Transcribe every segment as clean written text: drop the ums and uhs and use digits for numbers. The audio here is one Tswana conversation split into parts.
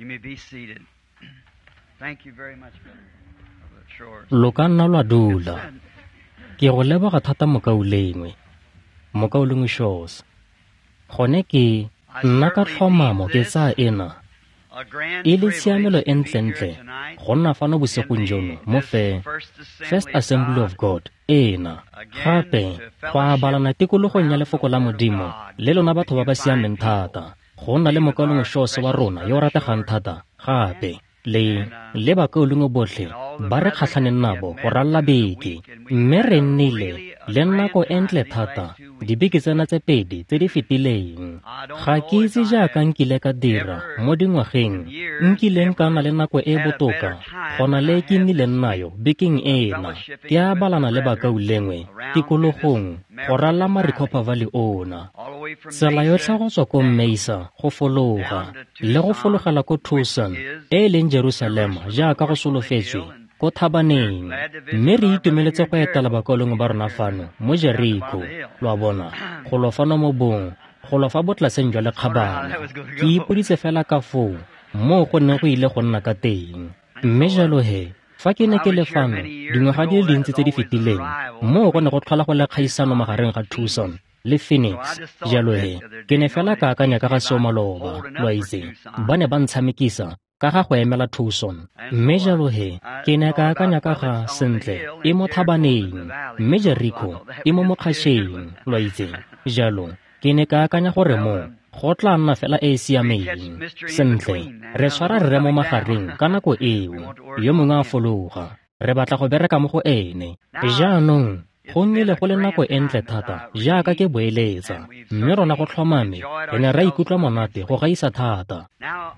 You may be seated. Thank you very much, Brother Shores. Lo ka nna lwa dula. Ke go leboga thata mokaulengwe. Mokaulengwe Shores. Gone ke nna ka tlhomamo ke tsaya ena e le tshiamelo e ntlentle go nna fano bosigong jono mo First Assembly of God ena. Gape go abalana tikologong ya lefoko la Modimo le lona batho ba ba siameng thata. Go nna le mokaulengwe Shores wa rona yo o rategang thata gape le bakaulengwe botlhe ba re kgatlhaneng nabo go ralla beke, mme re nnile le nako e ntle thata dibeke tsena tse pedi tse di fetileng. Ga ke itse jaaka nkile ka dira mo dingwageng nkileng ka nna le nako e botoka go na le ke nnileng nayo bekeng ena. Ke abalana le bakaulengwe tikologong go ralla Maricopa Valley ona, tsela yotlhe go tswa ko Mesa go fologa le go fologela ko Tucson e e leng Jerusalema jaaka go solofetswe ko thabaneng, mme re itumeletse go etela bakaulengwe ba rona fano mo Jericho. Lo a bona, go lo fano mo bong, go lo fa botlaseng jwa lekgabana. Ke ipoditse fela ka foo moo go neng go ile go nna ka teng. Mme jalo he, fa ke ne ke le fano dingwaga di le dintsi tse di fetileng, moo go ne go tlhola go le kgaisano magareng ga Tucson le Phoenix. Jalo he, ke ne fela ka akanya ka ga seo maloba, lo a itse, ba ne ba ntshamekisa ka ga go emela Tucson. Mme jalo he, ke ne ka akanya ka ga sentle e mo thabaneng, mme Jericho e mo mokgatšheng, lo a itse. Jalo ke ne ka akanya gore mo go tla nna fela e e siameng. Sentle, re tshwara rre mo magareng ka nako eo, yo mongwe a fologa, re batla go bereka mo go ene. Jaanong go nnile go le nako e ntle thata jaaka ke boeletsa, mme rona go tlhomame re ne ra ikutlwa monate go gaisa thata.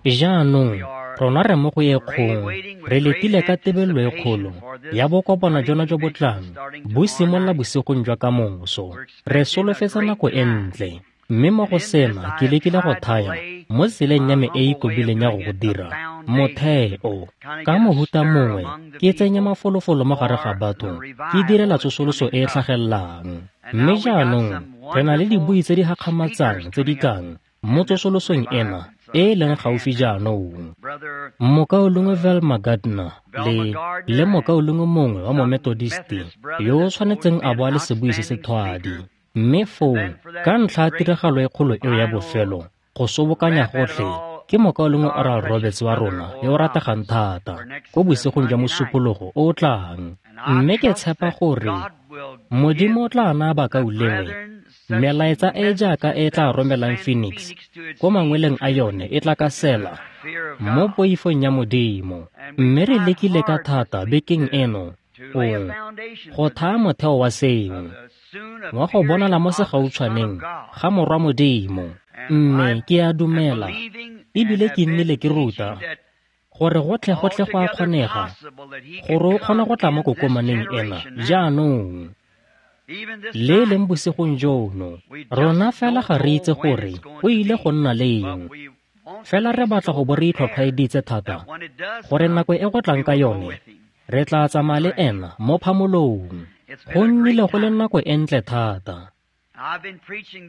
Jaanong rona re mo go e kgong, re letile ka tebelelo e kgolo ya bokopano jona jo bo tlang bo simolola bosigong jwa kamoso. Re solofetsa nako e ntle, mme mo go sena ke lekile go thaya mo tseleng ya me e e kobileng ya go go dira motheo ka mohuta mongwe, ke tsenye mafolofolo mo gare ga batho, ke direla tsosoloso e e tlhagellang. Mme jaanong re na le dibui tse di gakgamatsang tse di tlang mo tsosolosong ena e e leng gaufi jaanong. Mokaulengwe Velma Gardner le mokaulengwe mongwe wa Momethodisti yo o tshwanetseng a bo a le sebui se se thwadi. Mme foo ka ntlha ya tiragalo e kgolo eo ya bofelo, go sobokanya gotlhe ke mokaulengwe Oral Roberts wa rona yo o rategang thata ko bosigong jwa Mosupologo o o tlang. Mme ke tshepa gore Modimo o tla naya bakaulengwe melaetsa e jaaka e tla romelang Phoenix ko mangweleng a yone e tla ka sela mo poifong ya Modimo. Mme re lekile ka thata bekeng eno go thaya motheo wa seo, wa go bonala mo segautshwaneng ga Morwa Modimo. Mme ke a dumela ebile ke nnile ke ruta gore gotlhe gotlhe go a kgonega gore o kgona go tla mo kokomaneng ena jaanong le e leng bosigong jono. Rona fela ga re itse gore o ile go nna leng, fela re batla go bo re itlhwatlhwaeditse thata gore nako e go tlang ka yone re tla tsamaya le ena mo phamolong. Go nnile go le nako e ntle thata.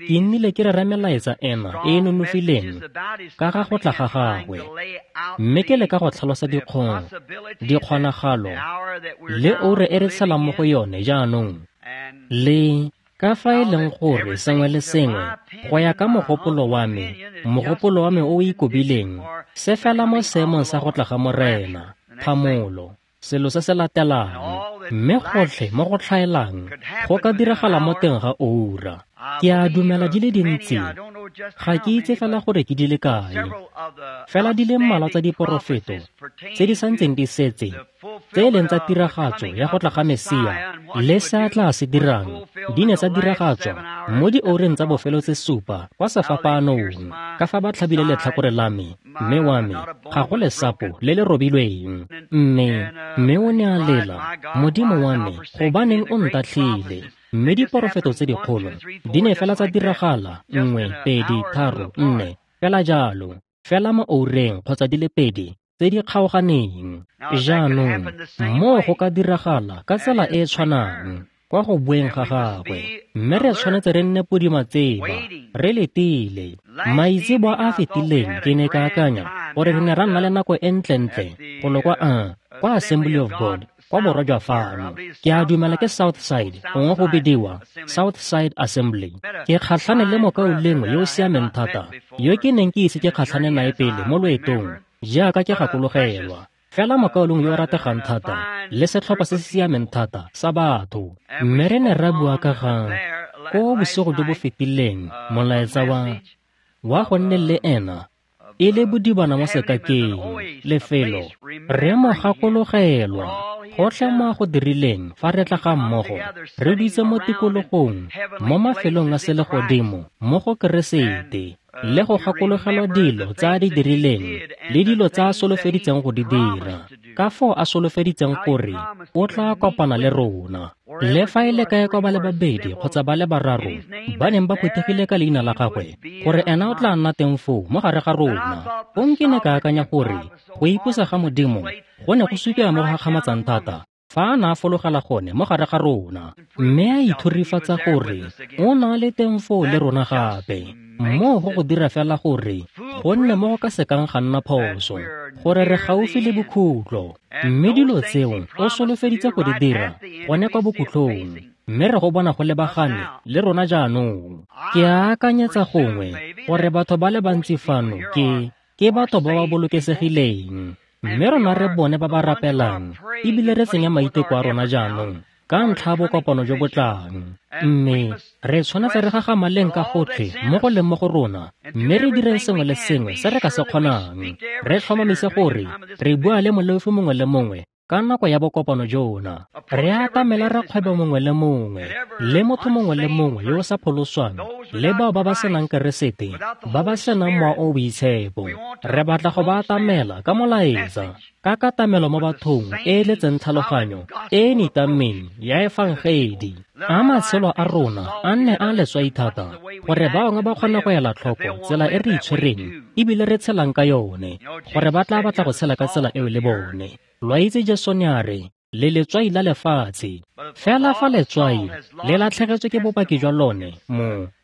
Ke nnile ke rera melaetsa ena e e nonofileng ka ga go tla ga gagwe, mme ke leka go tlhalosa dikgonagalo le ure e re tshelang mo go yone jaanong, le ka fa e leng gore sengwe le sengwe go ya ka mogopolo wa me o o ikobileng se fela mo seemong sa go tla ga Morena, phamolo, selo se se latelang, mme gotlhe mo go tlhaelang go ka diragala mo teng ga oura. Ke a dumela di le dintsi, ga ke itse fela gore ke di le kae, fela di le mmalwa tsa diporofeto tse di santseng di setse tse e leng tsa tiragatso ya go tla ga Mesia le se a tla se dirang di ne tsa diragatswa mo dioureng tsa bofelo tse 7 kwa sefapaanong, ka fa ba tlhabile letlhakore la me, mme wa me ga go lesapo le le robilweng. Mme o ne a lela, Modimo wa me, gobaneng o ntatlhile? Mme diporofeto tse dikgolo di ne fela tsa diragala 1, 2, 3, 4 fela jalo, fela mo oureng kgotsa di le pedi tse di kgaoganeng. Jaanong moo go ka diragala ka tsela e e tshwanang kwa go boeng ga gagwe, mme re tshwanetse re nne podimatseba, re letile. Maitseboa a a fetileng ke ne ka akanya gore re ne ra nna le nako e ntlentle golo kwa Assembly of God, kwa borwa jwa fano. Ke a dumela ke South Side, gongwe go bidiwa South Side Assembly. Ke kgatlhane le mokaulengwe yo o siameng thata, yo ke neng ke ise ke kgatlhane nae pele mo loetong, jaaka ke gakologelwa. Fela mokaulengwe yo o rategang thata, le setlhopha se se siameng thata sa batho. Mme re ne ra bua ka ga ko bosigo jo bo fetileng molaetsa wa go nne le ena e le bodibana mo sekakeng, lefelo re mo gakologelwa gotlhe mo a go dirileng fa re tla ga mmogo, re dutse mo tikologong mo mafelong a selegodimo mo go Keresete, le go gakologelwa dilo tse a di dirileng le dilo tse a solofeditseng go di dira, ka foo a solofeditseng gore o tla kopana le rona. Le fa e le kae kwa ba le babedi kgotsa ba le bararo ba neng ba phuthegile ka leina la gagwe, gore ena o tla nna teng foo mo gare ga rona. Fong ke ne ka akanya gore go ipusa ga Modimo go ne go supiwa mo go gakgamatsang thata fa a ne a fologela gone mo gare ga rona, mme a ithurifatsa gore o na le teng foo le rona gape. Moo go go dira fela gore go nne mo go ka sekang ga nna phoso, gore re gaufi le bokhutlo, mme dilo tseo o solofeditse go di dira gone kwa bokhutlong, mme re go bona go lebagane le rona jaanong. Ke a akanyetsa gongwe gore batho ba le bantsi fano ke batho ba ba bolokesegileng, mme rona re bone ba ba rapelang ebile re tsenya maiteko a rona jaanong ka ntlha ya bokopano jo bo tlang. Mme re tshwanetse re gagamaleng ka gotlhe mo go leng mo go rona, mme re direng sengwe le sengwe se re ka se kgonang, re tlhomamise gore re bua le moleofi mongwe le mongwe ka nako ya bokopano jona. Re atamela rakgwebo mongwe le mongwe, le motho mongwe le mongwe yo o sa pholoswang, le bao ba ba senang Keresete, ba ba senang Mowa o o Boitshepo. Re batla go ba atamela ka molaetsa, ka katamelo mo bathong e e letseng tlhaloganyo e e nitameng ya efangedi. A matshelo a rona a nne a letswai thata, gore ba bangwe ba kgone go ela tlhoko tsela e re itshwereng ebile re tshelang ka yone, gore ba tla batla go tshela ka tsela eo le bone. Lo a itse Jesu ne a re, le letswai la lefatshe. Fela fa letswai le latlhegetswe ke bopaki jwa lone,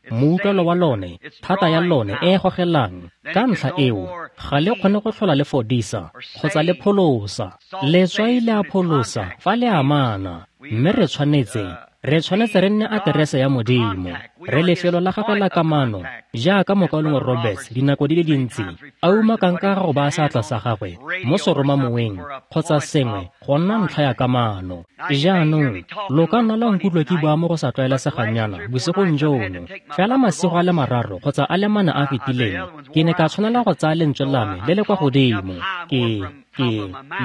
moutlwelo wa lone, thata ya lone e e gogelang, ka ntlha eo ga le kgone go tlhola le fodisa kgotsa le pholosa. Letswai le a pholosa fa le amana, mme re tshwanetse re nne aterese ya Modimo, re lefelo la gagwe la kamano, jaaka mokaulengwe Roberts dinako di le dintsi a umakang ka go baya seatla sa gagwe mo seromamoweng kgotsa sengwe go nna ntlha ya kamano. Jaanong lo ka nna la nkutlwa ke bua mo go sa tlwaelesegangnyana bosigong jono, fela masigo a le mararo kgotsa a le mane a fetileng ke ne ka tshwanela go tsaya lentswe la me le le kwa godimo, ke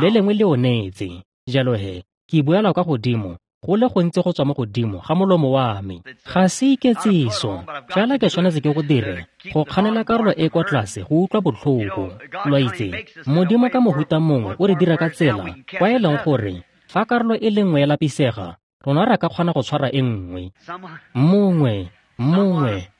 le lengwe le onetse. Jalo he ke buela kwa godimo go le gontsi go tswa mo godimo ga molomo wa me. Ga se iketsiso, fela ke tshwanetse ke go dire go kganela karolo e kwa tlase go utlwa botlhoko. Lo a itse, Modimo ka mohuta mongwe o re dira ka tsela kwa e leng gore fa karolo e le nngwe ya lapisega, rona re ka kgona go tshwara e nngwe. Mongwe,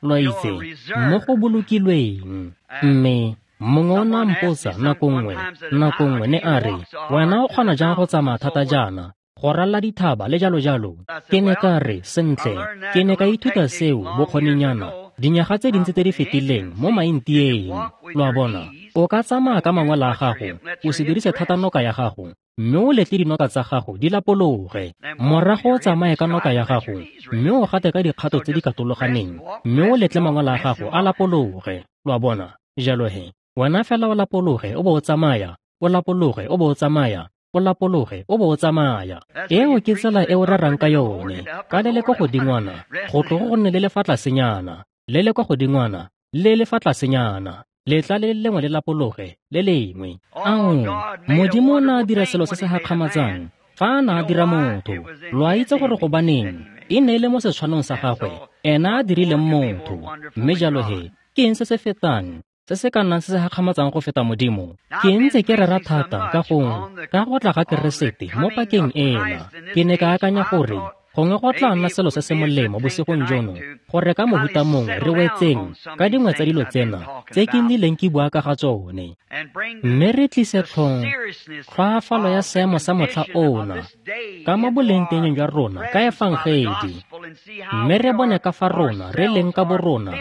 lo a itse, mo go bolokilweng. Mme mongwe o ne a mpotsa nako nngwe ne a re, wena o kgona jang go tsamaya thata jaana, go ralla dithaba le jalo jalo? Ke ne ka re, sentle, ke ne ka ithuta seo bokgoninyana dinyaga tse dintsi tse di fetileng mo maintieng. Lo a bona, o ka tsamaya ka mangwele a gago, o se dirise thata noka ya gago, mme o letle dinoka tsa gago di lapologe. Morago o tsamaye ka noka ya gago, mme o gate ka dikgato tse di katologaneng, mme o letle mangwele a gago a lapologe. Lo a bona, jalo he, wena fela o lapologe o bo o tsamaya, o lapologe o bo o tsamaya, o lapologe o bo o tsamaya. Eo ke tsela e o rerang ka yone, ka le le kwa godingwana, go tlogo go nne le le fa tlasenyana, le le kwa godingwana, le le fa tlasenyana, letla le lengwe le lapologe le lengwe. Ao, Modimo o ne a dira selo se se gakgamatsang fa a ne a dira motho. Lo a itse gore gobaneng e ne e le mo setshwanong sa gagwe ena a dirileng motho. Mme jalo he, ke eng se se fetang se se ka nnang se se gakgamatsang go feta Modimo? Ke ntse ke rera thata ka go tla ga Keresete mo pakeng ena. Ke ne ka akanya gore gongwe go tla nna selo se se molemo bosigong jono, gore ka mohuta mongwe re wetseng ka dingwe tsa dilo tsena tse ke nnileng ke bua ka ga tsone, mme re tlise tlhoafalo ya seemo sa motlha ona ka mo bolengteng jwa rona ka efangedi, mme re bone ka fa rona re leng ka borona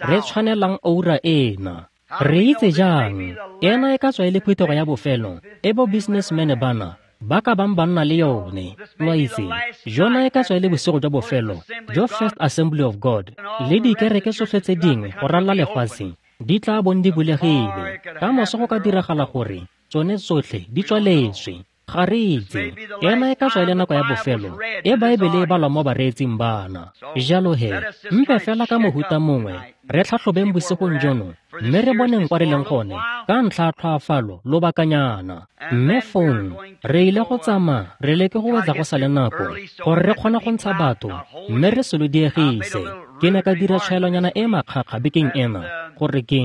re tshwanelang oura ena. Re itse jang ena e ka tswa e le phuthego ya bofelo e bo businessman bana ba ka bang ba nna le yone. Lo a itse, jona e ka tswa e le bosigo jwa bofelo jo First Assembly of God le dikereke tsotlhe tse dingwe go ralala lefatshe di tla bong di bulegile. Ka moso go ka diragala gore tsone tsotlhe di tswaletswe. Ga re itse, ena e ka tswa e le nako ya bofelo e Baebele e balwa mo bareetsing bana. Jalo he, mpe fela ka mohuta mongwe re tlhatlhobeng bosigong jono mme re boneng kwa re leng gone ka ntlha ya tlhoafalo lobakanyana. Mme fong re ile go tsamaya re leke go wetsa go sa le nako gore re kgone go ntsha batho mme re se lo diegise. Ke ne ka dira tshwaelonyana e makgakga bekeng ena gore ke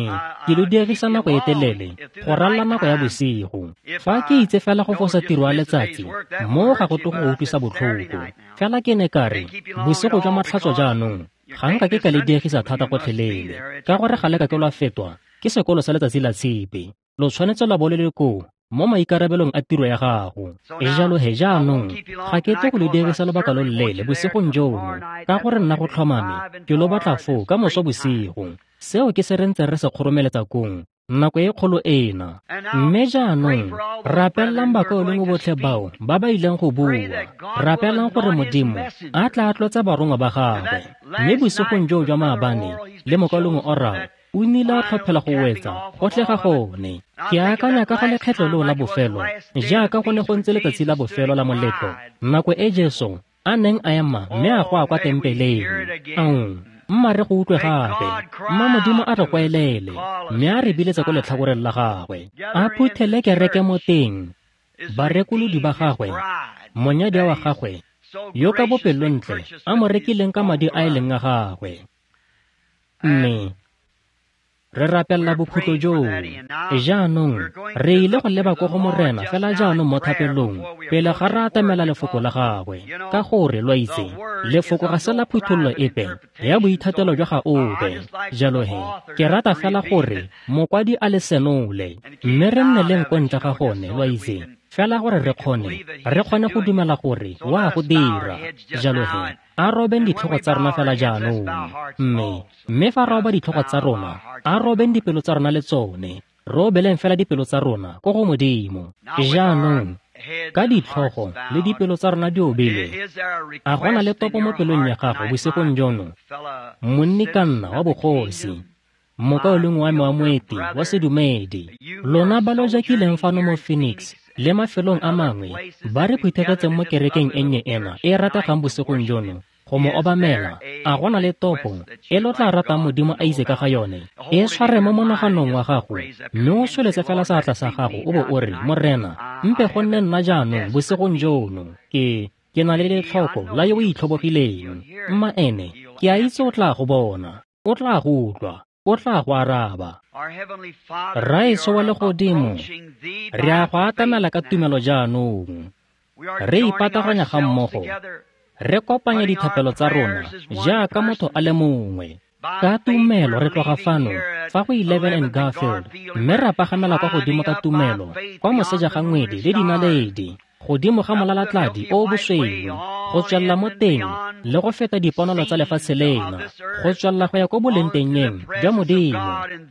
lo diegisa nako e telele go ralala nako ya bosigo. Fa ke itse fela go fosa tiro ya letsatsi mo ga go tlo go utlwisa botlhoko. Fela ke ne ka re bosigo jwa matlhatso jaanong ga nka ke ka le diegisa thata gotlhelele, ka gore ga le ka ke lwa fetwa ke sekolo sa letsatsi la tshipi. Lo tshwanetse lwa bo le le koo mo maikarabelong a tiro ya gago. Jalo he jaanong ga ke tle go le diegisa lobaka lo loleele bosigong jono, ka gore nna go tlhomame ke lo batla foo ka moso bosigo. Seo ke se re ntseng re se kgoromeletsa kong nako e kgolo ena. Mme jaanong rapelelang bakaulengwe botlhe bao ba ba ileng go bua. Rapelang gore Modimo a tla tlotsa barongwa ba gagwe. Mme bosigong joo jwa maabane le mokaulengwe Oral o nnile a tlhophela go wetsa gotlhe ga gone. Ke akanya ka ga lekgetlho leo la bofelo, jaaka go ne go ntse letsatsi la bofelo la moletlo, nako e Jesu a neng a ema mme a goa kwa tempeleng. Mma re go utlwe gape, mma Modimo a re kwaelele mme a re biletsa ko letlhakoreng la gagwe, a phuthele kereke mo teng, barekolodi ba gagwe, monyadiwa wa gagwe yo ka bopelontle a mo rekileng ka madi a e leng a gagwe. Mme re rapelela bokhutlo joo. Jaanong re ile go leba ko go Morena fela jaanong mo thapelong pele ga re atamela lefoko la gagwe, ka gore lo a itse lefoko ga se la phuthololo epe ya boithatelo jwa ga ope. Jalo he ke rata fela gore mokwadi a le senole mme re nne le nko ntle ga gone, lo a itse, fela gore re kgone go dumela gore wa go dira. Jalo he a robeng ditlhogo tsa rona fela jaanong, mme fa roba ditlhogo tsa rona, a robeng dipelo tsa rona le tsone, re obeleng fela dipelo tsa rona ko go Modimo. Jaanong ka ditlhogo le dipelo tsa rona di obile, a go na le topo mo pelong ya gago bosigong jono, monni ka nna wa bogosi, mokaulengwe wa me wa moeti wa sedumedi, lona ba lo jakileng fano mo Phoenix le mafelong a mangwe ba re phuthegetseng mo kerekeng e nnye ena e rategang bosigong jono go mo obamela, a go na le topo e lo tla ratang Modimo a itse ka ga yone? E tshware mo monaganong wa gago mme o tsholetse fela seatla sa gago o bo o re, Morena, mpe go nne nna jaanong bosigong jono, ke na le letlhoko la yo o itlhobogileng. Mma ene ke a itse o tla go bona, o tla go utlwa, o tla go araba. Rraetsho wa legodimo, re a go atamela ka tumelo jaanong. Re ipataganya ga mmogo, re kopanya dithapelo tsa rona jaaka motho a le mongwe. Ka tumelo re tloga fano fa go 11 and Garfield mme ra pagamela kwa godimo ka tumelo kwa moseja ga ngwedi le dinaledi, godimo ga molalatladi o bosweu, go tswelela mo teng le go feta diponolo tsa lefatshe lena, go tswelela go ya ko bolengtengeng jwa Modimo.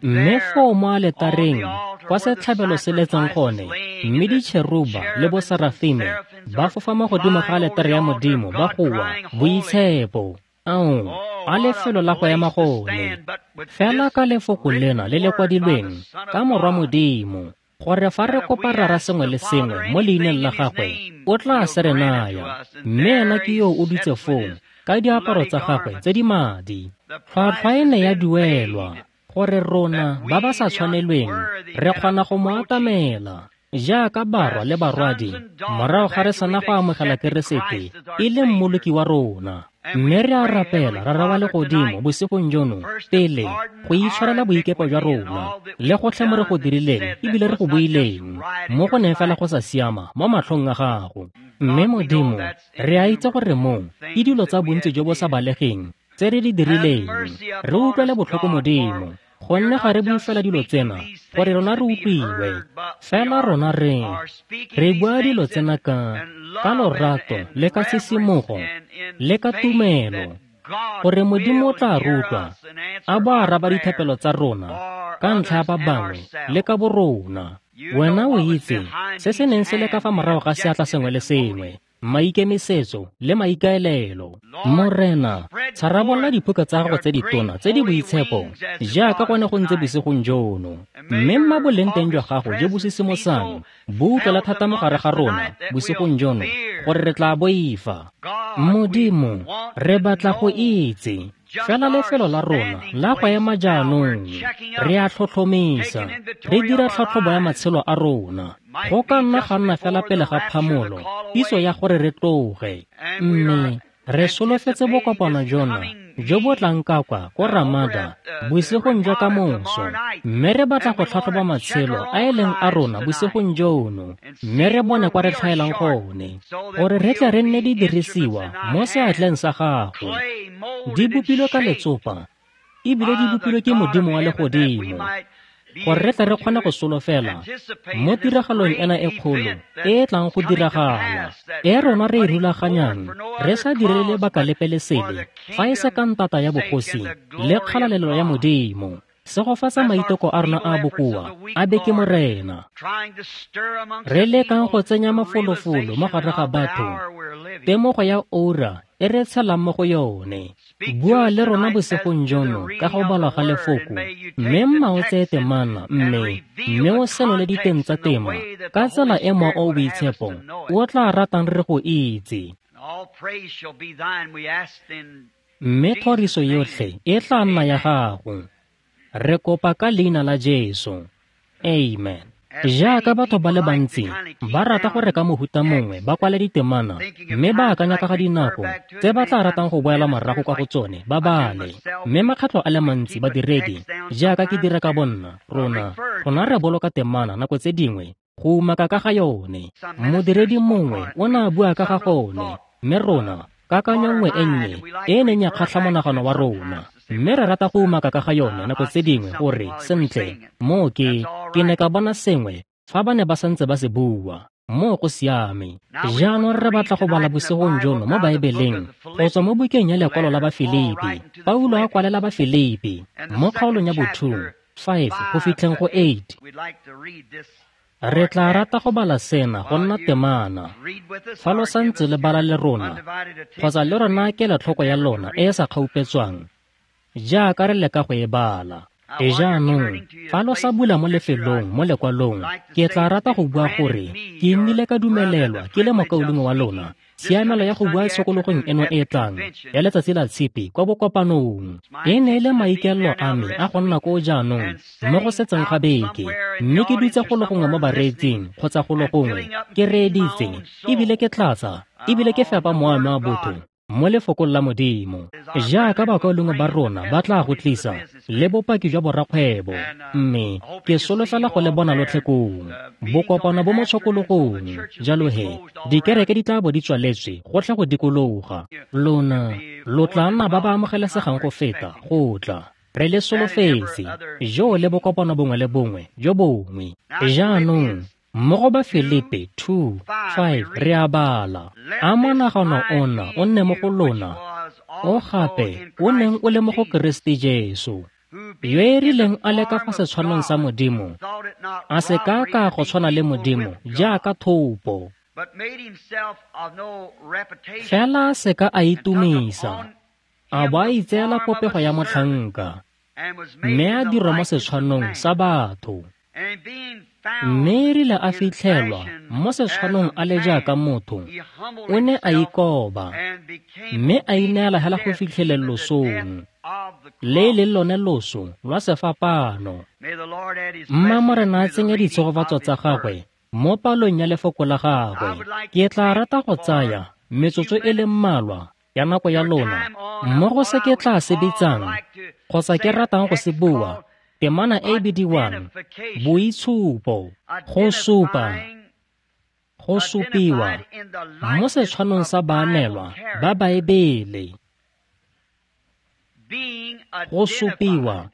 Mme foo mo aletareng kwa setlhabelo se letseng gone, mme ditšheruba le boserafime ba fofa mo godimo ga aletare ya Modimo ba goa, boitshepo. Ao, a lefelo la go ema gone. Fela ka lefoko lena le le kwadilweng ka Morwa Modimo, gore fa re kopa Rara sengwe le sengwe mo leineng la gagwe, o tla se re naya. Mme ena ke yo o dutse foo ka diaparo tsa gagwe tse di madi. Tlhwatlhwa e ne ya duelwa gore rona ba ba sa tshwanelweng re kgona go mo atamela jaaka barwa le barwadi morago ga re sena go amogela Keresete e le mmoloki wa rona. Mme re a rapela Rara wa legodimo bosigong jono pele go itshwarela boikepo jwa rona le gotlhe mo re go dirileng ebile re go buileng mo go neng fela go sa siama mo matlhong a gago. Mme Modimo, re a itse gore mo ke dilo tsa bontsi jo bo sa balegeng tse re di dirileng. Re utlwele botlhoko Modimo, gonne ga re bue fela dilo tsena gore rona re utlwiwe, fela rona re bua dilo tsena ka lorato le ka sisimogo le ka tumelo, gore Modimo o tla rutlwa a bo araba dithapelo tsa rona ka ntlha ya ba bangwe le ka borona. Wena o itse se se neng se le ka fa morago ga seatla sengwe le sengwe, maikemisetso le maikaelelo. Morena, tsharabolla diphuka tsa gago tse ditona tse di boitshepo jaaka gone go ntse bosigong jono, mme mma boleng teng jwa gago jo bo sisimosang bo utlwela thata mo gare ga rona bosigong jono gore re tla boifa. Modimo, re batla go itse fela lefelo la rona la go ema jaanong. Re a tlhotlhomisa, re dira tlhatlhobo ya matshelo a rona. Go ka nna ga nna fela pele ga phamolo pitso ya gore re tloge, mme re solofetse bokopano jona jo bo tlang ka kwa ko Ramada bosigong jwa ka moso, mme re batla go tlhatlhoba matshelo a e leng a rona bosigong jono, mme re bone kwa re tlhaelang gone, gore re tle re nne di dirisiwa mo seatleng sa gago. Di bopilwe ka letsopa ebile di bopilwe ke Modimo wa legodimo, gore re tle re kgone go solofela mo tiragalong ena e kgolo e e tlang go diragala, e rona re e rulaganyang re sa direle lebaka lepe le sele fa e se ka ntata ya bogosi le kgalalelo ya Modimo. Segofatsa maiteko a rona a bokoa a be ke Morena. Re lekang go tsenya mafolofolo mo gare ga batho temogo ya ura e re tshelang mo go yone. Bua le rona bosigong jono ka go balwa ga lefoko, mme mma o tseye temana mme o senole diteng tsa tema ka tsela e Mowa o o Boitshepo o tla ratang re go itse. Mme thoriso yotlhe e tla nna ya gago. Re kopa ka leina la Jesu. Amen. Jaaka batho ba le bantsi ba rata gore ka mohuta mongwe ba kwale ditemana mme ba akanya ka ga dinako tse ba tla ratang go boela morago kwa go tsone ba bale. Mme makgetlho a le mantsi badiredi, jaaka ke dira ka bonna, rona re boloka temana nako tse dingwe go umaka ka ga yone. Modiredi mongwe o ne a bua ka ga gone, mme rona kakanyo nngwe e nnye e neng ya kgatlha monagano wa rona, mme re rata go umaka ka ga yone nako tse dingwe gore sentle moo ke ne ka bona sengwe fa ba ne ba santse ba se bua. Moo go siame. Jaanong re batla go bala bosigong jono mo Baebeleng go tswa mo bukeng ya lekwalo la Bafilipi. Paulo a kwalela Bafilipi mo kgaolong ya bo 2, 5 go fitlheng go 8. Re tla rata go bala sena go nna temana. Fa lo santse le bala le rona, kgotsa le rona kelotlhoko ya lona e e sa kgaupetswang jaaka re leka go e bala. Jaanong, fa lo sa bula mo lefelong mo lekwalong, ke tla rata go bua gore ke nnile ka dumelelwa ke le mokaulengwe wa lona tshiamelo ya go bua tshokologong eno e tlang ya letsatsi la Tshipi kwa bokopanong. E ne e le maikaelelo a me a go nna koo jaanong mo go setseng ga beke, mme ke dutse go le gongwe mo bareetsing kgotsa go le gongwe ke reeditse ebile ke tlatsa ebile ke fepa mowa wa botho mo lefokong la Modimo, jaaka bakaulengwe ba rona ba tla go tlisa le bopaki jwa borakgwebo. Mme ke solofela go le bona lotlhe koo bokopano bo mo tshokologong. Jalo he dikereke di tla bo di tswaletswe gotlhe go dikologa. Lona lo tla nna ba ba amogelesegang go feta go tla. Re le solofetse jo le bokopano bongwe le bongwe jo bongwe. Jaanong mo go Bafilipi 2:5 re a bala, a monagano ona o nne mo go lona o gape o neng o le mo go Keresete Jesu, yo e rileng a le ka fa setshwanong sa Modimo, a se ka ka go tshwana le Modimo jaaka thopo, fela a se ka a itumisa, a bo a itseela popego ya motlhanka, mme a dirwa mo setshwanong sa batho. Mme e rile a fitlhelwa mo setshwanong a le jaaka motho, o ne a ikoba mme a ineela hela go fitlheleng losong, le e leng lone loso lwa sefapano. Mma Morena a tsenye ditshegofatso tsa gagwe mo palong ya lefoko la gagwe. Ke tla rata go tsaya metsotso e le mmalwa ya nako ya lona mo go se ke tla se bitsang kgotsa ke ratang go se bua, temana e bidiwang boitshupo, go supa, go supiwa mo setshwanong sa baanelwa ba Baebele. Go supiwa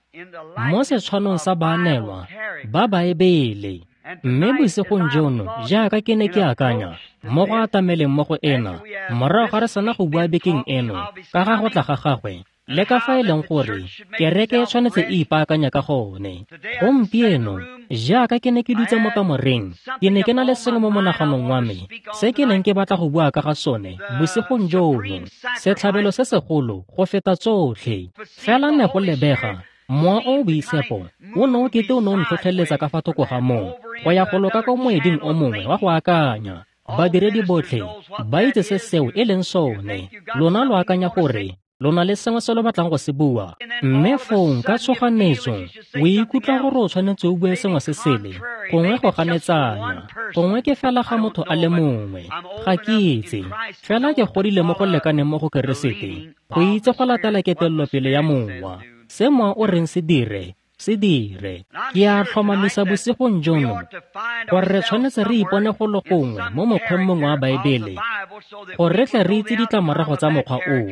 mo setshwanong sa baanelwa ba Baebele. Mme bosigong jono, jaaka ke ne ke akanya, mo go atameleng mo go ena, morago ga re sena go bua bekeng eno, ka ga go tla ga gagwe, le ka fa e leng gore kereke e tshwanetse e ipaakanya ka gone. Gompieno, jaaka ke ne ke dutse mo kamoreng, ke ne ke na le sengwe mo monaganong wa me, se ke neng ke batla go bua ka ga sone bosigong jono, setlhabelo se segolo go feta tsotlhe. Fela ne go lebega Mowa o o Boitshepo o ne o kete o ne o ntlhotlheletsa ka fa thoko ga moo go ya go loka ko moeding o mongwe wa go akanya. Badiredi botlhe ba itse se seo e leng sone. Lona lo akanya gore lo na le sengwe se lo batlang go se bua, mme fong ka tshoganetso o ikutlwa gore o tshwanetse o bue sengwe se sele, gongwe go ganetsanya, gongwe ke fela ga motho a le mongwe. Ga ke itse, fela ke godile mo go lekaneng mo go Keresete go itse go latela ketelelopele ya Mowa. Se Mowa o reng se dire, se dire. Ke a tlhomamisa bosigong jono gore re tshwanetse re ipone go le gongwe mo mokgweng mongwe wa Baebele, gore re tle re itse ditlamorago tsa mokgwa oo,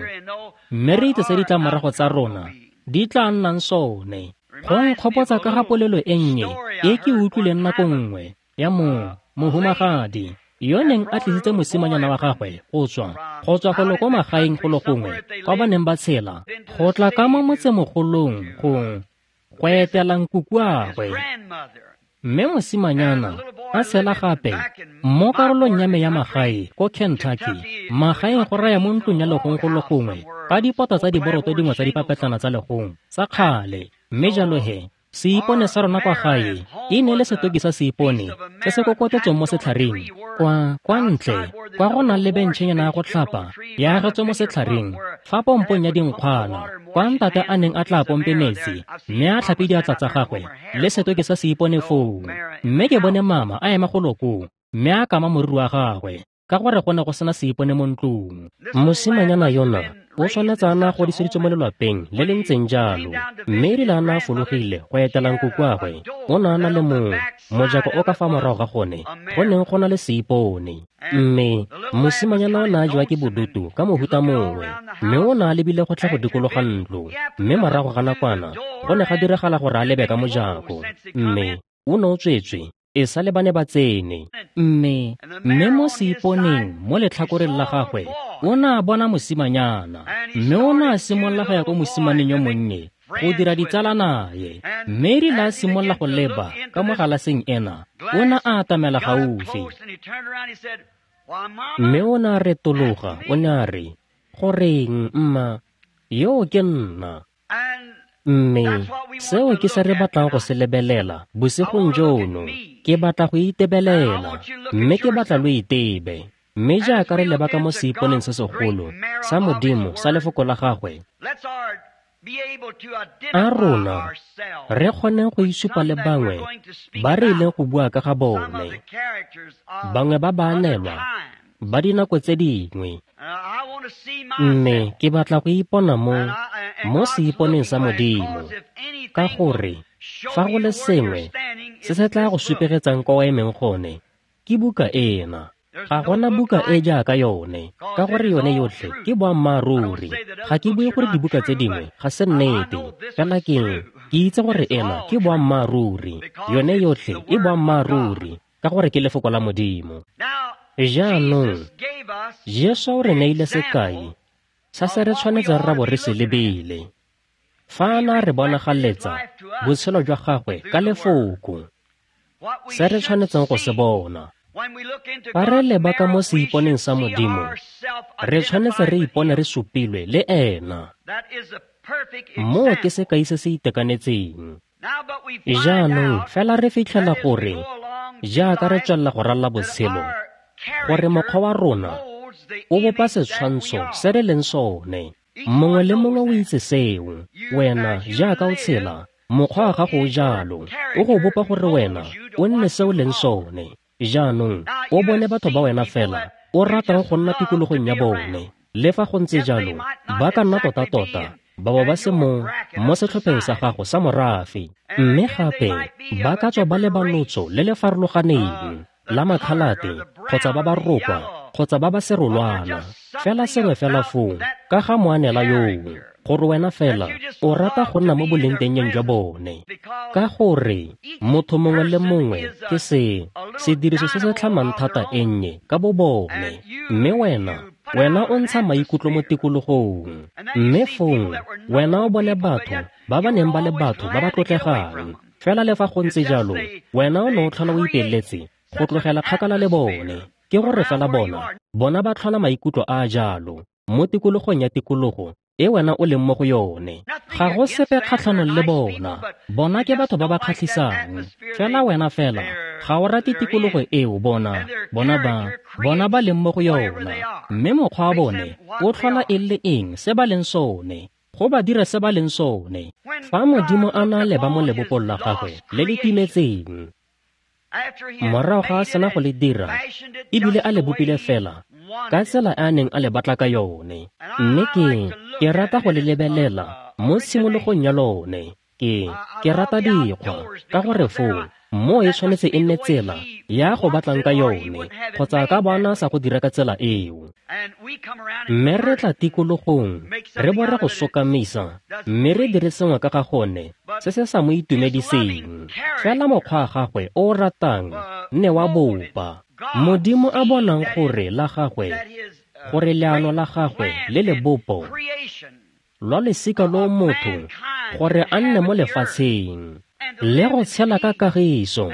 mme re itse se ditlamorago tsa rona di tla nnang sone. Go nkgopotsa ka ga polelo e nnye e ke utlwileng nako nngwe ya mohumagadi yo neng a tlisitse mosimanyana wa gagwe go tswa golo ko magaeng go le gongwe kwa ba neng ba tshela, go tla ka mo motsemogolong go etela nkukuagwe. Mme mosimanyana a tshela gape mo karolong ya me ya magae ko Kentucky, magaeng go raya mo ntlong ya legong go le gongwe ka dipota tsa diboroto dingwe tsa dipapetlana tsa legong tsa kgale. Mme jalo he, seipone sa rona kwa gae e ne le setoki sa seipone se se kokotetsweng mo setlhareng kwa ntle kwa go nang le bentšhenyana ya go tlhapa ya agetswe mo setlhareng fa pompong ya dinkgwana, kwa ntate a neng a tla pompe metsi mme a tlhape diatla tsa gagwe le setoki sa seipone foo. Mme ke bone mama a ema golo koo mme a kama moriri wa gagwe ka gore go ne go sena seipone mo ntlong. Mosimanyana yona o tshwanetse a na godiseditswe mo lelwapeng le le ntseng jalo, mme erile a na a fologile go etela nkukuagwe, o ne a na le mojako o ka fa morago ga gone go neng go na le seipone. Mme mosimanyana o ne a jewa ke bodutu ka mohuta mongwe, mme o ne a lebile go tla go dikologa ntlo. Mme morago ga nakwana go ne ga diragala gore a lebe ka mojako, mme o ne o tswetswe e sa le ba ne ba tsene. Mme mo seiponeng mo letlhakoreng la gagwe o ne a bona mosimanyana, mme o ne a simolola go ya ko mosimaneng yo monnye go dira ditsala naye. Mme erile a simolola go leba ka mo galaseng ena, o ne a atamela gaufi, mme o ne a retologa, o ne a re, "Goreng mma, yo ke nna." Mme seo ke se re batlang go se lebelela bosigong jono. Ke batla go itebelela, mme ke batla lo itebe. Mme jaaka re leba ka mo seiponeng se segolo sa Modimo sa lefoko la gagwe, a rona re kgoneng go isupa le bangwe ba re ileng go bua ka ga bone, bangwe ba baanelwa ba dinako tse dingwe. Mme ke batla go ipona mo seiponeng sa Modimo, ka gore fa go le sengwe se se tla go supegetsang kwa o emeng gone, ke buka ena. Ga gona buka e jaaka yone, ka gore yone yotlhe ke boammaaruri. Ga ke bue gore dibuka tse dingwe ga se nnete, fela ke itse gore ena ke boammaaruri. Yone yotlhe e boammaaruri, ka gore ke lefoko la Modimo. Jaanong, Jesu o re neile sekai sa se re tshwanetseng ra bo re se lebile fa a na re bonagaletsa botshelo jwa gagwe ka lefoko, se re tshwanetseng go se bona. Fa re leba ka mo seiponeng sa Modimo, re tshwanetse re ipone re supilwe le ena. Moo ke sekai se se itekanetseng. Jaanong fela re fitlhela gore jaaka re tswelela go ralala botshelo, gore mokgwa wa rona o bopa setshwantsho se re leng sone. Mongwe le mongwe o itse seo. Wena jaaka o tshela, mokgwa wa gago o jalo, o go bopa gore wena o nne se o leng sone. Jaanong o bone batho ba wena fela o ratang go nna tikologong ya bone. Le fa go ntse jalo, ba ka nna tota-tota ba bo ba se mo setlhopheng sa gago sa morafe, mme gape ba ka tswa ba le ba lotso le le farologaneng la makhalate, kgotsa ba ba rokwa, kgotsa ba ba serolwana, fela sengwe fela foo ka ga moanela yoo. gore wena fela o rata go nna mo bolengtengeng jwa bone. Ka gore motho mongwe le mongwe ke se sediriso se se tlhamang thata e nnye ka bo bone, mme wena o ntsha maikutlo mo tikologong. Mme fong wena o bone batho ba ba neng ba le batho ba ba tlotlegang, fela le fa go ntse jalo wena o ne o tlhola o ipeletse go tlogela kgakala le bone. Ke gore fela bona ba tlhola maikutlo a a jalo mo tikologong ya tikologo e wena o leng mo go yone. Ga go sepe kgatlhanong le bona, bona ke batho ba ba kgatlhisang, fela wena fela ga o rate tikologo eo bona ba leng mo go yona. Mme mokgwa wa bone o tlhola e le eng se ba leng sone, go ba dira se ba leng sone. Fa Modimo a na leba mo lebopong la gagwe le le timetseng, morago ga a sena go le dira ebile a le bopile fela ka tsela a neng a le batla ka yone. Mme ke rata go le lebelela mo tshimologong ya lone. Ke rata dikgwa ka gore foo mo e tshwanetse e nne tsela ya go batlang ka yone, kgotsa ka bona sa go dira ka tsela eo. Mme re tla tikologong re bo re go sokamisa, mme re dire sengwe ka ga gone se se sa mo itumediseng. Fela mokgwa wa gagwe o o ratang ne wa bopa. Modimo a bonang gore la gagwe, gore leano la gagwe le lebopo lwa losika lo motho gore a nne mo lefatsheng le go tshela ka kagiso,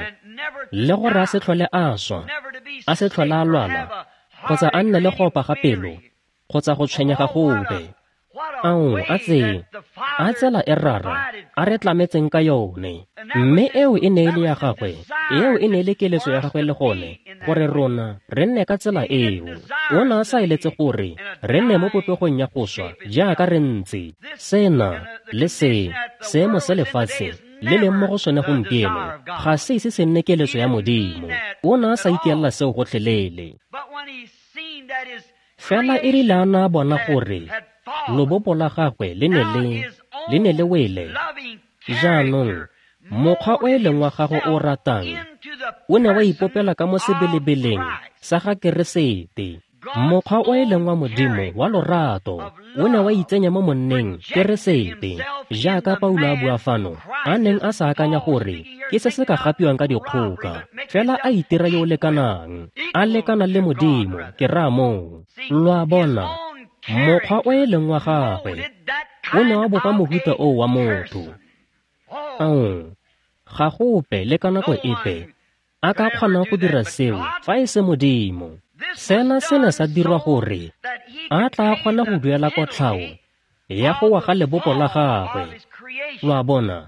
le gore a se tlhole a swa, a se tlhole a lwala, kgotsa a nne le go opa ga pelo, kgotsa go tshwenyega gope. Ao, a tsela e Rara a re tlametseng ka yone. Mme eo e ne e le ya gagwe, eo e ne e le keletso ya gagwe le gone, gore rona re nne ka tsela eo. O ne a sa eletse gore re nne mo popegong ya go swa jaaka re ntse. Sena le se seemo se lefatshe le leng mo go sone gompieno ga se ise se nne keletso ya Modimo. O ne a sa ikelela seo gotlhelele. Fela e rile a na a bona gore lobopo la gagwe le ne le wele, jaanong mokgwa o e leng wa gagwe o ratang o ne wa ipopela ka mo sebelebeleng sa ga Keresete. Mokgwa o e leng wa Modimo wa lorato o ne wa itsenya mo monneng Keresete, jaaka Paulo a bua fano, a neng a sa akanya gore ke se se ka gapiwang ka dikgoka, fela a itira yo o lekanang, a lekana le Modimo, ke raya moo. Lo a bona, mokgwa o e leng wa gagwe o ne wa bopa mohuta oo wa motho. Ao, ga go ope le ka nako epe a ka kgonang go dira seo fa e se Modimo. Sena se ne sa dirwa gore a tla kgona go duela kotlhao ya go wa ga lebopo la gagwe. Lo a bona,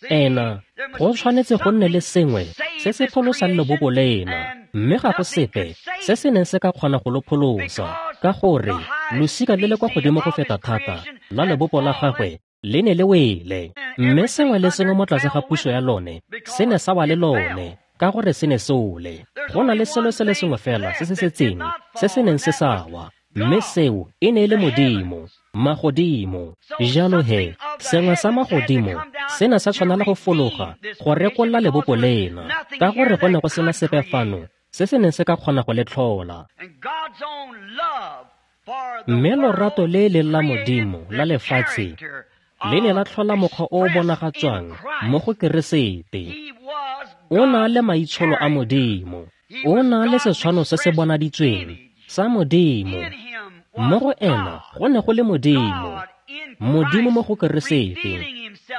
ena go tshwanetse go nne le sengwe se se pholosang lebopo lena, mme ga go sepe se se neng se ka kgona go lo pholosa, ka gore losika le le kwa godimo go feta thata la lebopo la gagwe le ne le wele, mme sengwe le sengwe mo tlase ga puso ya lone se ne sa wa le lone, ka gore se ne se ole. Go na le selo se le sengwe fela se se setseng se se neng se sa wa, mme seo e ne e le Modimo, magodimo. Jalo he, sengwe sa magodimo se ne sa tshwanela go fologa go rekolola lebopo lena, ka gore go ne go sena sepe fano se se neng se ka kgona go le tlhola. Mme lorato le leng la Modimo la lefatshe le ne la tlhola mokgwa o o bonagatswang mo go Keresete. O na le maitsholo a Modimo, o na le setshwano se se bonaditsweng sa Modimo. Mo go ena go ne go le Modimo, Modimo mo go Keresete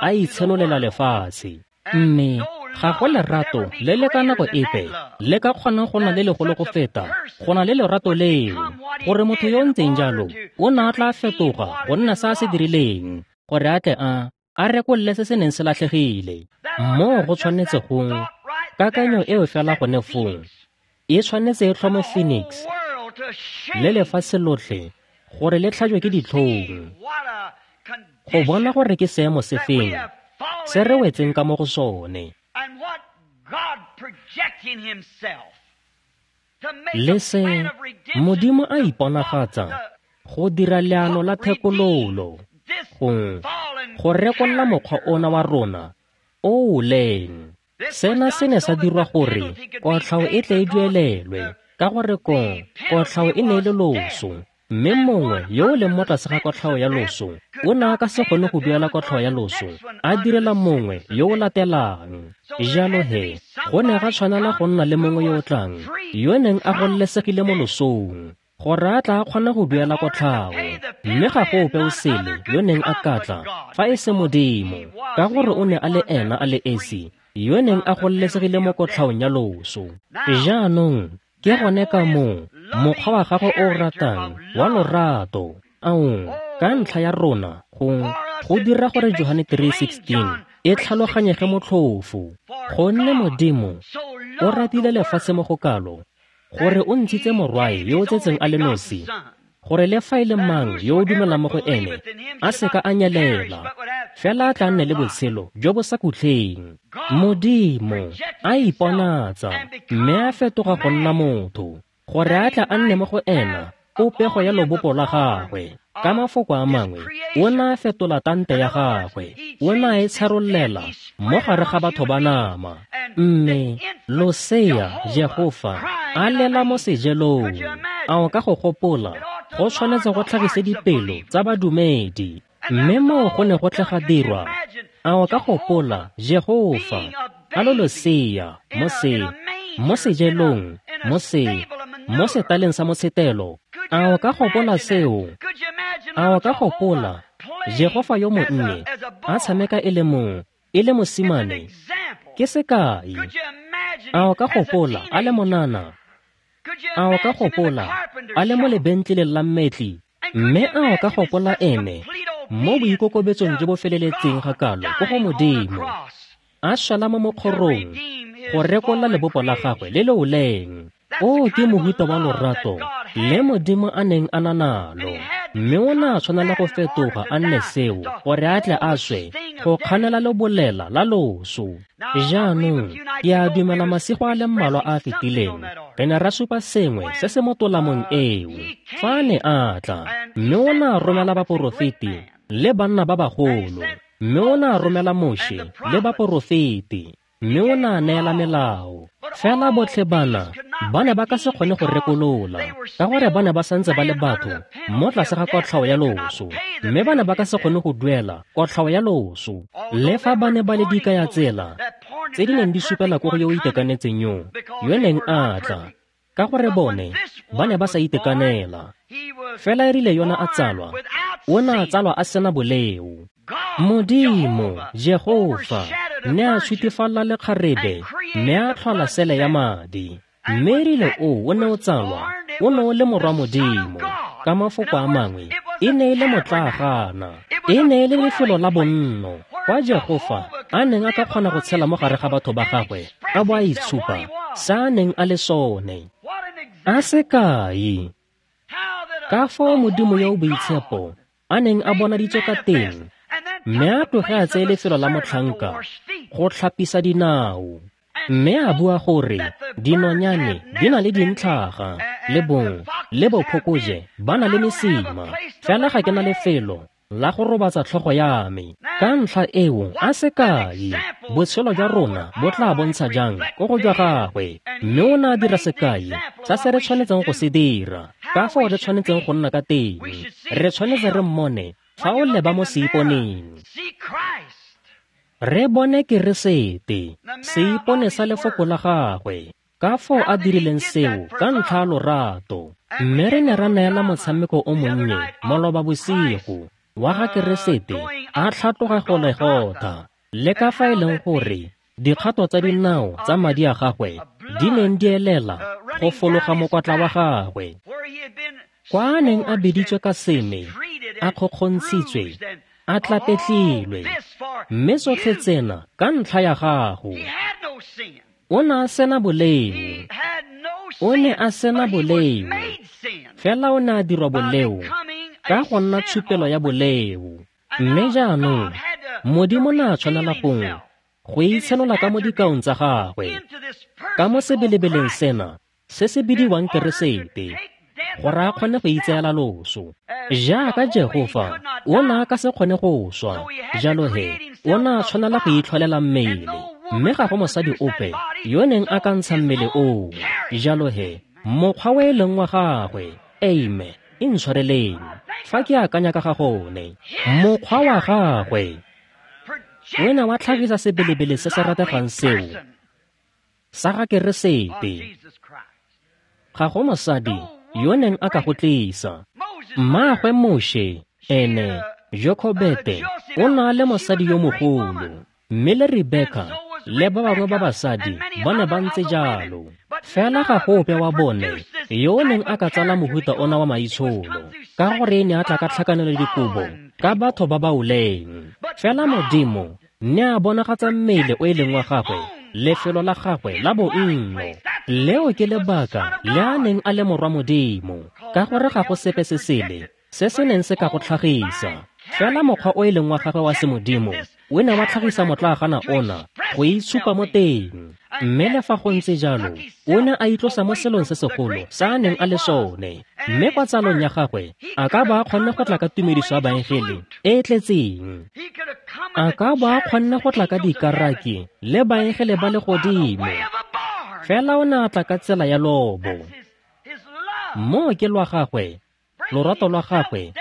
a itshenolela lefatshe. Mme ga go lerato le le ka nako epe le ka kgonang go na le legolo go feta go na le lerato leo, gore motho yo o ntseng jalo o ne a tla fetoga go nna se a se dirileng, gore a tle a rekolole se se neng se latlhegile. Moo go tshwanetse go kakanyo eo fela gone foo e tshwanetse e tlhome Phoenix le lefatshe lotlhe gore le tlhajwe ke ditlhong, go bona gore ke seemo se feng se re wetseng ka mo go sone. Le se Modimo a iponagatsa go dira leano la thekololo go rekolola mokgwa ona wa rona o o leng. Sena se ne sa dirwa gore kotlhao e tle e duelelwe, ka gore kotlhao e ne e le loso, Mme mongwe yo o leng mo tlase ga kotlhao ya loso o ne a ka se kgone go duela kotlhao ya loso a direla mongwe yo o latelang. Jalo he, go ne ga tshwanela go nna le mongwe yo o tlang yo neng a gololesegile mo losong gore a tla kgona go duela kotlhao. Mme ga go ope o sele yo neng a ka tla fa e se Modimo, ka gore o ne a le ena a le esi yo neng a gololesegile mo kotlhaong ya loso. Jaanong ke gone ka moo mokgwa wa gagwe o ratang wa lorato aong ka ntlha ya rona go dira gore Johane 3:16 e tlhaloganyege motlhofo. Gonne Modimo o ratile lefatshe mo go kalo gore o ntshitse morwae yo o tsetseng a le nosi, gore le fa e le mang yo o dumelang mo go ene a se ka a nyelela, fela a tla nne le botshelo jo bo sa khutleng. Modimo a iponatsa mme a fetoga go nna motho, gore a tla a nne mo go ena popego ya lobopo la gagwe. Ka mafoko a mangwe, o ne a fetola tante ya gagwe, o ne a e tsharollela mo gare ga batho ba nama. Mme losea Jehofa a lela mo sejelong. A o ka go gopola, go tshwanetse go tlhagise dipelo tsa badumedi. Mme moo go ne go tle ga dirwa. A o ka gopola Jehofa a lo losea mo sejelong, mo setaleng sa motshetelo? A o ka gopola seo? A o ka gopola Jehofa yo monnye a tshameka e le mosimane? Ke sekai. A o ka gopola a le monana? A o ka gopola a le mo lebentleleng la mmetli? Mme a o ka gopola ene mo boikokobetsong jo bo feleletseng ga kalo ko go Modimo, a šala mo mokgorong go rekolla lebopo la gagwe le le oleng? O ke mohuta wa lorato le Modimo a neng a na nalo, mme o ne a tshwanela go fetoga a nne seo gore a tle a swe go kganela lebolela la loso. Jaanong ke a dumela masigo a le mmalwa a a fetileng re ne ra supa sengwe se se mo tolamong eo fa a ne a tla, mme o ne a romela baporofeti le banna ba bagolo, mme o ne a romela Moshe le baporofeti, mme o ne a neela melao. Fela botlhe bana ba ne ba ka se kgone go rekolola, ka gore ba ne ba santse ba le batho mo tlase ga kotlhao ya loso, mme ba ne ba ka se kgone go duela kotlhao ya loso. Le fa ba ne ba le dikaya tsela tse di neng di supela ko go yo o itekanetseng yo neng a tla, ka gore bone ba ne ba sa itekanela. Fela e rile yona a tsalwa, o ne a tsalwa a sena boleo. Modimo Jehofa ne a shutifalla lekgarebe mme a tlhola sele ya madi. Mme e rile o ne o tsalwa, o ne o le morwa Modimo. Ka mafoko a mangwe, e ne e le motlaagana, e ne e le lefelo la bonno kwa Jehofa a neng a ka kgona go tshela mo gare ga batho ba gagwe a bo a itshupa sa a neng a le sone. A sekai ka fao Modimo yo o boitshepo a neng a bonaditswe ka teng, mme a tloge a tseye lefelo la motlhanka go tlhapisa dinao, mme a bua gore dinonyane di na le dintlhaga le bong le bophokoje ba na le mesima, fela ga ke na lefelo la go robatsa tlhogo ya me. Ka ntlha eo a sekai botshelo jwa rona bo tla bontsha jang ko go jwa gagwe, mme o ne a dira sekai sa se re tshwanetseng go se dira, ka fao re tshwanetseng go nna ka teng. Re tshwanetse re mmone fa o leba mo seiponeng, re bone Keresete, seipone sa lefoko la gagwe, ka fao a dirileng seo ka ntlha ya lorato. Mme re ne ra neela motshameko o monnye maloba bosigo wa ga Keresete a tlhatloga Golegotha, le ka fa e leng gore dikgato tsa dinao tsa madi a gagwe di neng di elela go fologa mokwatla wa gagwe, kwa a neng a biditswe ka seme, a kgokgontshitswe, a tlapetlilwe, mme tsotlhe tsena ka ntlha ya gago. O ne a sena boleo, o ne a sena boleo, fela o ne a dirwa boleo ka go nna tshupelo ya boleo. Mme jaanong Modimo ne a tshwanela go itshenola ka mo dikaong tsa gagwe, ka mo sebelebeleng sena se se bidiwang Keresete, gore a kgone go itseela loso. Jaaka Jehofa o ne a ka se kgone go swa, jalo he o ne a tshwanela go itlholela mmele, mme ga go mosadi ope yo neng a ka ntsha mmele oo. Jalo he mokgwa o e leng wa gagwe, amen, Intshwareleng fa ke akanya ka ga gone. Mokgwa wa gagwe o ne wa tlhagisa sebelebele se se rategang seo sa ga Keresete. Ga go mosadi yo neng a ka go tlisa. Mmaagwe Moshe ene Jokobete o ne a le mosadi yo mogolo, mme le Rebeka le ba bangwe ba basadi ba ne ba ntse jalo. Fela ga go ope wa bone yo o neng a ka tsala mohuta ona wa maitsholo, ka gore e ne a tla ka tlhakanelo dikobo ka batho ba ba oleng. Fela Modimo ne a bonagatsa mmele o e leng wa gagwe, lefelo la gagwe la bonno. Leo ke lebaka le a neng a le morwa Modimo, ka gore ga go sepe se sele se se neng se ka go tlhagisa. Fela mokgwa o e leng wa gagwe wa semodimo o ne wa tlhagisa motlaagana ona go itshupa mo teng. Mme le fa go ntse jalo, o ne a itlosa mo selong se segolo sa a neng a le sone. Mme kwa tsalong ya gagwe a ka ba a kgonne go tla ka tumediso ya baengele e e tletseng. A ka ba a kgonne go tla ka dikaraki le baengele ba legodimo. Fela o ne a tla ka tsela ya lobo. Moo ke lwa gagwe, lorato lwa gagwe,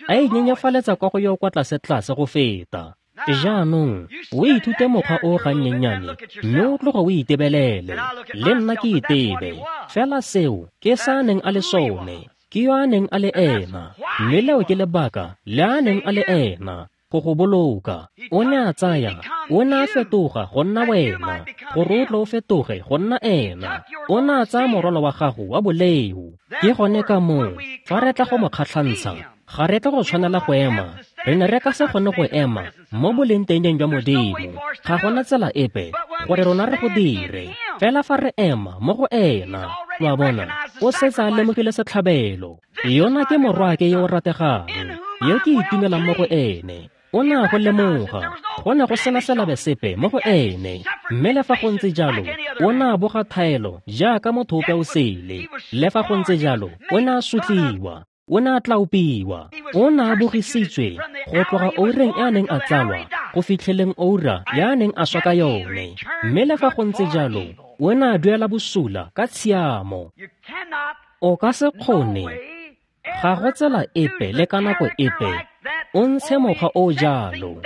a inyenyefaletsa kwa go yo kwa tlase-tlase go feta. Jaanong o ithute mokgwa o gannyennyane mme o tloge o itebelele, le nna ke itebe. Fela seo ke sa a neng a le sone, ke yo a neng a le ena, mme leo ke lebaka le a neng a le ena, go go boloka. O ne a tsaya, o ne a fetoga go nna wena, gore o tle o fetoge go nna ena. O ne a tsaya morwalo wa gago wa boleo. Ke gone ka moo fa re tla go mo kgatlhantsha, ga re tla go tshwanela go ema. Re ne re ka se kgone go ema mo bolengtengeng jwa Modimo. Ga gona tsela epe gore rona re go dire. Fela fa re ema mo go ena, wa bona, o setse a lemogile setlhabelo. Yona ke morwaake yo o rategang, yo ke itumelang mo go ene. O ne a go lemoga, go ne go sena selabe sepe mo go ene. Mme le fa go ntse jalo, o ne a boga thaelo jaaka motho ope o sele. Le fa go ntse jalo, o ne a sotliwa, o ne a tlaopiwa, o ne a bogisitswe go tloga oureng e a neng a tsalwa go fitlheleng oura ya a neng a swa ka yone. Mme le fa go ntse jalo, o ne a duela bosula ka tshiamo. O ka se kgone, ga go tsela epe le ka nako epe, o ntshe mokgwa o jalo.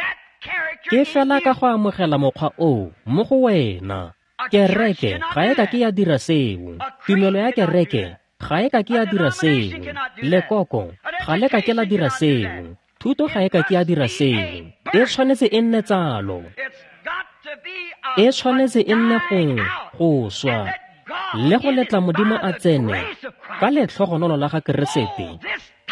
Ke fela ka go amogela mokgwa oo mo go wena. Kereke ga e ka ke ya dira seo. Tumelo ya kereke ga e ka ke ya dira seo. Lekoko ga le ka ke la dira seo. Thuto ga e ka ke ya dira seo. E tshwanetse e nne tsalo. E tshwanetse e nne go swa le go letla Modimo a tsene ka letlhogonolo la ga Keresete,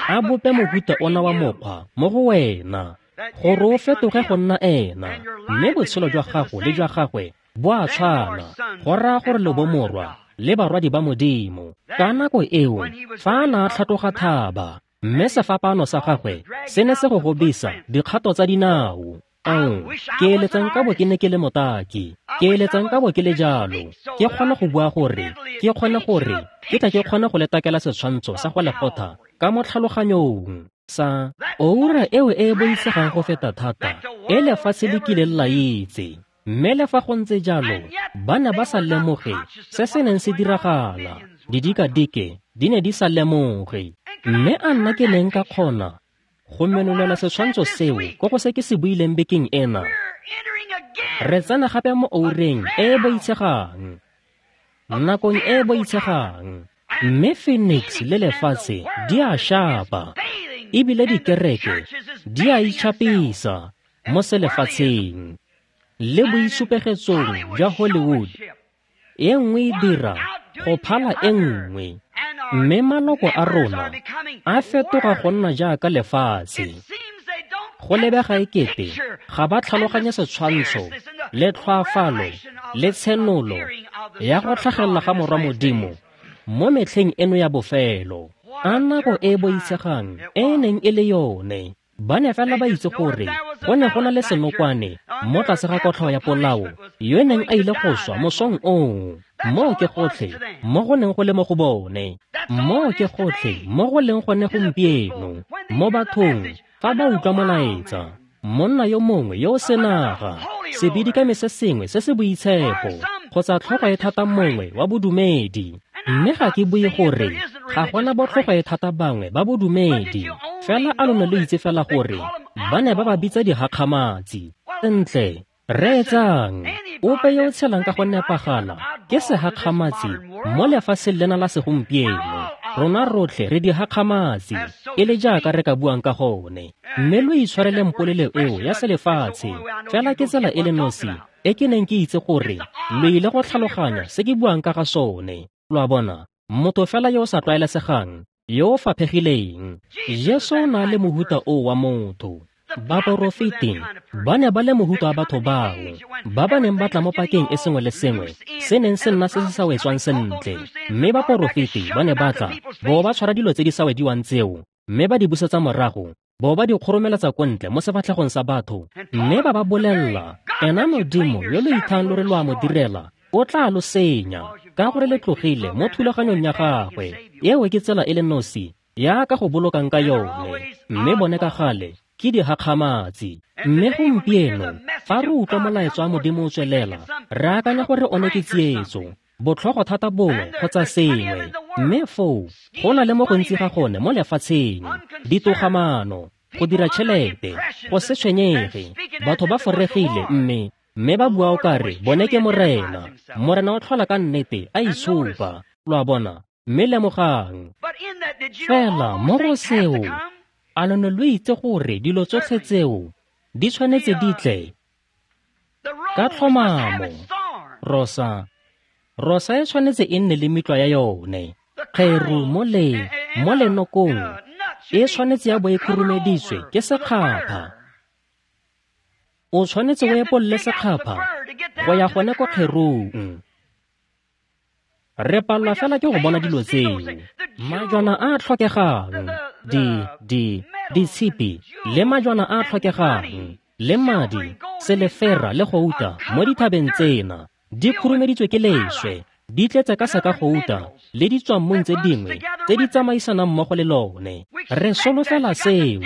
a bope mohuta ona wa mokgwa mo go wena, gore o fetoge go nna ena, mme botshelo jwa gago le jwa gagwe bo a tshwana, go raya gore le bomorwa le barwadi ba Modimo. Ka nako eo, fa a ne a tlhatloga thaba, mme sefapano sa gagwe se ne se go gobisa dikgato tsa dinao. Ao, ke eletsa nka bo ke ne ke le motaki, ke eletsa nka bo ke le jalo, ke kgone go bua gore, ke kgone gore, ke tla ke kgone go le takela setshwantsho sa go legotha ka mo tlhaloganyong sa oura eo e e boitshegang go feta thata e lefatshe le kileng la itse. Mme le fa go ntse jalo, ba ne ba sa lemoge se se neng se diragala. Didikadike di ne di sa lemoge. Mme a nna ke neng ka kgona go menolela setshwantsho seo ko go se ke se buileng bekeng ena. Re tsena gape mo oureng e e boitshegang, nakong e e boitshegang. Mme Phoenix le lefatshe di a shapa, ebile dikereke di a itšhapisa mo selefatsheng le boitshupegetsong jwa Hollywood. E nngwe e dira go phala e nngwe, mme maloko a rona a fetoga go nna jaaka lefatshe. Go lebega ekete ga ba tlhaloganye setshwantsho le tlhoafalo le tshenolo ya go tlhagelela ga Morwa Modimo mo metlheng eno ya bofelo. A nako e e boitshegang e e neng e le yone. Ba ne fela ba itse gore go ne go na le senokwane mo tlase ga kotlhao ya polao yo neng a ile go swa mosong oo. Moo ke gotlhe mo go neng go le mo go bone. Moo ke gotlhe mo go leng gone gompieno mo bathong fa ba utlwa molaetsa. Monna yo mongwe yo o senaga, sebidikami se sengwe se se boitshepo, kgotsa tlhogo e thata mongwe wa bodumedi. Mme ga ke bue gore Ga gona botlhogo e thata bangwe ba bodumedi, fela a lo ne lo itse fela gore ba ne ba ba bitsa dihakgamatsi. Sentle, reetsang, ope yo o tshelang ka go nepagala ke sehakgamatsi mo lefatsheng lena la segompieno. Rona rotlhe re dihakgamatsi, e le jaaka re ka buang ka gone. Mme lo itshwareleng polelo eo ya selefatshe, fela ke tsela e le nosi e ke neng ke itse gore lo ile go tlhaloganya se ke buang ka ga sone. Lo a bona, motho fela yo o sa tlwaelesegang, yo o faphegileng. Jesu o na le mohuta o wa motho. Baporofeti ba ne ba le mohuta wa batho bao ba ba neng ba tla mo pakeng e sengwe le sengwe se neng se nna se se sa wetswang sentle. Mme baporofeti ba ne ba tla bo ba tshwara dilo tse di sa wediwang tseo, mme ba di busetsa morago, bo ba di kgoromeletsa ko ntle mo sefatlhegong sa batho, mme ba ba bolelela, ena Modimo yo lo ithang lo re lo a mo direla o tla lo senya, ka gore le tlogile mo thulaganyong ya gagwe. Eo ke tsela e le nosi ya ka go bolokang ka yone. Mme bone ka gale ke dihakgamatsi. Mme gompieno fa re utlwa molaetsa wa Modimo o tswelela, re akanya gore one ke tsietso, botlhogo thata bongwe kgotsa sengwe. Mme foo go na le mo gontsi ga gone mo lefatsheng, ditogamaano, go dira tšhelete, go se tshwenyege, batho ba foregile mme ba bua o kare bone ke Morena. Morena o tlhola ka nnete a itshupa. Lo a bona? Mme lemogang fela mo go seo, a lo ne lo itse gore dilo tsotlhe tseo di tshwanetse di tle ka tlhomamo. Rosa e tshwanetse e nne le metlwa ya yone. Kgeru mo lenokong e tshwanetse ya bo e khurumeditswe ke sekgapha. O tshwanetse o epolle sekgapha go ya gone ko kgerung. Re palelwa fela ke go bona dilo tseo. Majwana a a tlhokegang, ditshipi le majwana a a tlhokegang, le madi, selefera le gouta mo dithabeng tsena di khurumeditswe ke leswe, di tletse ka seka gouta le ditswammung tse dingwe tse di tsamaisanang mmogo le lone. Re solofela seo.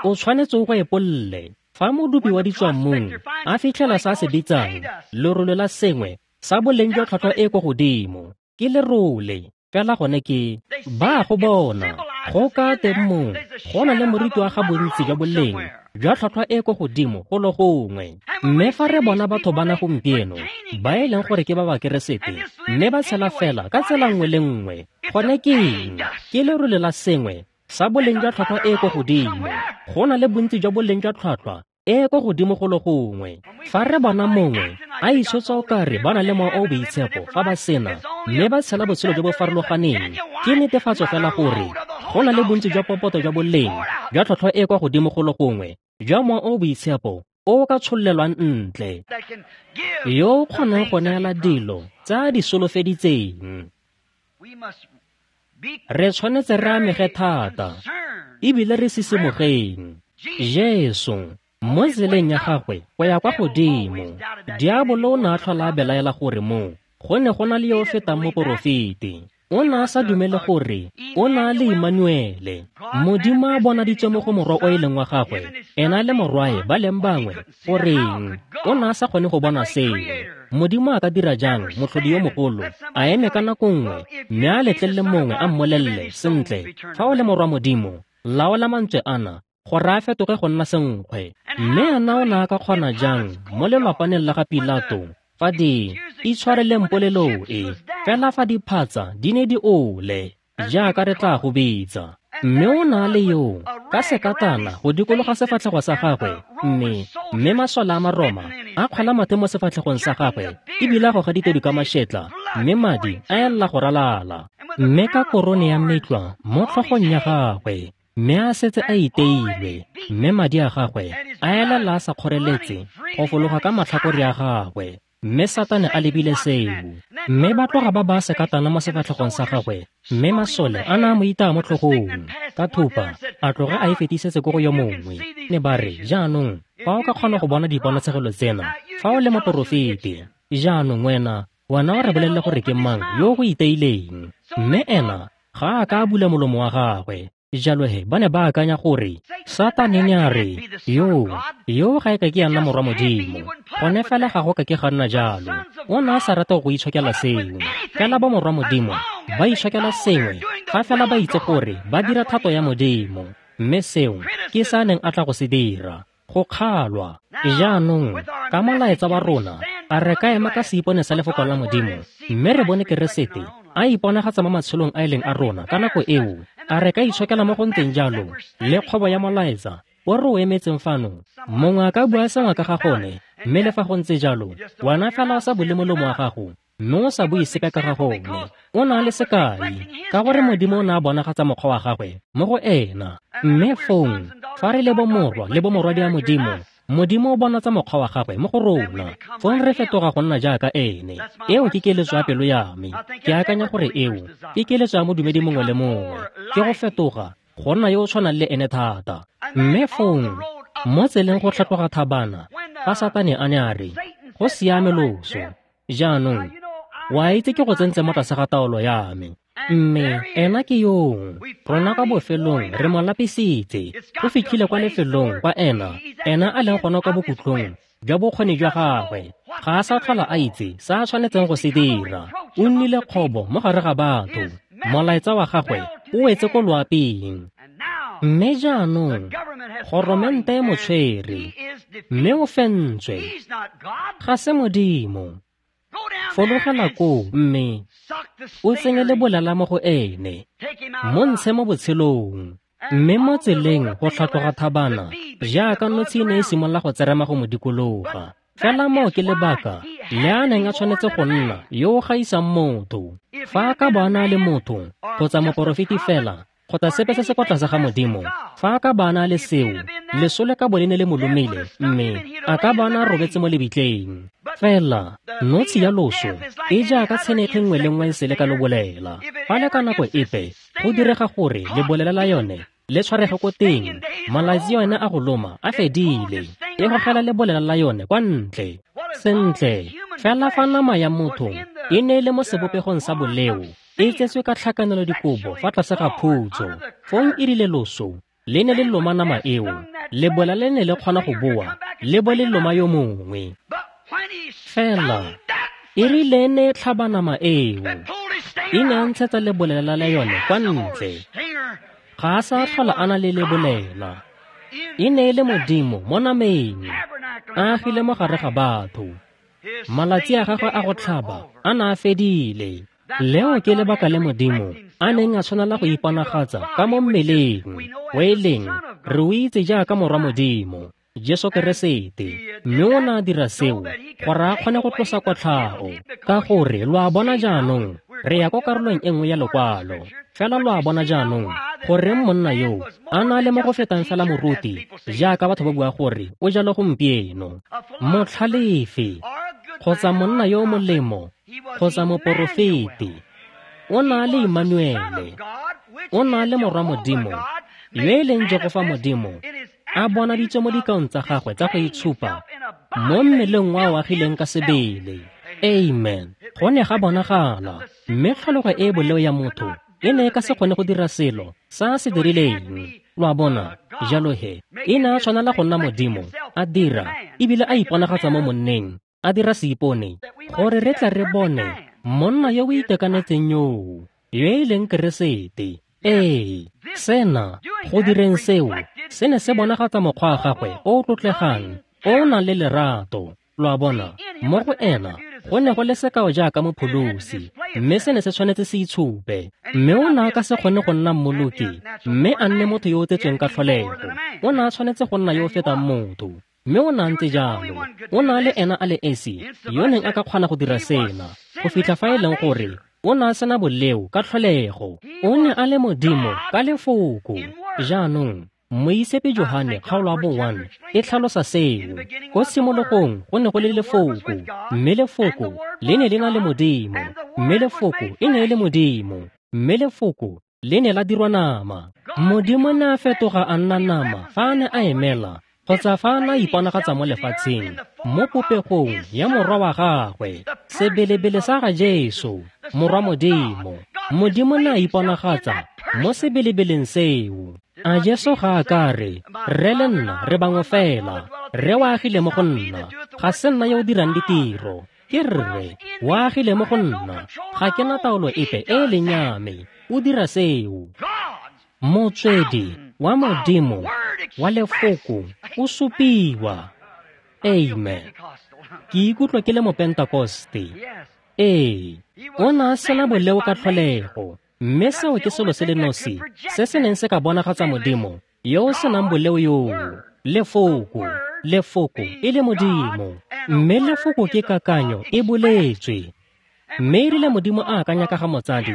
O tshwanetse o go epolle. Fa modupi wa ditswammung a fitlhela sa se bitsang lerole la sengwe sa boleng jwa tlhwatlhwa e ko godimo, ke lerole fela gone ke ba go bona go ka teng mo go na le moriti wa ga bontsi jwa boleng jwa tlhwatlhwa e ko godimo go lo gongwe. Mme fa re bona batho bana gompieno ba e leng gore ke ba Bakeresete mme ba tshela fela ka tsela nngwe le nngwe, gone ke eng? Ke lerole la sengwe sa boleng jwa tlhwatlhwa e ko godimo. Go na le bontsi jwa boleng jwa tlhwatlhwa e ko godimo go lo gongwe. Fa re bona mongwe a itshotsa o kare ba na le mowa o o boitshepo fa ba sena, mme ba tshela botshelo jo bo farologaneng, ke netefatso fela gore go na le bontsi jwa popoto jwa boleng jwa tlhwatlhwa e kwa godimo go lo gongwe jwa mowa o o boitshepo o o ka tshololelwang ntle, yo o kgonang go neela dilo tse a di solofeditseng. Re tshwanetse re amege thata ebile re sisimogeng. Jesu mo tseleng ya gagwe go ya kwa godimo, diabolo o ne a tlhola a belaela gore mo go ne go na le yo o fetang moporofeti. O ne a sa dumele gore o na le Immanuele, Modimo a bonaditswe mo go morwa o e leng wa gagwe, ena le morwae ba leng bangwe. Goreng o ne a sa kgone go bona seo? Modimo a ka dira jang motlhodi yo mogolo a eme ka nako nngwe mme a letlelele mongwe a mmolelele, sentle, fa o le morwa Modimo, laola mantswe ana gore a fetoge go nna senkgwe? Mme ena o ne a ka kgona jang mo lelwapaneng la ga Pilato fa di itshwareleng polelo e, fela fa diphatsa di ne di ole, jaaka re tla go bitsa? Mme o na le yo ka sekatana go dikologa sefatlhego sa gagwe, mme masole a Maroma a kgwela mathe mo sefatlhegong sa gagwe ebile a goga ditedu ka mašetla, mme madi a elela go ralala. Mme ka korone ya metlwa mo tlhogong ya gagwe, mme a setse a iteilwe, mme madi a gagwe a elela a sa kgoreletse go fologa ka matlhakore a gagwe. Mme Satane a lebile seo, mme ba tloga ba ba sekatana mo sefatlhegong sa gagwe, mme masole a na a mo itaya mo tlhogong ka thupa, a tloga a e fetisetse ko go yo mongwe. Ne ba re, jaanong fa o ka kgona go bona diponatshegelo tsena, fa o le moporofeti, jaanong wena o re bolelele gore ke mang yo go iteileng. Mme ena ga a ka a bula molomo wa gagwe. Jalo he ba ne ba akanya gore Satane ne a re, yo ga e ka ke ya nna morwa Modimo. Gone fela ga go ka ke ga nna jalo. O ne a sa rate go itshokela seo. Fela ba morwa Modimo ba itshokela sengwe Ga fela ba itse gore ba dira thato ya Modimo, mme seo ke se a neng a tla go se dira, go kgalwa. Jaanong, ka molaetsa wa rona, a re ka ema ka seipone sa lefoko la Modimo, mme re bone Keresete a iponagatsa mo matshelong a e leng a rona ka nako eo, a re ka itshokela mo go ntseng jalo le kgobo ya molaetsa o re o emetseng fano? Mongwe a ka bua sengwe ka ga gone, mme le fa go ntse jalo, wena fela o sa bule molomo wa gago, mme o sa bue sepe ka ga gone. O na le sekai, ka gore Modimo o ne a bonagatsa mokgwa wa gagwe mo go ena. Mme fong, fa re le bomorwa le bomorwadia Modimo, Modimo o bonatsa mokgwa wa gagwe mo go rona, fong re fetoga go nna jaaka ene. Eo ke keletso ya pelo ya me. Ke akanya gore eo ke keletso ya modumedi mongwe le mongwe, ke go fetoga go nna yo o tshwanang le ene thata. Mme fong, mo tseleng go tlhatloga thabana, fa Satane a ne a re, go siame loso, jaanong, wa itse ke go tsentse mo tlase ga taolo ya me. Mme ena ke yoo, rona kwa bofelong re mo lapisitse, go fitlhile kwa lefelong kwa ena a leng gona kwa bokhutlong jwa bokgoni jwa gagwe. Ga a sa tlhola a itse se a tshwanetseng go se dira. O nnile kgobo mo gare ga batho. Molaetsa wa gagwe o wetse ko loaping. Mme jaanong, goromente e mo tshwere, mme o fentswe. Ga se Modimo. Fologela koo mme o tsenye lebolela mo go ene, mo ntshe mo botshelong. Mme mo tseleng go tlhatloga thabana, jaaka notshi e ne e simolola go tserema go mo dikologa. Fela moo ke lebaka le a neng a tshwanetse go nna yo o gaisang motho. Fa a ka bo a na le motho, kgotsa moporofeti fela, kgotsa sepe se se kwa tlase ga Modimo, fa a ka ba a na le seo, leso le ka bo le ne le mo lomile, mme a ka ba a na robetse mo lebitleng. Fela notshi ya loso e jaaka tshenekgi nngwe le nngwe e sele ka lobolela. Fa le ka nako epe go direga gore lebolela la yone le tshwarege ko teng, malatsi yone a go loma a fedile, e gogela lebolela la yone kwa ntle. Sentle, fela fa nama ya motho e ne e le mo sebopegong sa boleo, e tsetswe ka tlhakanelo dikobo fa tlase ga phutso, fong e rile loso le ne le loma nama eo, lebola le ne le kgona go boa le bo le loma yo mongwe. Fela e rile ne e tlhaba nama eo, e ne a ntshetsa lebolela la yone kwa ntle. Ga a sa tlhola a na le lebolela. E ne e le Modimo mo nameng, a agile mo gare ga batho. Malatsi a gagwe a go tlhaba a ne a fedile. Leo ke lebaka le Modimo a neng a tshwanela go iponagatsa ka mo mmeleng, o e leng re o itse jaaka morwa Modimo, Jesu Keresete. Mme o ne a dira seo gore a kgone go tlosa kotlhao, ka gore lo a bona jaanong re ya ko karolong e nngwe ya lekwalo. Fela lo a bona jaanong goreng monna yo a na le mo go fetang fela moruti, jaaka batho ba bua gore o jalo gompieno, motlhalefi kgotsa monna yo o molemo kgotsa moporofeti. O na le Immanuele, o na le morwa Modimo yo e leng Jehofa Modimo, a bonaditswe mo dikaong tsa gagwe tsa go itshupa mo mmeleng wa o agileng ka sebele. Amen. Go ne ga bonagala, mme tlholego e e boleo ya motho e ne e ka se kgone go dira selo sa se dirileng. Lo a bona? Jalo he, e ne a tshwanela go nna Modimo, a dira ebile a iponagatsa mo monneng, a dira seipone, gore re tle re bone monna yo o itekanetseng yoo, yo e leng Keresete. Ee, sena, go direng seo, se ne se bonagatsa mokgwa wa gagwe o o tlotlegang, o o nang le lerato. Lo a bona? Mo go ena go ne go le sekao jaaka mopholosi, mme se ne se tshwanetse se itshupe. Mme o ne a ka se kgone go nna mmoloki, mme a nne motho yo o tsetsweng ka tlholego. O ne a tshwanetse go nna yo o fetang motho, mme o ne a ntse jalo. O ne a le ena a le esi yo neng a ka kgona go dira sena, go fitlha fa e leng gore o ne a sena boleo ka tlholego. O ne a le Modimo ka lefoko. Jaanong, Moitshepi Johane kgaolo ya bo 1 e tlhalosa seo. Ko tshimologong go ne go le lefoko, mme lefoko le ne le na le Modimo, mme lefoko e ne e le Modimo, mme lefoko le ne la dirwa nama. Modimo ne a fetoga a nna nama fa a ne a emela, kgotsa fa a ne a iponagatsa mo lefatsheng mo popegong ya morwa wa gagwe, sebelebele sa ga Jesu, morwa Modimo. Modimo ne a iponagatsa mo sebelebeleng seo. A Jesu ga a ka re, Rre le nna re bangwe fela, Rre o agile mo go nna, ga se nna yo o dirang ditiro, ke Rre o agile mo go nna, ga ke na taolo epe e e leng ya me. O dira seo. Motswedi wa Modimo wa lefoko o supiwa. Amen. Ke ikutlwa ke le Mopentakoste. Ee, o ne a sena boleo ka tlholego, mme seo ke selo se le nosi se se neng se ka bonagatsa Modimo yo o senang boleo yoo. Lefoko, lefoko e le Modimo, mme lefoko ke kakanyo e boletswe. Mme e rile Modimo a akanya ka ga motsadi,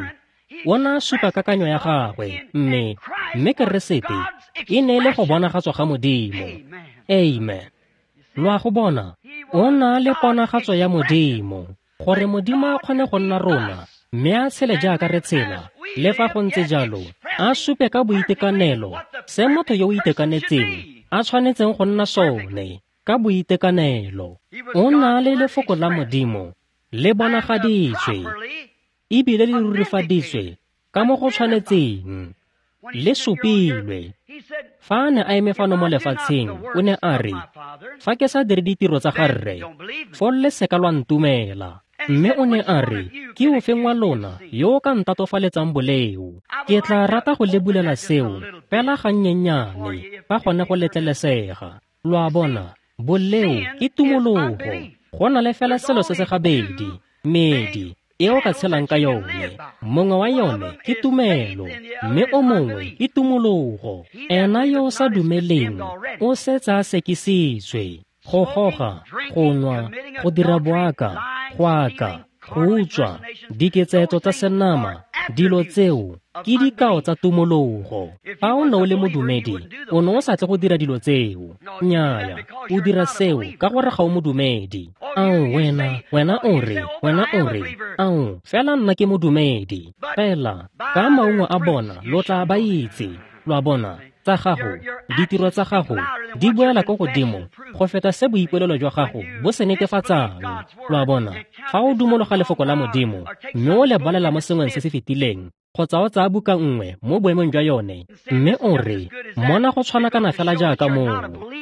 o ne a supa kakanyo ya gagwe, mme Keresete e ne e le go bonagatswa ga Modimo. Amen. Lo a go bona, o na le ponagatso ya Modimo, gore Modimo a kgone go nna rona, mme a tshele jaaka re tshela, le fa go ntse jalo, a supe ka boitekanelo se motho yo o itekanetseng a tshwanetseng go nna sone ka boitekanelo. O na le lefoko la Modimo le bonagaditswe ebile le rurifaditswe ka mo go tshwanetseng, le supilwe. Fa a ne a eme fano mo lefatsheng, o ne a re, fa ke sa dire ditiro tsa ga Rre, foo le seka lwa ntumela. Mme o ne a re, ke ofeng wa lona yo o ka ntatofaletsang boleo? Ke tla rata go le bulela seo fela gannyennyane fa gone go letlelesega. Lo a bona, boleo ke tumologo. Go na le fela selo se se gabedi, medi e o ka tshelang ka yone. Mongwe wa yone ke tumelo, mme o mongwe ke tumologo. Ena yo o sa dumeleng o setse a sekisitswe. Go goga, go nwa, go dira boaka, go aka, go utswa, diketsaetso tsa senama, dilo tseo ke dikao tsa tumologo. Fa o ne o le modumedi, o ne o sa tle go dira dilo tseo. Nnyaya, o dira seo ka gore ga o modumedi. Ao, wena o re, ao, fela nna ke modumedi. Fela, ka maungo a bona lo tla ba itse. Lo a bona, tsa gago, ditiro tsa gago di boela ko godimo go feta se boipolelo jwa gago bo se netefatsang. Lo a bona, fa o dumologa lefoko la Modimo mme o le balela mo sengweng se se fetileng, kgotsa o tsaya buka nngwe mo boemong jwa yone, mme o re, mona go tshwanakana fela jaaka moo,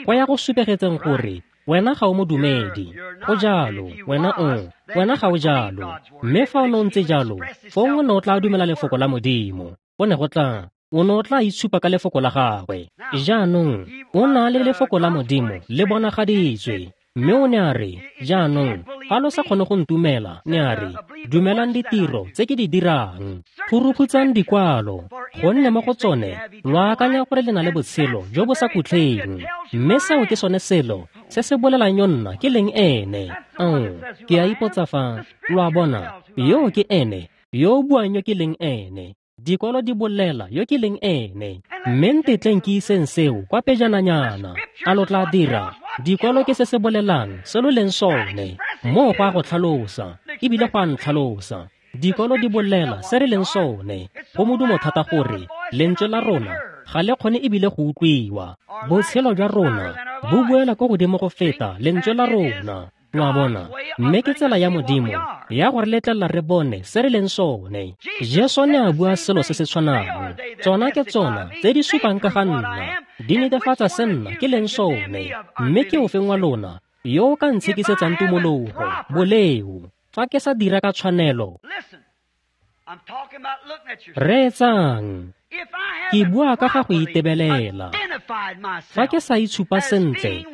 go ya go supegetseng gore wena ga o modumedi. Go jalo, wena ga o jalo. Mme fa o ne o ntse jalo, fong o ne o tla dumela lefoko la Modimo. O ne go tla, o ne o tla itshupa ka lefoko la gagwe. Jaanong, o na le lefoko la Modimo le bonagaditswe. Mme o ne a re, jaanong, fa lo sa kgone go ntumela, ne a re, dumelang ditiro tse ke di dirang. Phuruphutsang dikwalo, gonne mo go tsone lo akanya gore le na le botshelo jo bo sa khutleng. Mme seo ke sone selo se se bolelang yo nna ke leng ene. Ao, ke a ipotsa fa, lo a bona, yo ke ene, yo o buang yo ke leng ene. Dikwalo di bolela yo ke leng ene. Mme ntetleng ke iseng seo kwa pejananyana. A lo tla dira? Dikwalo ke se se bolelang se lo leng sone. Moo go a go tlhalosa, ebile go a ntlhalosa. Dikwalo di bolela se re leng sone. Go modumo thata gore lentswe la rona ga le kgone ebile go utlwiwa. Botshelo jwa rona bo buela ko godimo go feta lentswe la rona. Lo a bona, mme ke tsela ya Modimo ya gore letlelela re bone se re leng sone. Jesu ne a bua selo se se tshwanang. Tsona ke tsona tse di supang ka ga nna, di netefatsa se nna ke leng sone. Mme ke ofeng wa lona yo o ka ntshekisetsang tumologo, boleo, fa ke sa dira ka tshwanelo? Reetsang, ke bua ka ga go itebelela. Fa ke sa itshupa sentle,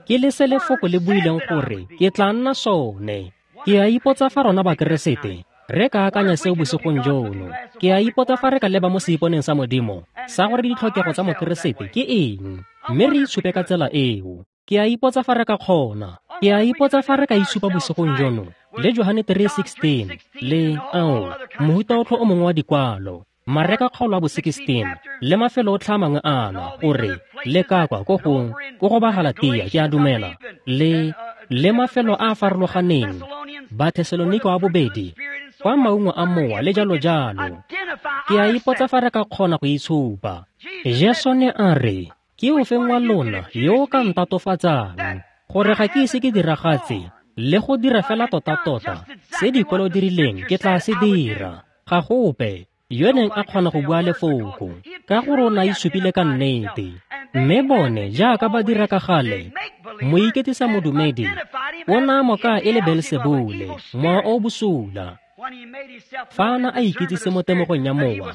ke le se lefoko le buileng gore ke tla nna sone. Ke a ipotsa fa rona Bakeresete re ka akanya seo bosigong jono. Ke a ipotsa fa re ka leba mo seiponeng sa Modimo sa gore ditlhokego tsa Mokeresete ke eng, mme re itshupe ka tsela eo. Ke a ipotsa fa re ka kgona. Ke a ipotsa fa re ka itshupa bosigong jono le Johane 3:16 le ao mohuta otlhe o mongwe wa dikwalo, Mareka kgaolo ya bo 16 le mafelo otlhe a mangwe ana, gore le ka kwa ko go ba Galatia, ke a dumela, le mafelo a a farologaneng, Bathesalonika wa bobedi, kwa maungo a mowa le jalo jalo. Ke a ipotsa fa re ka kgona go itshupa. Jesu ne a re, ke ofeng wa lona yo o ka ntatofatsang gore ga ke ise ke diragatse le go dira fela tota-tota se dikwalo di rileng ke tla se dira? Ga gope yo neng a kgona go bua lefoko, ka gore o ne a itshupile ka nnete. Mme bone jaaka ba dira ka gale, moiketisa modumedi o ne a mo kaya e le Beelsebule, mowa o bosula. Fa a ne a ikitsise mo temogong ya mowa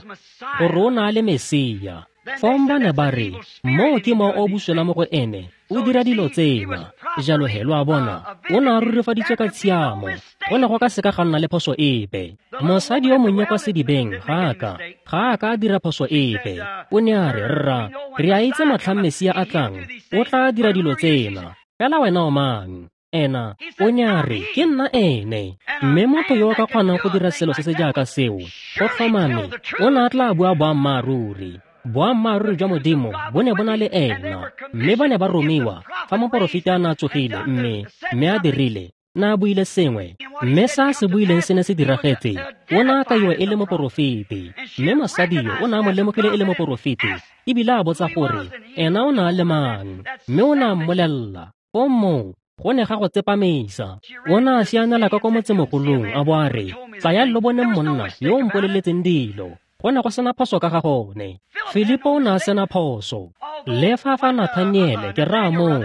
gore o ne a le Mesia, fong ba ne ba re, moo ke mowa o buswela mo go ene, o dira dilo tsena. Jalo he, lo a bona, o ne a rurifaditswe ka tshiamo, go ne go ka seka ga nna le phoso epe. Mosadi yo monnye kwa sedibeng ga a ka a dira phoso epe. O ne a re, rra, re a itse motlhang Mesia a tlang, o tla dira dilo tsena. Fela wena o mang? Ena o ne a re, ke nna ene. Mme motho yo o ka kgonang go dira selo se se jaaka seo, go tlhomame, o ne a tla bua boammaaruri. Boammaaruri jwa Modimo bo ne bo na le ena, mme ba ne ba romiwa fa moporofeta a ne a tsogile mme a dirile, na a buile sengwe, mme sa se buileng se ne se diragetse. O ne a kaiwa e le moporofeti, mme mosadi yo o ne a mo lemogile e le moporofeti, ebile a botsa gore ena o ne a le mang, mme o ne a mmolelela. Fong moo go ne ga go tsepamisa. O ne a sianela ka kwa motsemogolong a bo a re, tlayang lo boneng monna yo o mpoleletseng dilo. Go ne go sena phoso ka ga gone. Filipo o ne a sena phoso. Le fa Nathaniele, ke raya moo,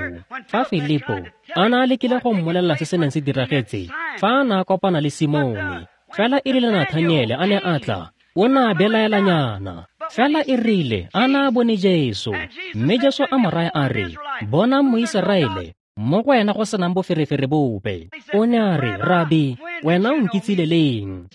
fa Filipo a ne a lekile go mmolelela se se neng se diragetse fa a ne a kopana le Simone, fela e rile Nathaniele a ne a tla, o ne a belaelanyana. Fela e rile a ne a bone Jesu, mme Jesu a mo raya a re, bonang Moiseraele, mo go wena go senang boferefere bope. O ne a re, Rabi, wena o nkitsile leng?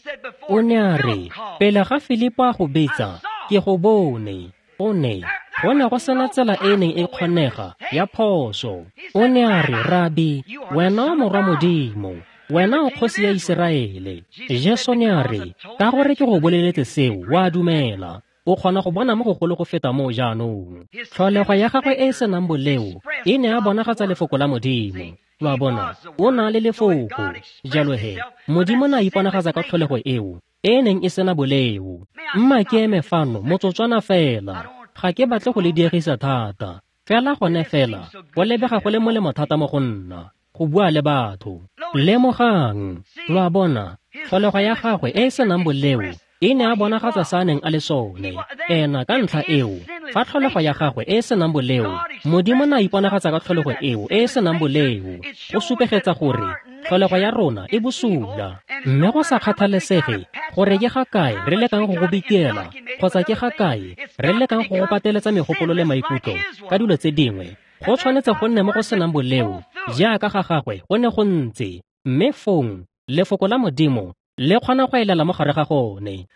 O ne a re, pele ga Filipo a go betsa, ke go bone. O ne go ne go sena tsela e neng e kgonega ya phoso. O ne a re, Rabi, wena o morwa Modimo, wena o kgosi ya Iseraele. Jesu ne a re, ka gore ke go boleletse seo, wa dumela. O kgona go bona mo gogolo go feta moo jaanong. Tlholego ya gagwe e e senang boleo e ne a bonagatsa lefoko la Modimo. Lo a bona, o na le lefoko. Jalo he, Modimo ne a iponagatsa ka tlholego eo e neng e sena boleo. Mma ke eme fano motsotswana fela, ga ke batle go le diegisa thata. Fela gone fela, go lebega go le molemo thata mo go nna go bua le batho. Lemogang, lo a bona, tlholego ya gagwe e e senang boleo e ne a bonagatsa sa neng a le sone. Ena ka ntlha eo, fa tlholego ya gagwe e e senang boleo, Modimo ne a iponagatsa ka tlholego eo e e senang boleo, go supegetsa gore tlholego ya rona e bosula. Mme go sa kgathalesege gore ke ga kae re lekang go go bitiela kgotsa ke ga kae re lekang go go pateletsa megopolo le maikutlo ka dilo tse dingwe, go tshwanetse go nne mo go senang boleo jaaka ga gagwe go ne go ntse. Mme fong lefoko la Modimo le kgona go elela mo gare ga gone.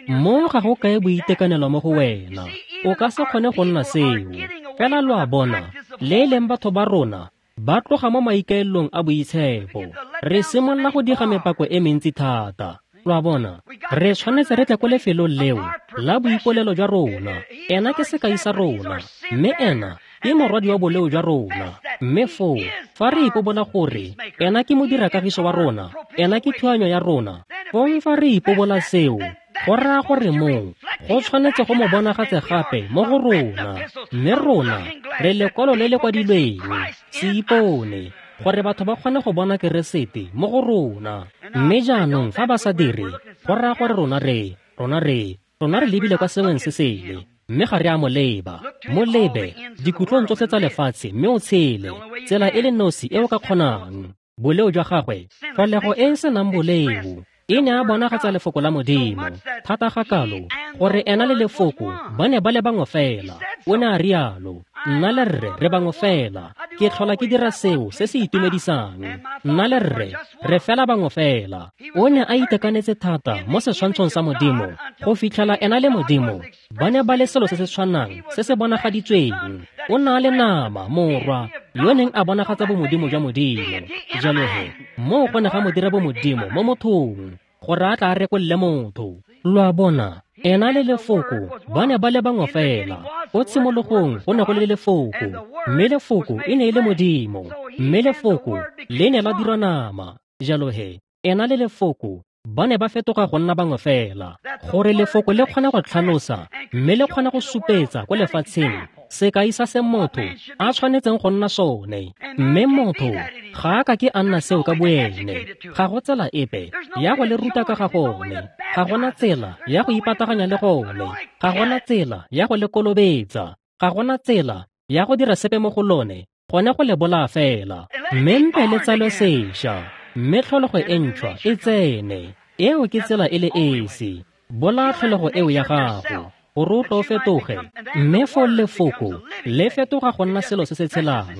Mo ga go kae boitekanelo mo go wena, o ka se kgone go nna seo. Fela lo a bona, le e leng batho ba rona ba tloga mo maikaelelong a boitshepo. Re simolola go diga mepako e mentsi thata. Lo a bona, re tshwanetse re tle ko lefelong leo la boipolelo jwa rona. Ena ke sekai sa rona, mme ena ke morwadi wa boleo jwa rona. Mme foo, fa re ipobola gore ena ke modirakagiso wa rona, ena ke thuanyo ya rona, fong fa re ipobola seo, go raya gore moo go tshwanetse go mo bonagatse gape mo go rona. Mme rona re lekwalo le le kwadilweng, se ipone, gore batho ba kgone go bona Keresete mo go rona. Mme jaanong fa ba sa dire, go raya gore rona re lebile kwa sengweng se sele, mme ga re a mo leba. Mo lebe dikutlong tsotlhe tsa lefatshe mme o tshele tsela e le nosi e o ka kgonang. Boleo jwa gagwe, tlholego e e senang boleo, e ne a bonagatsa lefoko la Modimo thata ga kalo gore ena le lefoko ba ne ba le bangwe fela. O ne a rialo, nna le rre re bangwe fela. Ke tlhola ke dira seo se se itumedisang. Nna le rre re fela bangwe fela. O ne a itekanetse thata mo setshwantshong sa Modimo go fitlhela ena le Modimo ba ne ba le selo se se tshwanang se se bonagaditsweng. O ne a le nama, morwa yo neng a bonagatsa bomodimo jwa Modimo. Jalo he, moo go ne ga mo dira bomodimo mo mothong gore a tla a rekolole motho. Lo a bona, ena le lefoko ba ne ba le bangwe fela. Ko tshimologong go ne go le lefoko, mme lefoko e ne e le Modimo, mme lefoko le ne la dirwa nama. Jalo he, ena le lefoko ba ne ba fetoga go nna bangwe fela, gore lefoko le kgone go tlhalosa mme le kgone go supetsa ko lefatsheng sekai sa se motho a tshwanetseng go nna sone. Mme motho ga a ka ke a nna seo ka boene. Ga go tsela epe ya go le ruta ka ga gone, ga gona tsela ya go ipataganya le gone, ga gona tsela ya go le kolobetsa, ga gona tsela ya go dira sepe mo go lone, gone go le bolaya fela. Mme mpe le tsalwe sešwa, mme tlholego e ntšhwa e tsene. Eo ke tsela e le esi. Bolaya tlholego eo ya gago, gore o tlo fetoge, mme foo lefoko le fetoga go nna selo se se tshelang.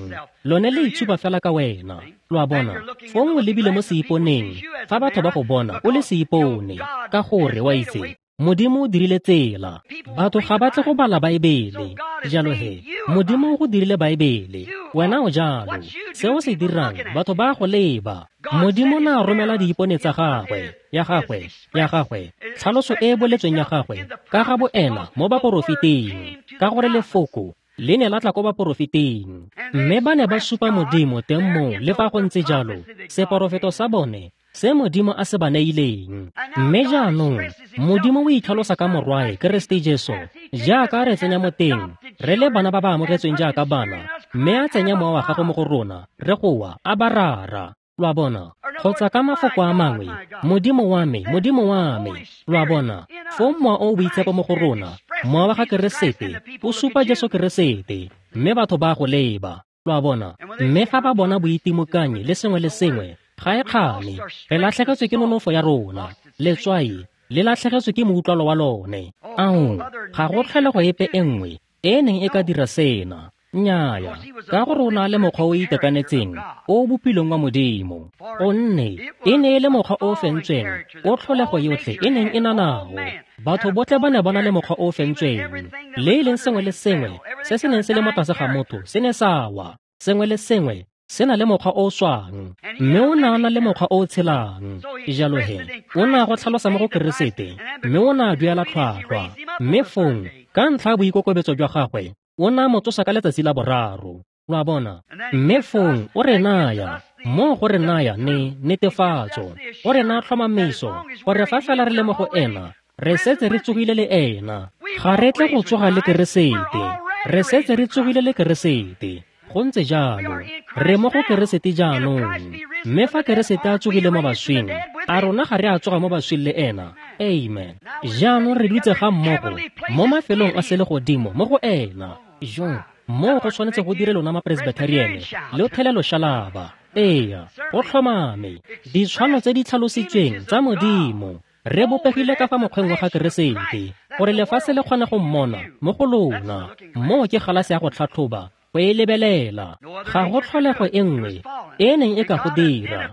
Lone le itshupa fela ka wena. Lo a bona? Fong o lebile mo seiponeng, fa batho ba go bona o le seipone, ka gore wa itse Modimo o dirile tsela. Batho ga ba tle go bala Baebele. Jalo he, Modimo o go dirile Baebele. Wena o jalo. Se o se dirang, batho ba go leba. Modimo na romela diipone tsa gagwe, ya gagwe, ya gagwe, tlhaloso e e boletsweng ya gagwe, ka ga boena mo baporofeting, ka gore lefoko le ne la tla ko baporofeting. Mme ba ne ba supa Modimo teng moo, le fa go ntse jalo, seporofeto sa bone se Modimo a se ba neileng. Mme jaanong Modimo o itlhalosa ka Morwae Keresete Jesu, jaaka re tsenya mo teng, re le bana ba ba amogetsweng jaaka bana, mme a tsenya mowa wa gagwe mo go rona, re goa, a ba rara. Lo a bona? Kgotsa ka mafoko a mangwe, Modimo wa me, Modimo wa me. Lo a bona? Foo mowa o o boitshepo mo go rona, mowa wa ga Keresete, o supa Jesu Keresete, mme batho ba go leba. Lo a bona? Mme fa ba bona boitimokanyi le sengwe le sengwe, ga e kgane, re latlhegetswe ke nonofo ya rona. Letswai le latlhegetswe ke moutlwalo wa lone. Ao, ga go tlholego epe e nngwe e neng e ka dira sena. Nnyaya, ka gore o na le mokgwa o itekanetseng o o bopilweng wa Modimo. Gonne e ne e le mokgwa o o fentsweng o tlholego yotlhe e neng e na nao. Batho botlhe ba ne ba na le mokgwa o o fentsweng. Le e leng sengwe le sengwe se se neng se le mo tlase ga motho se ne sa wa. Sengwe le sengwe se na le mokgwa o o swang, mme o ne a na le mokgwa o o tshelang. Jalo he, o ne a go tlhalosa mo go Keresete, mme o ne a duela tlhwatlhwa. Mme fong, ka ntlha ya boikokobetso jwa gagwe, o ne a mo tsosa ka letsatsi la boraro. Lo a bona? Mme fong o re naya, moo go re naya ne netefatso, go re naya tlhomamiso, gore fa fela re le mo go ena, re setse re tsogile le ena. Ga re tle go tsoga le Keresete, re setse re tsogile le Keresete. Go ntse jalo, re mo go Keresete jaanong. Mme fa Keresete a tsogile mo baswing, a rona ga re a tsoga mo baswing le ena. Amen. Jaanong re dutse ga mmogo mo mafelong a selegodimo mo go ena. Jo, moo go tshwanetse go dire lona mapresbyteriane le thele loshalaba. Eya, go tlhomame. Ditshwano tse di tlhalositsweng tsa Modimo, re bopegile ka fa mokgweng wa ga Keresete, gore lefatshe le kgone go mmona mo go lona. Moo ke galase ya go tlhatlhoba, go e lebelela. Ga go tlholego e nngwe e neng e ka go dira.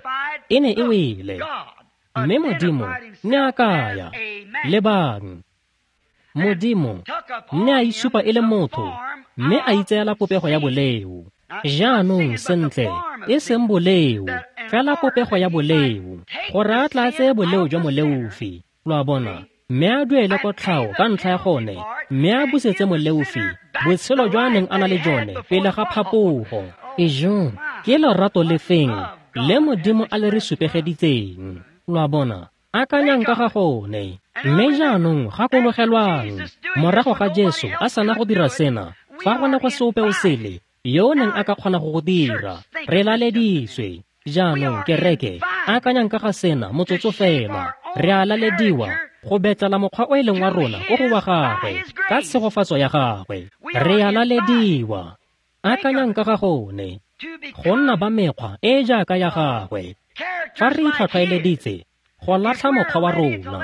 E ne e wele. Mme Modimo ne a kaya. Lebang. Modimo ne a itshupa e le motho, mme a itseela popego ya boleo. Jaanong sentle, e seng boleo, fela popego ya boleo, gore a tla tseye boleo jwa moleofi. Lo a bona? Mme a duele kotlhao ka ntlha ya gone, mme a busetse moleofi botshelo jwa a neng a na le jone pele ga phapogo. Ejo, ke lorato lefeng le Modimo a le re supegeditseng. Lo a bona? Akanyang ka ga gone. Mme jaanong gakologelwang, morago ga Jesu a sana go dira sena, fa go ne go se ope o sele yo o neng a ka kgona go go dira, re laleditswe. Jaanong kereke, akanyang ka ga sena motsotso fela. Re a lalediwa go betlela mokgwa o e leng wa rona ko go wa gagwe, ka tshegofatso ya gagwe. Re a lalediwa. Akanyang ka ga gone, go nna ba mekgwa e e jaaka ya gagwe. Fa re itlhwatlhwaeleditse go latlha mokgwa wa rona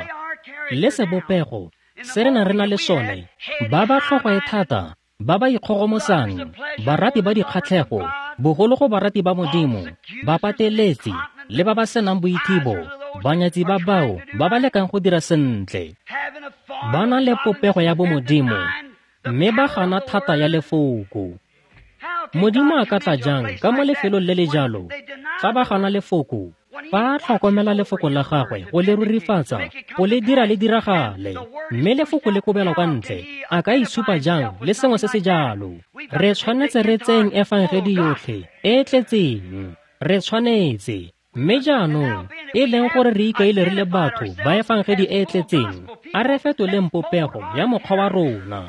le sebopego se re nang re na le sone, ba ba tlhogo e thata, ba ba ikgogomosang, barati ba dikgatlhego, bogolo go barati ba Modimo, ba pateletsi le ba ba senang boithibo, banyatsi ba bao ba ba lekang go dira sentle. Ba na le popego ya bomodimo, mme ba gana thata ya lefoko. Modimo a ka tla jang ka mo lefelong le le jalo fa ba gana lefoko? Fa a tlhokomela lefoko la gagwe go le rurifatsa, go le dira le diragale, mme lefoko le kobelwa kwa ntle, a ka itshupa jang le sengwe se se jalo? Re tshwanetse re tseyeng efangedi yotlhe e e tletseng. Re tshwanetse. Mme jaanong, e leng gore re ikaile re le batho ba efangedi e e tletseng, a re fetoleng popego ya mokgwa wa rona.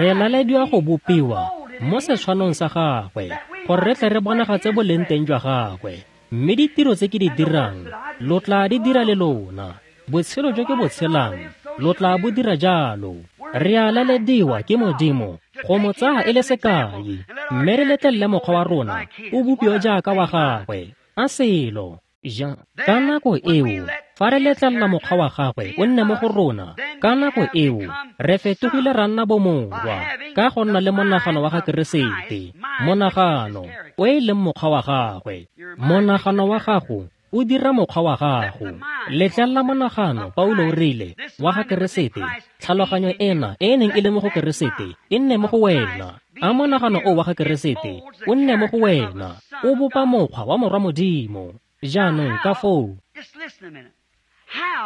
Re lalediwa go bopiwa mo setshwanong sa gagwe, gore re tle re bonagatse boleng teng jwa gagwe. Mme ditiro tse ke di dirang, lo tla di dira le lona. Botshelo jo ke bo tshelang, lo tla bo dira jalo. Re a lalediwa ke Modimo go mo tsaya e le sekai, mme re letlelele mokgwa wa rona o bopiwe jaaka wa gagwe. A selo. Ja, ka nako eo, fa re letlelela mokgwa wa gagwe o nne mo go rona, ka nako eo, re fetogile ra nna bomorwa, ka go nna le monagano wa ga Keresete, monagano o e leng mokgwa wa gagwe. Monagano wa gago o dira mokgwa wa gago. Letlelela monagano, Paulo o rile, wa ga Keresete, tlhaloganyo ena e e neng e le mo go Keresete, e nne mo go wena. A monagano o wa ga Keresete o nne mo go wena, o bopa mokgwa wa morwa Modimo. Jaanong ka foo,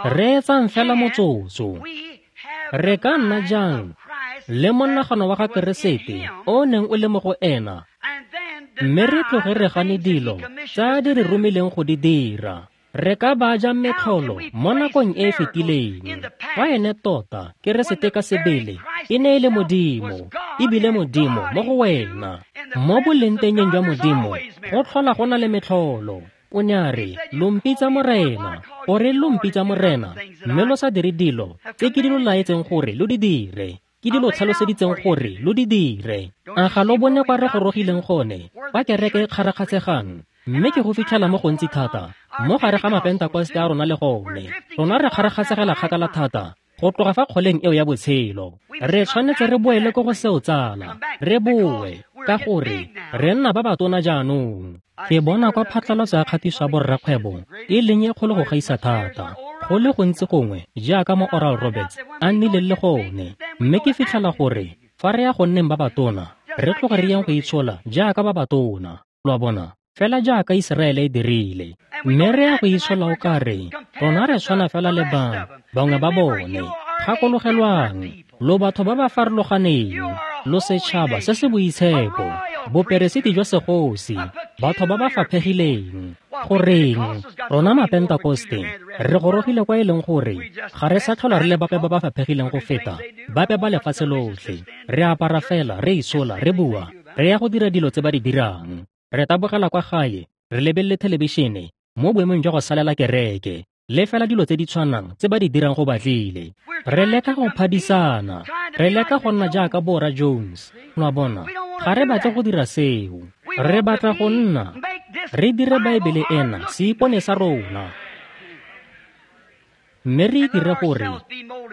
reetsang fela motsotso. Re ka nna jang le monagano wa ga Keresete o neng o le mo go ena, mme re tloge re gane dilo tsa di re romileng go di dira? Re ka ba jang metlholo mo nakong e e fetileng, fa ene tota Keresete ka sebele e ne e le Modimo, ebile Modimo mo go wena? Mo bolengtengeng jwa Modimo go tlhola go na le metlholo. O ne a re, lo mpitsa Morena, gore lo mpitsa Morena, mme lo sa dire dilo tse ke di lo laetseng gore lo di dire, ke di lo tlhaloseditseng gore lo di dire. A ga lo bone kwa re gorogileng gone, kwa kereke e kgarakgatshegang, mme ke go fitlhela mo gontsi thata mo gare ga Mapentakoste a rona le gone. Rona re kgarakgatshegela kgakala thata go tloga fa kgoleng eo ya botshelo. Re tshwanetse re boele ko go seo, tsala, re boe, ka gore re nna ba batona jaanong. Ke bona kwa phatlalatso ya kgatiso ya borrakgwebo e leng e kgolo go gaisa thata, go le gontsi gongwe jaaka mo Oral Roberts a nnileng le gone. Mme ke fitlhela gore fa re ya go nneng ba batona, re tloga re yang go itshola jaaka ba batona, lo a bona, fela jaaka Iseraele e dirile. Mme re ya go itshola o ka re rona re tshwana fela le ba bangwe ba bone. Gakologelwang, lo batho ba ba farologaneng, lo setšhaba se se boitshepo, boperesiti jwa segosi, batho ba ba faphegileng. Goreng, rona Mapentakoste re gorogile kwa e leng gore ga re sa tlhola re le bape ba ba faphegileng go feta bape ba lefatshe lotlhe. Re apara fela, re itshola, re bua, re ya go dira dilo tse ba di dirang. Re tabogela kwa gae, re lebelele thelebišene mo boemong jwa go salela kereke, le fela dilo tse di tshwanang tse ba di dirang go batlile. Re leka go phadisana, re leka go nna jaaka Bora Jones. Lo a bona, ga re batle go dira seo. Re batla go nna re dire Baebele ena seipone sa rona, mme re dire gore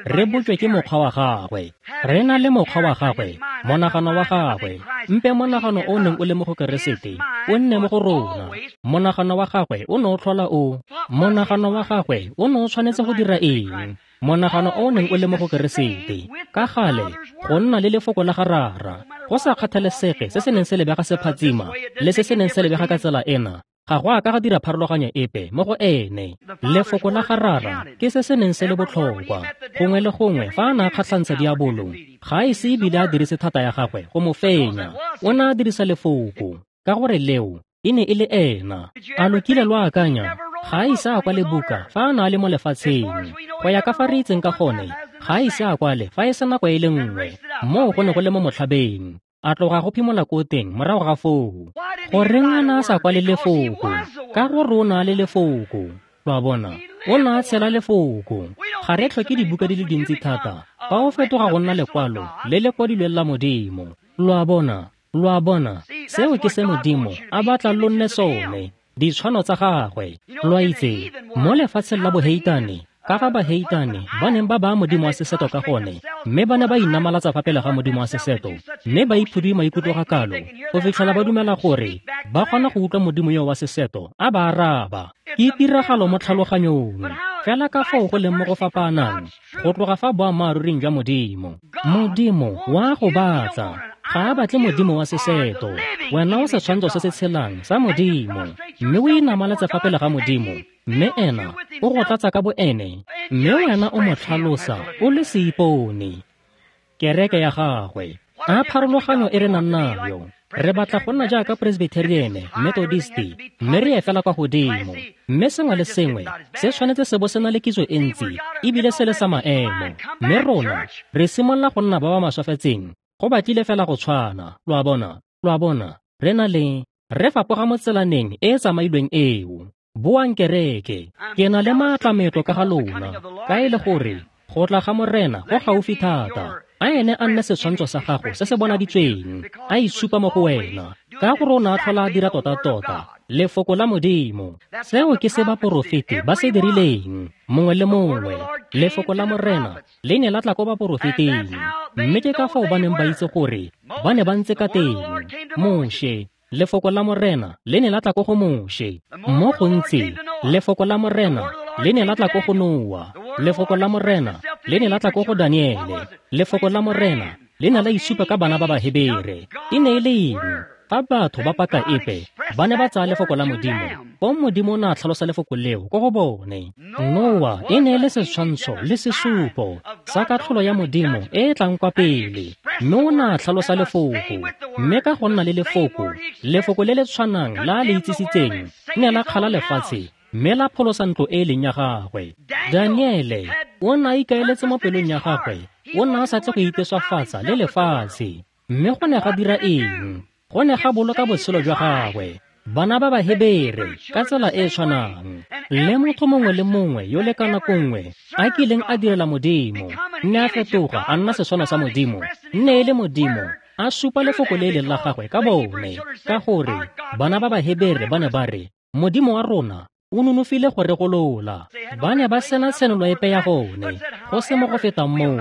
re botšwe ke mokgwa wa gagwe. Re na le mokgwa wa gagwe, monagano wa gagwe. Mpe monagano o neng o le mo go Keresete o nne mo go rona. Monagano wa gagwe o ne o tlhola o. Monagano wa gagwe o ne o tshwanetse go dira eng? Monagano o neng o le mo go Keresete, ka gale go nna le lefoko la ga Rara, go sa kgathalesege se se neng se lebega se phatsima le se se neng se lebega ka tsela ena, ga go a ka ga dira pharologanyo epe mo go ene. Lefoko la ga Rara ke se se neng se le botlhokwa. Gongwe le gongwe fa a ne a kgatlhantsha diabolo, ga e se ebile a dirise thata ya gagwe go mo fenya. O ne a dirisa lefoko, ka gore leo e ne e le ena. A lo kile lo akanya? Ga a ise a kwale buka fa a ne a le mo lefatsheng. Go ya ka fa re itseng ka gone, ga a ise a kwale fa e se nako e le nngwe. Moo go ne go le mo motlhabeng. A tloga go phimola ko teng morago ga foo. Goreng a ne a sa kwale lefoko? Ka gore o ne a le lefoko. Lo a bona, o ne a tshela lefoko. Ga re tlhoke dibuka di le dintsi thata fa o fetoga go nna lekwalo le le kwadilweng la Modimo. Lo a bona, lo a bona, seo ke se Modimo a batlang lo nne sone, ditshwano tsa gagwe. Lo a itse, mo lefatsheng la boheitane, ka fa baheitane ba neng ba baya Modimo wa seseto ka gone, mme ba ne ba inamalatsa fa pele ga Modimo wa seseto, mme ba iphudui maikutlo ga kalo go fitlhela ba dumela gore ba kgona go utlwa Modimo yo wa seseto a ba araba. Ke tiragalo mo tlhaloganyong, fela ka foo go leng mo go fapanang go tloga fa boammaaruring jwa Modimo. Modimo wa go batla, ga a batle Modimo wa seseto. Wena o setshwantsho se se tshelang sa Modimo, mme o inamalatse fa pele ga Modimo, mme ena o go tlatsa ka boene, mme wena o mo tlhalosa o le seipone, kereke ya gagwe. A pharologanyo e re nang nayo. Re batla go nna jaaka Presbyterian, Methodist, mme re ye fela kwa godimo. Mme sengwe le sengwe se tshwanetse se bo se na le kitso e ntsi, ebile se le sa maemo. Mme rona re simolola go nna ba ba maswafetseng, go batlile fela go tshwana. Lo a bona, lo a bona, re na le re fapoga mo tselaneng e e tsamailweng eo. Boang kereke, ke na le maatlametlo ka ga lona, ka e le gore go tla ga Morena go gaufi thata. A ene a nne setshwantsho sa gago se se bonaditsweng, a itshupa mo go wena, ka gore o ne a tlhola a dira tota-tota lefoko la Modimo. Seo ke se baporofeti ba se dirileng, mongwe le mongwe. Lefoko la Morena le ne la tla ko baporofeting, mme ke ka fao ba neng ba itse gore ba ne ba ntse ka teng. Moshe, lefoko la Morena le ne la tla ko go Moshe. Mo gontsi, lefoko la Morena le ne la tla ko go Noa. Lefoko la Morena le ne la tla ko go Daniele. Lefoko la Morena le ne la itshupa ka bana ba Bahebere. E ne e le eng? Fa batho ba paka epe ba ne ba tsaya lefoko la Modimo, fong Modimo o ne a tlhalosa lefoko leo ko go bone. Noa e ne e le setshwantsho le sesupo sa katlholo ya Modimo e e tlang kwa pele, mme o ne a tlhalosa lefoko. Mme ka go nna le lefoko, lefoko le le tshwanang la a le itsisitseng ne la kgala lefatshe mme la pholosa ntlo e e leng ya gagwe. Daniele o ne a ikaeletse mo pelong ya gagwe, o ne a sa tle go iteswafatsa le lefatshe. Mme go ne ga dira eng? Go ne ga boloka botshelo jwa gagwe. Bana ba Bahebere ka tsela e e tshwanang, le motho mongwe le mongwe yo le ka nako nngwe a kileng a direla Modimo, nne a fetoga a nna setshwano sa Modimo, nne e le Modimo a supa lefoko le e leng la gagwe ka bone. Ka gore bana ba Bahebere ba ne ba re, Modimo wa rona o nonofile go re golola. Ba ne ba sena tshenolo epe ya gone, go se mo go fetang moo.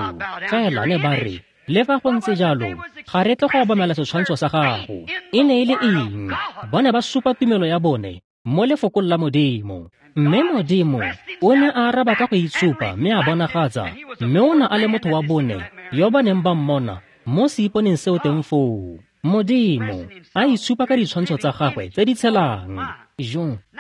Fela ne ba re, le fa go ntse jalo, ga re tle go obamela setshwantsho sa gago. E ne e le eng? Ba ne ba supa tumelo ya bone mo lefokong la Modimo. Mme Modimo o ne a araba ka go itshupa mme a bonagatsa, mme o ne a le motho wa bone yo ba neng ba mmona mo seiponeng seo teng foo. Modimo a itshupa ka ditshwantsho tsa gagwe tse di tshelang.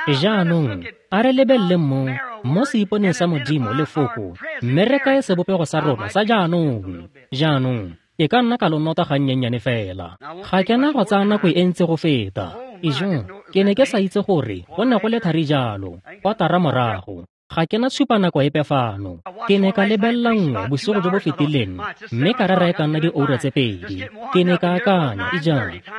Jaanong a re lebelele mo seiponeng sa Modimo lefoko, mme re kae sebopego sa rona sa jaanong. Jaanong ke ka nna ka lo nota gannyennyane fela. Ga ke na go tsaya nako e ntsi go feta. Ke ne ke sa itse gore go ne go le thari jalo, kwatara morago. Ga ke na tshupa nako epe fano. Ke ne ka lebelela nngwe bosigo jo bo fetileng, mme ka rera e ka nna dioura tse 2. Ke ne ka akanya,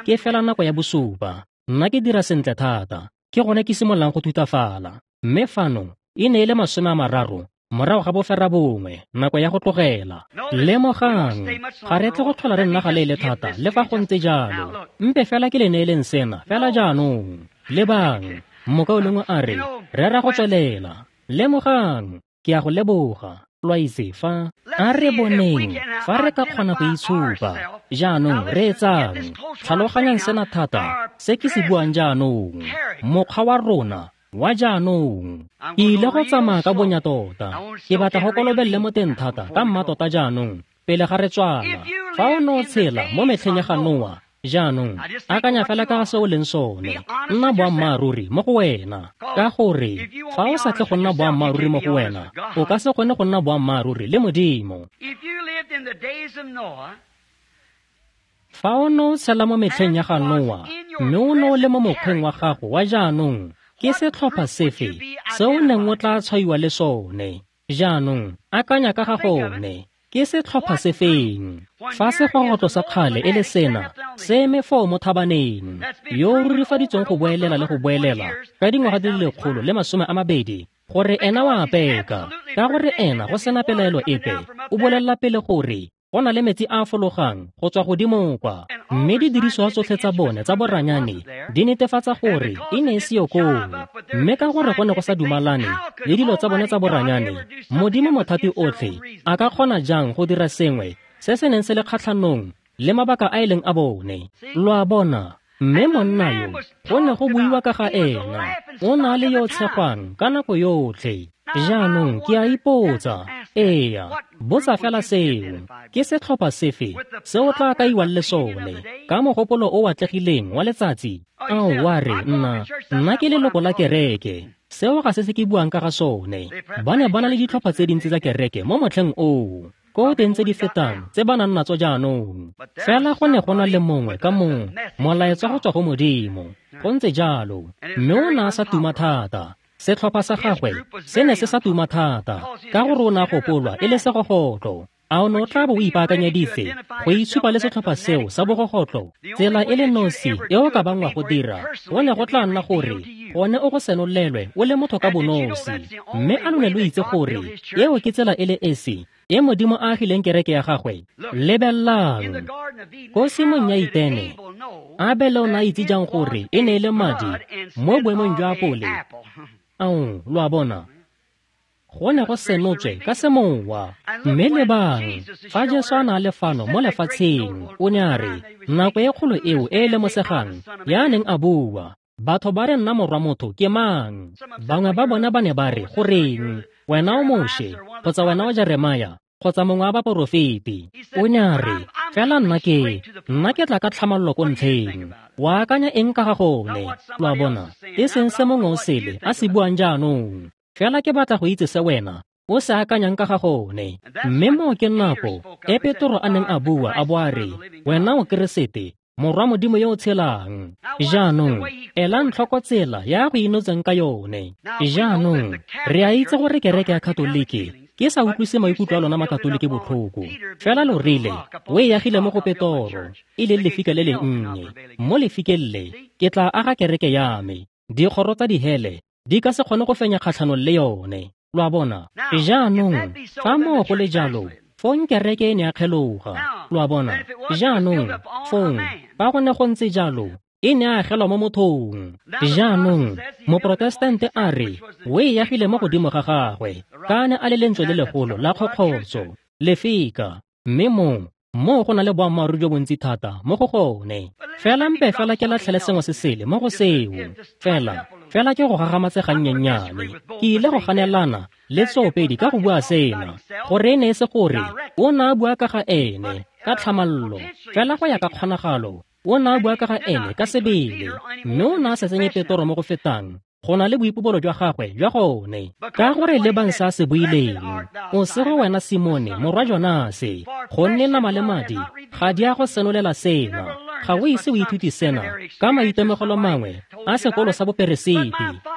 ke fela nako ya 7. Nna ke dira sentle thata, ke gone ke simololang go thutafala. Mme fano e ne e le 30 morago ga 9:30, nako ya go tlogela. Lemogang, ga re tle go tlhola re nna ga leele thata le fa go ntse jalo. Mpe fela ke le neeleng sena fela jaanong. Lebang, mokaulengwe a re, rera go tswelela. Lemogang, ke a go leboga. Lo a itse fa a re boneng fa re ka kgona go itshupa. Jaanong reetsang, tlhaloganyang sena thata se ke se buang jaanong. Mokgwa wa rona wa jaanong. Ke ile go tsamaya ka bonya tota. Ke batla go kolobelele mo teng thata ka mmatota jaanong pele ga re tswala. Fa o ne o tshela mo metlheng ya ga Noa, jaanong akanya fela ka ga se o leng sone. Nna boammaaruri mo go wena, ka gore fa o sa tle go nna boammaaruri mo go wena, o ka se kgone go nna boammaaruri le Modimo. Fa o ne o tshela mo metlheng ya ga Noa, mme o ne o le mo mokgweng wa gago wa jaanong, ke setlhopha sefe se o neng o tla tshwaiwa le sone? Jaanong akanya ka ga gone. Ke setlhopha sefeng? Fa segogotlo sa kgale e le sena, se eme foo mo thabaneng, yo o rurifaditsweng go boelela le go boelela ka dingwaga di le 120, gore ena wa apeka, ka gore ena go sena pelaelo epe, o bolelela pele gore go na le metsi a a fologang go tswa godimo kwa, mme didiriswa tsotlhe tsa bone tsa boranyane di netefatsa gore e ne e seo koo. Mme ka gore go ne go sa dumalane le dilo tsa bone tsa boranyane, Modimo mothati otlhe a ka kgona jang go dira sengwe se se neng se le kgatlhanong le mabaka a e leng a bone? Lo a bona? Mme monna yo go ne go buiwa ka ga ena, o na le yo tshegwang ka nako yotlhe. Jaanong ke a ipotsa, eya, botsa fela seo, ke setlhopha sefe se o tla kaiwang le sone ka mogopolo o atlegileng wa letsatsi? Ao, wa re, nna ke leloko la kereke. Seo ga se se ke buang ka ga sone. Ba ne ba na le ditlhopha tse dintsi tsa kereke mo motlheng oo, ko teng tse di fetang tse ba nang natso jaanong. Fela go ne go na le mongwe ka mongwe molaetsa go tswa go Modimo. Go ntse jalo, mme o ne a sa tuma thata. Setlhopha sa gagwe se ne se sa tuma thata, ka gore o ne a gopolwa e le segogotlo. A o ne o tla bo o ipaakanyeditse go itshupa le setlhopha seo sa bogogotlo? Tsela e le nosi e o ka bang wa go dira go ne go tla nna gore Gone o go senolelwe o le motho ka bonosi. Mme a lo ne lo itse gore eo ke tsela e le esi e Modimo a agileng kereke ya gagwe. Lebelelang ko tshimong ya Etene, Abele o ne a itse jang gore e ne e le madi mo boemong jwa apole? Ao, lo a bona, go ne go senotswe ka semowa. Mme lebang, fa Jesu a ne a le fano mo lefatsheng, o ne a re, nako e kgolo eo e e lemosegang ya neng a bua, batho ba re nna morwa motho ke mang? Bangwe ba bona ba ne ba re, goreng, wena o Moshe, kgotsa wena o Jeremia, kgotsa mongwe wa baporofeti. O ne a re, fela nna ke tla ka tlhamallo ko ntlheng. Wa akanya eng ka ga gone? Lo a bona, e seng se mongwe o sele a se buang jaanong. Fela ke batla go itse se wena o se akanyang ka ga gone. Mme moo ke nako e Petro a neng a bua a bo a re, wena o Keresete, morwa Modimo yo o tshelang. Jaanong, elang tlhoko tsela ya go inotseng ka yone. Jaanong, re a itse gore kereke ya Katoliki, ke sa utlwise maikutlo a lona makatoliki botlhoko. Fela lo rile, o e agile mo go Petoro, e leng lefika le le nnye. Mo lefikeng le, ke tla aga kereke ya me. Dikgoro tsa dihele di ka se kgone go fenya kgatlhanong le yone. Lo a bona? Jaanong, fa moo go le jalo, fong kereke e ne ya kgeloga. Lo a bona? Jaanong, fong, fa go ne go ntse jalo, e ne a agelwa mo mothong. Jaanong, moprotestante a re, o e agile mo godimo ga gagwe, ka ne a le lentswe le legolo la kgokgotso, lefika, mme moo go na le boammaaruri jo bontsi thata mo go gone. Fela mpe fela ke latlhele sengwe se sele mo go seo. Fela ke go gagamatse gannyennyane. Ke ile go ganelana le tsoopedi ka go bua sena, gore e ne e se gore o ne a bua ka ga ene ka tlhamallo, fela go ya ka kgonagalo o ne a bua ka ga ene ka sebele, mme o ne a sa tsenye Petoro mo go fetang go na le boipobolo jwa gagwe jwa gone. Ka gore lebang se a se buileng, o sego wena Simone morwa Jonase, gonne nama le madi ga di a go senolela sena. Ga o ise o ithute sena ka maitemogelo mangwe a sekolo sa boperesiti,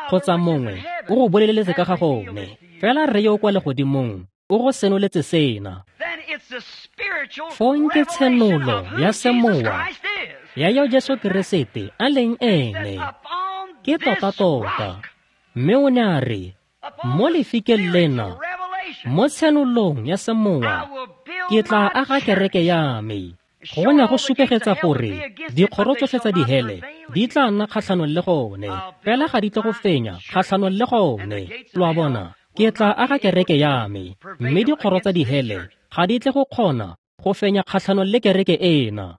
kgotsa mongwe o go boleletse ka ga gone. Fela Rre yo o kwa legodimong o go senoletse sena. Fong ke tshenolo ya semowa ya yo Jesu Keresete a leng ene. Ke tota-tota. Mme o ne a re, mo lefikeng lena, mo tshenolong ya semowa, ke tla aga kereke ya me. Go ne go supegetsa gore dikgoro tsotlhe tsa dihele di tla nna kgatlhanong le gone, fela ga di tle go fenya kgatlhanong le gone. Lo a bona? Ke tla aga kereke ya me, mme dikgoro tsa dihele ga di tle go kgona go fenya kgatlhanong le kereke ena.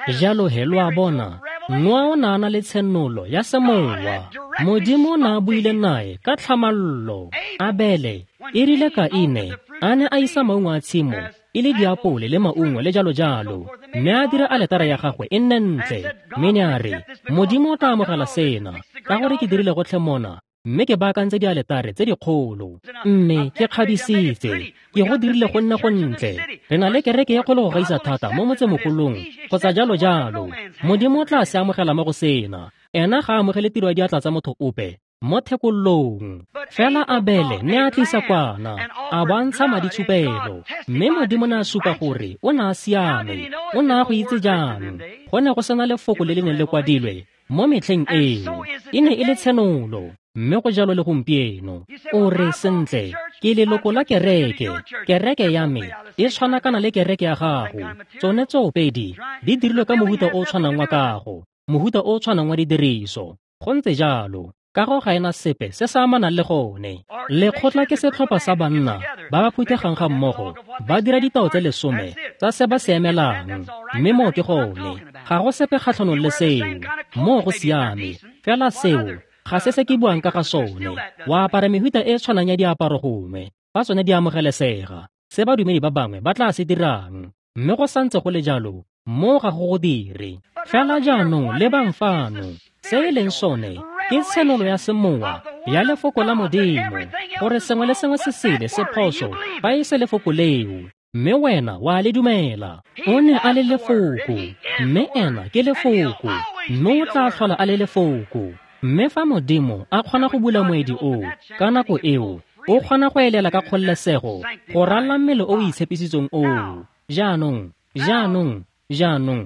Jalo he lo a bona, Noa o ne a na le tshenolo ya semowa. Modimo o ne a buile nae ka tlhamallo. Abele, e rile Kaine a ne a isa maungo a tshimo, e le diapole le maungo le jalo jalo, mme a dira aletara ya gagwe e nne ntle, mme ne a re, Modimo o tla amogela sena, ka gore ke dirile gotlhe mona, mme ke baakantse dialetare tse dikgolo, mme ke kgabisitse, ke go dirile go nne go ntle. Re na le kereke e kgolo go gaisa thata mo motsemogolong, kgotsa jalo jalo. Modimo o tla se amogela mo go sena. Ena ga a amogele tiro ya diatla tsa motho ope mo thekolong. Fela Abele ne a tlisa kwana, a bo a ntsha maditshupelo, mme Modimo ne a supa gore o ne a siame. O ne a go itse jang? Go ne go sena lefoko le le neng le kwadilwe mo metlheng eo. E ne e le tshenolo. Mme go jalo le gompieno. O re, sentle, ke leloko la kereke. Kereke ya me e tshwanakana le kereke ya gago. Tsone tsoopedi di dirilwe ka mohuta o tshwanang wa kago, mohuta o tshwanang wa didiriso. Go ntse jalo. Kago ga ena sepe se se amanang le gone. Lekgotla ke setlhopha sa banna ba ba phuthegang ga mmogo, ba dira ditao tse 10 tsa se ba se emelang, mme moo ke gone. Ga go sepe kgatlhanong le seo. Moo go siame. Fela seo ga se se ke buang ka ga sone. Wa apara mehuta e tshwanang ya diaparo gongwe, fa tsone di amogelesega, se badumedi ba bangwe ba tla se dirang. Mme go santse go le jalo, moo ga go go dire. Fela jaanong lebang fano, se e leng sone ke tshenolo ya semowa ya lefoko la Modimo, gore sengwe le sengwe se sele se phoso fa e se lefoko leo, mme wena wa le dumela. O ne a le lefoko, mme ena ke lefoko, mme o tla tlhola a le lefoko. Mme fa Modimo a kgona go bula moedi oo ka nako eo, o kgona go elela ka kgololesego go ralla mmele o o itshepisitsweng oo. Jaanong,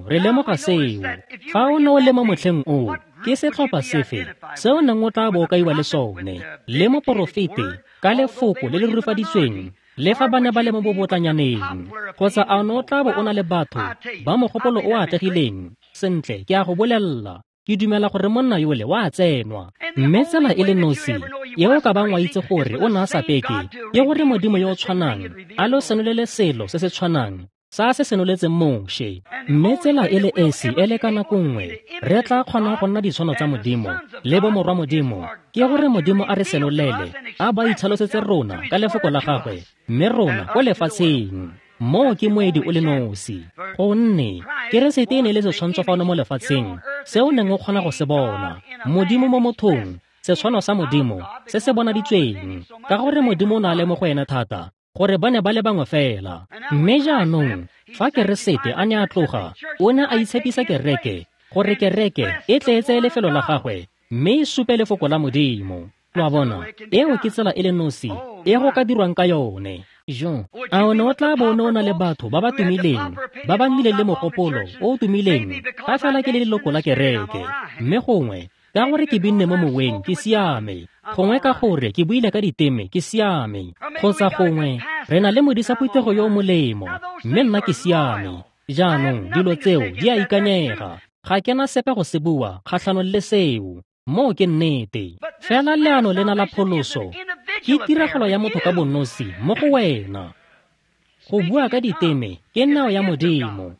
re lemoga seo. Fa o ne o le mo motlheng oo, Ke setlhopha sefe se o neng o tla bo o kaiwa le sone, le moporofeti ka lefoko le le rurifaditsweng, le fa ba ne ba le mo bobotlanyaneng? Kgotsa a o ne o tla bo o na le batho ba mogopolo o atlegileng? Sentle, ke a go bolelela, ke dumela gore monna yole wa tsenwa. Mme tsela e le nosi e o ka bang wa itse gore o ne a sa peke ke gore Modimo yo o tshwanang a lo senolele selo se se tshwanang sa se senoletseng Moshe. Mme tsela e le esi e le ka nako nngwe re tla kgonang go nna ditshwano tsa Modimo le bomorwa Modimo ke gore Modimo a re senolele, a ba itlhalosetse rona ka lefoko la gagwe, mme rona ko lefatsheng. Moo ke moedi o le nosi, gonne Keresete e ne le setshwantsho fano mo lefatsheng se o neng o kgona go se bona, Modimo mo mothong, setshwano sa Modimo se se bonaditsweng, ka gore Modimo o ne a le mo go ene thata gore ba ne ba le bangwe fela. Mme jaanong fa Keresete a ne a tloga, o ne a itshepisa kereke gore kereke e tle e tseye lefelo la gagwe mme e supe lefoko la Modimo. Lo a bona, eo ke tsela e le nosi e go ka dirwang ka yone. Jo, a o ne o tla bo o ne o na le batho ba ba tumileng, ba ba nnileng le mogopolo o o tumileng, fa fela ke le leloko la kereke, mme gongwe ka gore ke binne mo moweng ke siame, gongwe ka gore ke buile ka diteme ke siame, kgotsa gongwe re na le modisa phuthego yo o molemo, mme nna ke siame. Jaanong dilo tseo di a ikanyega, ga ke na sepe go se bua kgatlhanong le seo. Moo ke nnete. Fela leano lena la pholoso ke tiragalo ya motho ka bonosi mo go wena. Go bua ka diteme ke neo ya Modimo.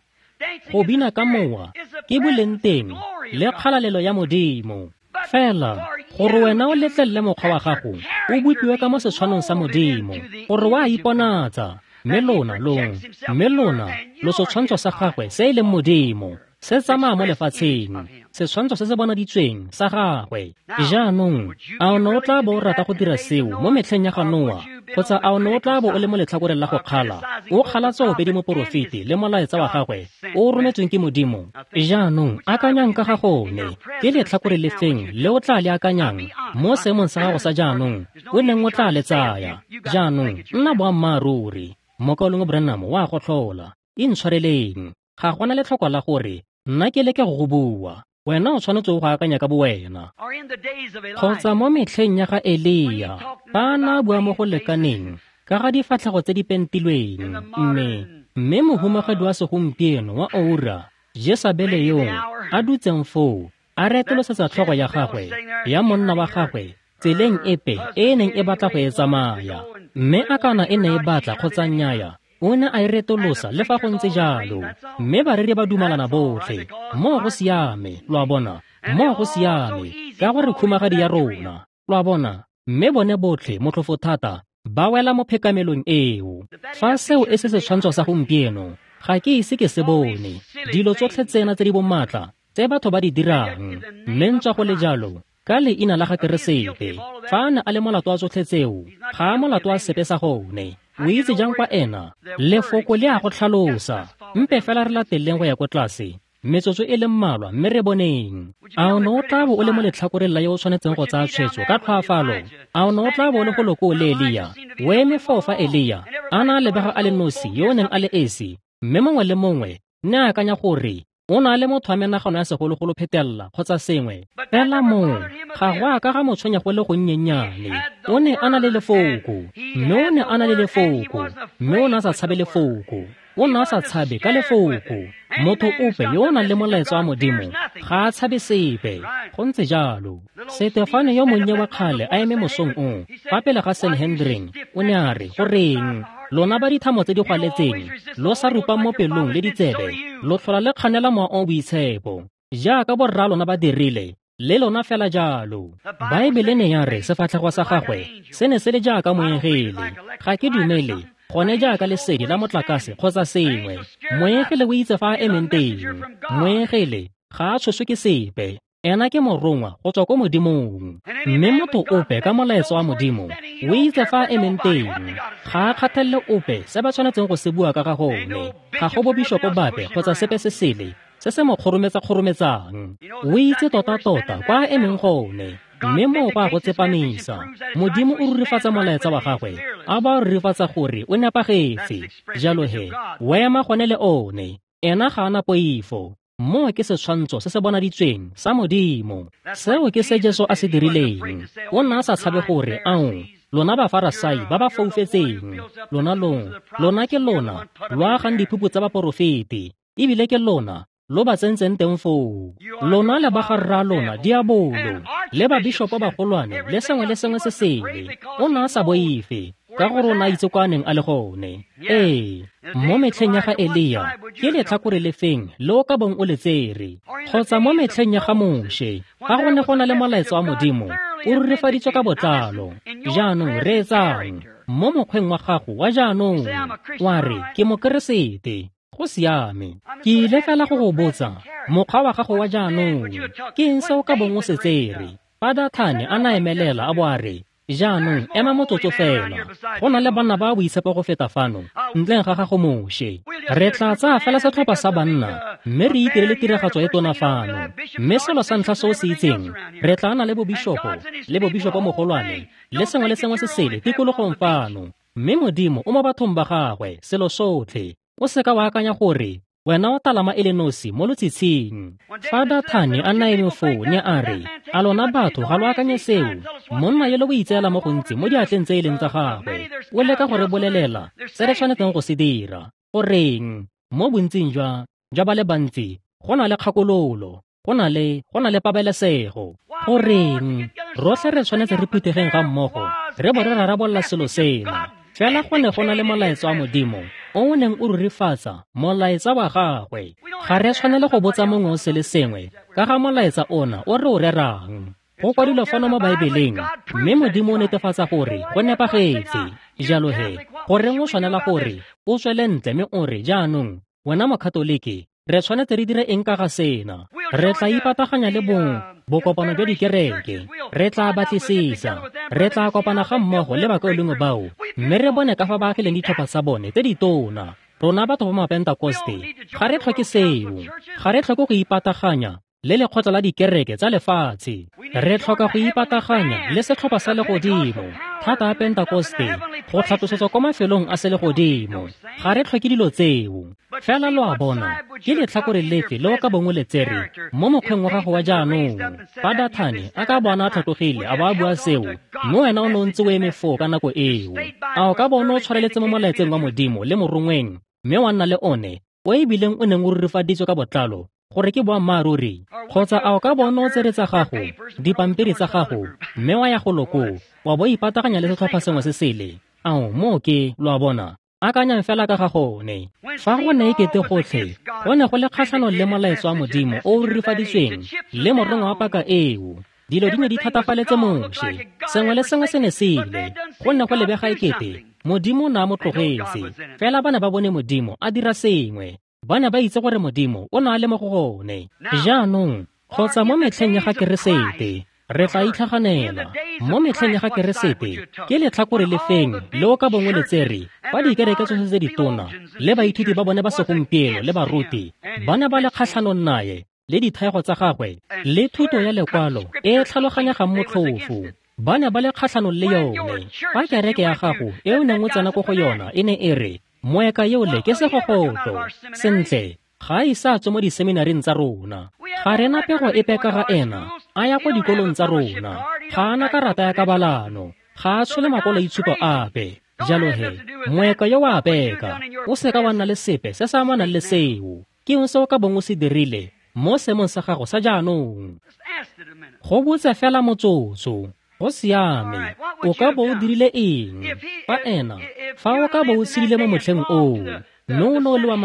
Go bina ka mowa ke boleng teng le kgalalelo ya Modimo. Fela gore wena o letlelele mokgwa wa gago o bopiwe ka mo setshwanong sa Modimo, gore wa iponatsa, mme lona lo setshwantsho sa gagwe se e leng Modimo, se tsamaya mo lefatsheng, setshwantsho se se bonaditsweng sa gagwe. Jaanong a o ne o tla bo o rata go dira seo mo metlheng ya ga Noa, kgotsa a o ne o tla bo o le mo letlhakoreng la go kgala, o kgala tsoopedi moporofeti le molaetsa wa gagwe o o rometsweng ke Modimo? Jaanong akanyang ka ga gone, ke letlhakore lefeng le o tla le akanyang mo seemong sa gago sa jaanong o neng o tla le tsaya? Jaanong nna boammaaruri, mokaulengwe Branham wa go tlhola, intshwareleng, ga gona letlhoko la gore nna ke leke go go bua, wena o tshwanetse go akanya ka bowena. Kgotsa mo metlheng ya ga Elia, ba na bua mo go lekaneng ka ga difatlhego tse di pentilweng, mme mohumagadi wa segompieno wa oura, Jesabele yo a dutseng foo, a retolosetsa tlhogo ya gagwe ya monna wa gagwe tseleng epe e e neng e batla go e tsamaya, mme a kana e ne e batla kgotsa nnyaya, o ne a e retolosa le fa go ntse jalo. Mme bareri ba dumalana botlhe, moo go siame, lo a bona, moo go siame, ka gore khumagadi ya rona, lo a bona. Mme bone botlhe motlhofo thata ba wela mo phekamelong eo. Fa seo e se setshwantsho sa gompieno, ga ke ise ke se bone. Dilo tsotlhe tsena tse di bomatla tse batho ba di dirang, mme ntswa go le jalo ka leina la ga Keresete, fa a ne a le molato wa tsotlhe tseo, ga a molato wa sepe sa gone. O itse jang kwa ena? Lefoko le a go tlhalosa. Mpe fela re lateleng go ya ko tlase metsotso e le mmalwa mme re boneng. A o ne o tla bo o le mo letlhakoreng la yo o tshwanetseng go tsaya tshwetso ka tlhoafalo? A o ne o tla bo o le go loko le Elia, o eme foo fa Elia a na a lebega a le nosi yo o neng a le esi, mme mongwe le mongwe ne a akanya gore o na le motho wa menagano ya segologolo phetella kgotsa sengwe. Fela moo ga go a ka ga mo tshwenya go le gonnyennyane. O ne a na le lefoko, mme o ne a na le lefoko, mme o ne a sa tshabe lefoko. O ne a sa tshabe ka lefoko. Motho ope yo o nang le molaetsa wa Modimo ga a tshabe sepe. Go ntse jalo. Setefane yo monnye wa kgale a eme mosong o fa pele ga Sanhedrin, o ne a re, goreng lona ba dithamo tse di gwaletseng, lo sa rupang mo pelong le ditsebe, lo tlhola le kganela mowa o boitshepo jaaka borra lona ba dirile, le lona fela jalo. Baebele ne ya re sefatlhego sa gagwe se ne se le jaaka moengele. Ga ke dumele gone jaaka lesedi la motlakase kgotsa sengwe. Moengele o itse fa a emeng teng. Moengele ga a tshoswe ke sepe. Ena ke morongwa go tswa ko Modimong. Mme motho ope ka molaetsa wa Modimo o itse fa a emeng teng. Ga a kgathalele ope se ba tshwanetseng go se bua ka ga gone. Ga go bo bishopo bape kgotsa sepe se sele se se mo kgorometsa-kgorometsang. O itse tota-tota kwa a emeng gone. Mme moo go a go tsepamisa. Modimo o rurifatsa molaetsa wa gagwe, a ba rurifatsa gore o nepagetse. Jalo he, o ema gone le one. Ena ga a na poifo. Moo ke setshwantsho se se bonaditsweng sa Modimo. Seo ke se Jesu a se dirileng. O ne a sa tshabe gore, ao, lona Bafarasai ba ba foufetseng, lona lona ke lona lo agang diphupu tsa baporofeti, ebile ke lona lo ba tsentseng teng foo. Lona le ba ga rra lona diabolo, le babishopo bagolwane, le sengwe le sengwe se sele. O ne a sa boife, ka gore o ne a itse kwa a neng a le gone. Ee, mo metlheng ya ga Elia, ke letlhakore le feng le o ka bong o le tsere? Kgotsa mo metlheng ya ga Moshe, ga go ne go na le molaetsa wa Modimo, o rurifaditswe ka botlalo. Jaanong reetsang, mo mokgweng wa gago wa jaanong, wa re, ke Mokeresete. Go siame. Ke ile fela go go botsa, mokgwa wa gago wa jaanong, ke eng se o ka bong o se tsere? Fa Dathane a na emelela a bo a re, jaanong ema motsotso fela, go na le banna ba boitshepo go feta fano, ntleng ga gago Moshe. Re tla tsaya fela setlhopha sa banna, mme re itirele tiragatso e tona fano. Mme selo sa ntlha se o se itseng, re tla na le bobishopo, le bobishopo mogolwane, le sengwe le sengwe se sele tikologong fano. Mme Modimo o mo bathong ba gagwe, selo sotlhe. O seka wa akanya gore wena o talama e le nosi mo lotshitshing. Fa Dathane a na eme foo, ne a re, a lona batho ga lo akanye seo? Monna yo le o itseela mo gontsi mo diatleng tse e leng tsa gagwe. O leka go re bolelela se re tshwanetseng go se dira. Goreng, mo bontsing jwa ba le bantsi, go na le kgakololo, go na le pabalesego. Goreng, rotlhe re tshwanetse re phuthegeng ga mmogo, re bo re rarabolola selo sena. Fela go ne go na le molaetsa wa Modimo o o neng o rurifatsa molaetsa wa gagwe. Ga re tshwanele go botsa mongwe o se le sengwe ka ga molaetsa ona o re o rerang. Go kwadilwe fano mo Baebeleng, mme Modimo o netefatsa gore go nepagetse. Jalo he, goreng o tshwanela gore o tswele ntle mme o re, jaanong, wena Mokatoliki, re tshwanetse re dire eng ka ga sena? Re tla ipataganya le bokopano jwa dikereke, re tla batlisisa, re tla kopana ga mmogo le bakaulengwe bao, mme re bone ka fa ba agileng ditlhopha tsa bone tse ditona. Rona batho ba Mapentekoste ga re tlhoke seo, ga re tlhoke go ipataganya le lekgotla la dikereke tsa lefatshe. Re tlhoka go ipataganya le setlhopha sa legodimo, thata ya Pentekoste, go tlhatlosetswa kwa mafelong a selegodimo. Ga re tlhoke dilo tseo. Fela lo a bona, ke letlhakore lefe le o ka bong o le tsere mo mokgweng wa gago wa jaanong? Fa Dathane a ka bona a tlhatlogile a bo a bua seo, mme wena o ne o ntse o eme foo ka nako eo, a o ka bona o tshwareletse mo molaetseng wa Modimo le morongweng, mme wa nna le one o ebileng o neng o rurifaditswe ka botlalo gore ke boammaaruri? Kgotsa a o ka bona o tsere tsa gago, dipampiri tsa gago, mme wa ya go loko, wa bo ipataganya le setlhopha sengwe se sele? Ao, moo ke, lo a bona, akanyang fela ka ga gone. Fa go ne ekete gotlhe go ne go le kgatlhanong le molaetsa wa Modimo o o rurifaditsweng le morongwa wa paka eo, dilo di ne di thatafaletse Moshe. Sengwe le sengwe se ne se ile, go ne go lebega ekete Modimo o ne a mo tlogetse. Fela ba ne ba bone Modimo a dira sengwe. Ba ne ba itse gore Modimo o ne a le mo go gone. Jaanong, kgotsa mo metlheng ya ga Keresete, re tla itlhaganela. Mo metlheng ya ga Keresete, ke letlhakore le feng le o ka bong o le tsere fa dikereke tsotlhe tse ditona le baithuti ba bone ba segompieno le baruti ba ne ba le kgatlhanong naye le dithaego tsa gagwe le thuto ya lekwalo e e tlhaloganyegang motlhofo. Ba ne ba le kgatlhanong le yone. Fa kereke ya gago e o neng o tsena ko go yona e ne e re, moeka yole ke segogotlo, sentle, ga a ise a tswe mo diseminaring tsa rona. Ga re na pego epe ka ga ena a ya kwa dikolong tsa rona. Ga a na karata ya kabalano, ga a tshole makwaloitshupo ape. Jalo he, moeka yo wa peka, o seka wa nna le sepe se se amanang le seo. Ke eng se o ka bong o se dirile mo seemong sa gago sa jaanong? Go botse fela motsotso. Go siame, o ka bo o dirile eng fa ena, fa o ka bo o tshedile mo motlheng oo, mme o ne o le wa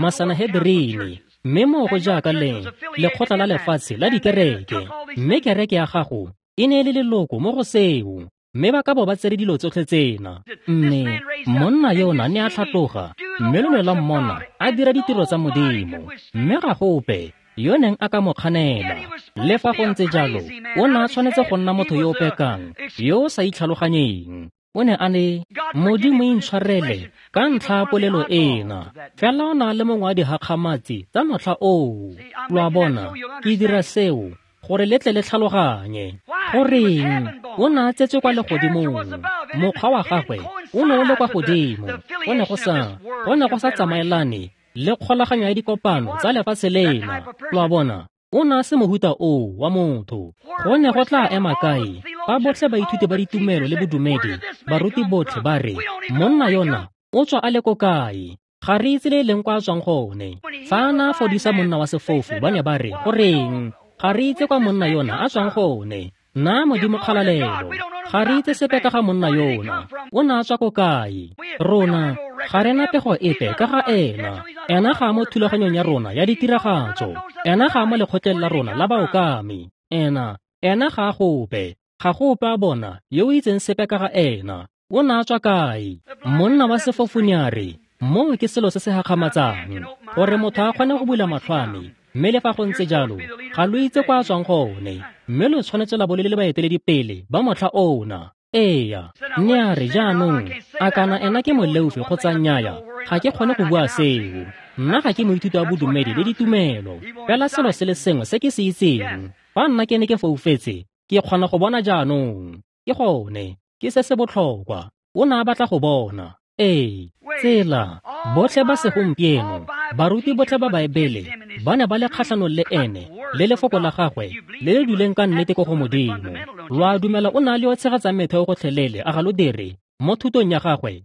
Masanehedrini, mme moo go jaaka le lekgotla la lefatshe la dikereke, mme kereke ya gago e ne e le leloko mo go seo, mme ba ka bo ba tsere dilo tsotlhe tsena. Mme monna yona ne a tlhatloga, mme lo ne la mmona a dira ditiro tsa Modimo, mme ga gope yo neng a ka mo kganela. Le fa go ntse jalo, o ne a tshwanetse go nna motho yo o pekang, yo o sa itlhaloganyeng. O ne a le, Modimo intshwarele ka ntlha ya polelo ena, fela o na le mongwe wa dihakgamatsi tsa motlha oo. Lo a bona, ke dira seo gore le tle le tlhaloganye. Goreng, o ne a tsetswe kwa legodimong, mokgwa wa gagwe o ne o le kwa godimo, go ne go sa tsamaelane le kgolaganyo ya dikopano tsa lefatshe lena. Lo a bona, o ne a se mohuta oo wa motho. Go ne go tla ema kae fa botlhe baithuti ba ditumelo le bodumedi, baruti botlhe ba re, monna yona o tswa a le ko kae? Ga re itse le e leng kwa a tswang gone. Fa a na a fodisa monna wa sefofu, ba ne ba re, goreng, ga re itse kwa monna yona a tswang gone. Nna Modimo kgalalelo, ga re itse sepe ka ga monna yona. O ne a tswa ko kae? Rona ga re na pego epe ka ga ena. Ena ga a mo thulaganyong ya rona ya ditiragatso. Ena ga a mo lekgotleng la rona la baokami. Ena ga a gope. Ga gope a bona yo o itseng sepe ka ga ena. O ne a tswa kae? Monna wa sefofu ne a re, moo ke selo se se gakgamatsang, gore motho a kgone go bula matlho a me. Mme le fa go ntse jalo, ga lo itse kwa a tswang gone, mme lo tshwanetse la bo le le baeteledipele ba motlha ona. Eya, ne a re jaanong, a kana ena ke moleofi kgotsa nnyaya, ga ke kgone go bua seo. Nna ga ke moithuti wa bodumedi le ditumelo. Fela selo se le sengwe se ke se itseng, fa nna ke ne ke foufetse, ke kgona go bona jaanong. Ke gone, ke se se botlhokwa. O ne a batla go bona. Ee, tsela, botlhe ba segompieno, baruti botlhe ba Baebele, ba ne ba le kgatlhanong le ene, le lefoko la gagwe, le le duleng ka nnete ko go Modimo. Lo a dumela o ne a le yo tshegetsang metheo gotlhelele, a ga lo dire, mo thutong ya gagwe.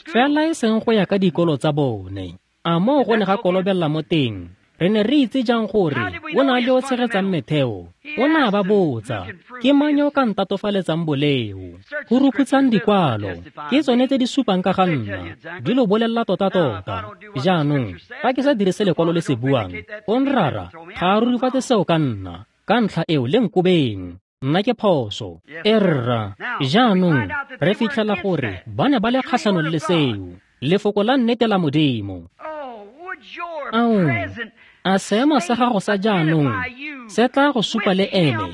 Fela e seng go ya ka dikolo tsa bone. A moo go ne ga kolobella mo teng? Re ne re itse jang gore o ne a le yo tshegetsang metheo? O ne a ba botsa, ke mang yo o ka ntatofaletsang boleo? Go rukhutsang dikwalo, ke tsone tse di supang ka ga nna, di lo bolelela tota-tota. Jaanong, fa ke sa dire se lekwalo le se buang, o nrara, ga a rurifatse seo ka nna, ka ntlha eo le nkobeng. Nna ke phoso. E rra, jaanong, re fitlhela gore ba ne ba le kgatlhanong le seo, lefoko la nnete la Modimo. Ao, a seemo sa gago sa jaanong se tla go supa le ene,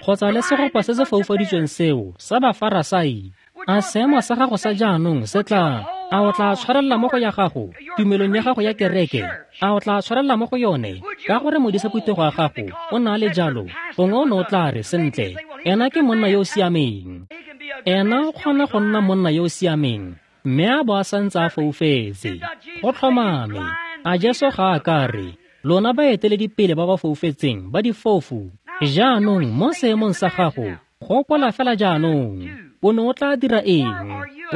kgotsa le segopa se se foufaditsweng seo sa Bafarasai? A seemo sa gago sa jaanong se tla, a o tla tshwarelela mo go ya gago, tumelong ya gago ya kereke? A o tla tshwarelela mo go yone, ka gore modisa phuthego ya gago o na le jalo? Gongwe o ne o tla re, sentle, ena ke monna yo o siameng. Ena o kgona go nna monna yo o siameng, mme a bo a santse a foufetse. Go tlhomame, a Jesu ga a ka re, lona baeteledipele ba ba foufetseng ba difofu, jaanong mo seemong sa gago, gopola fela jaanong, o ne o tla dira eng?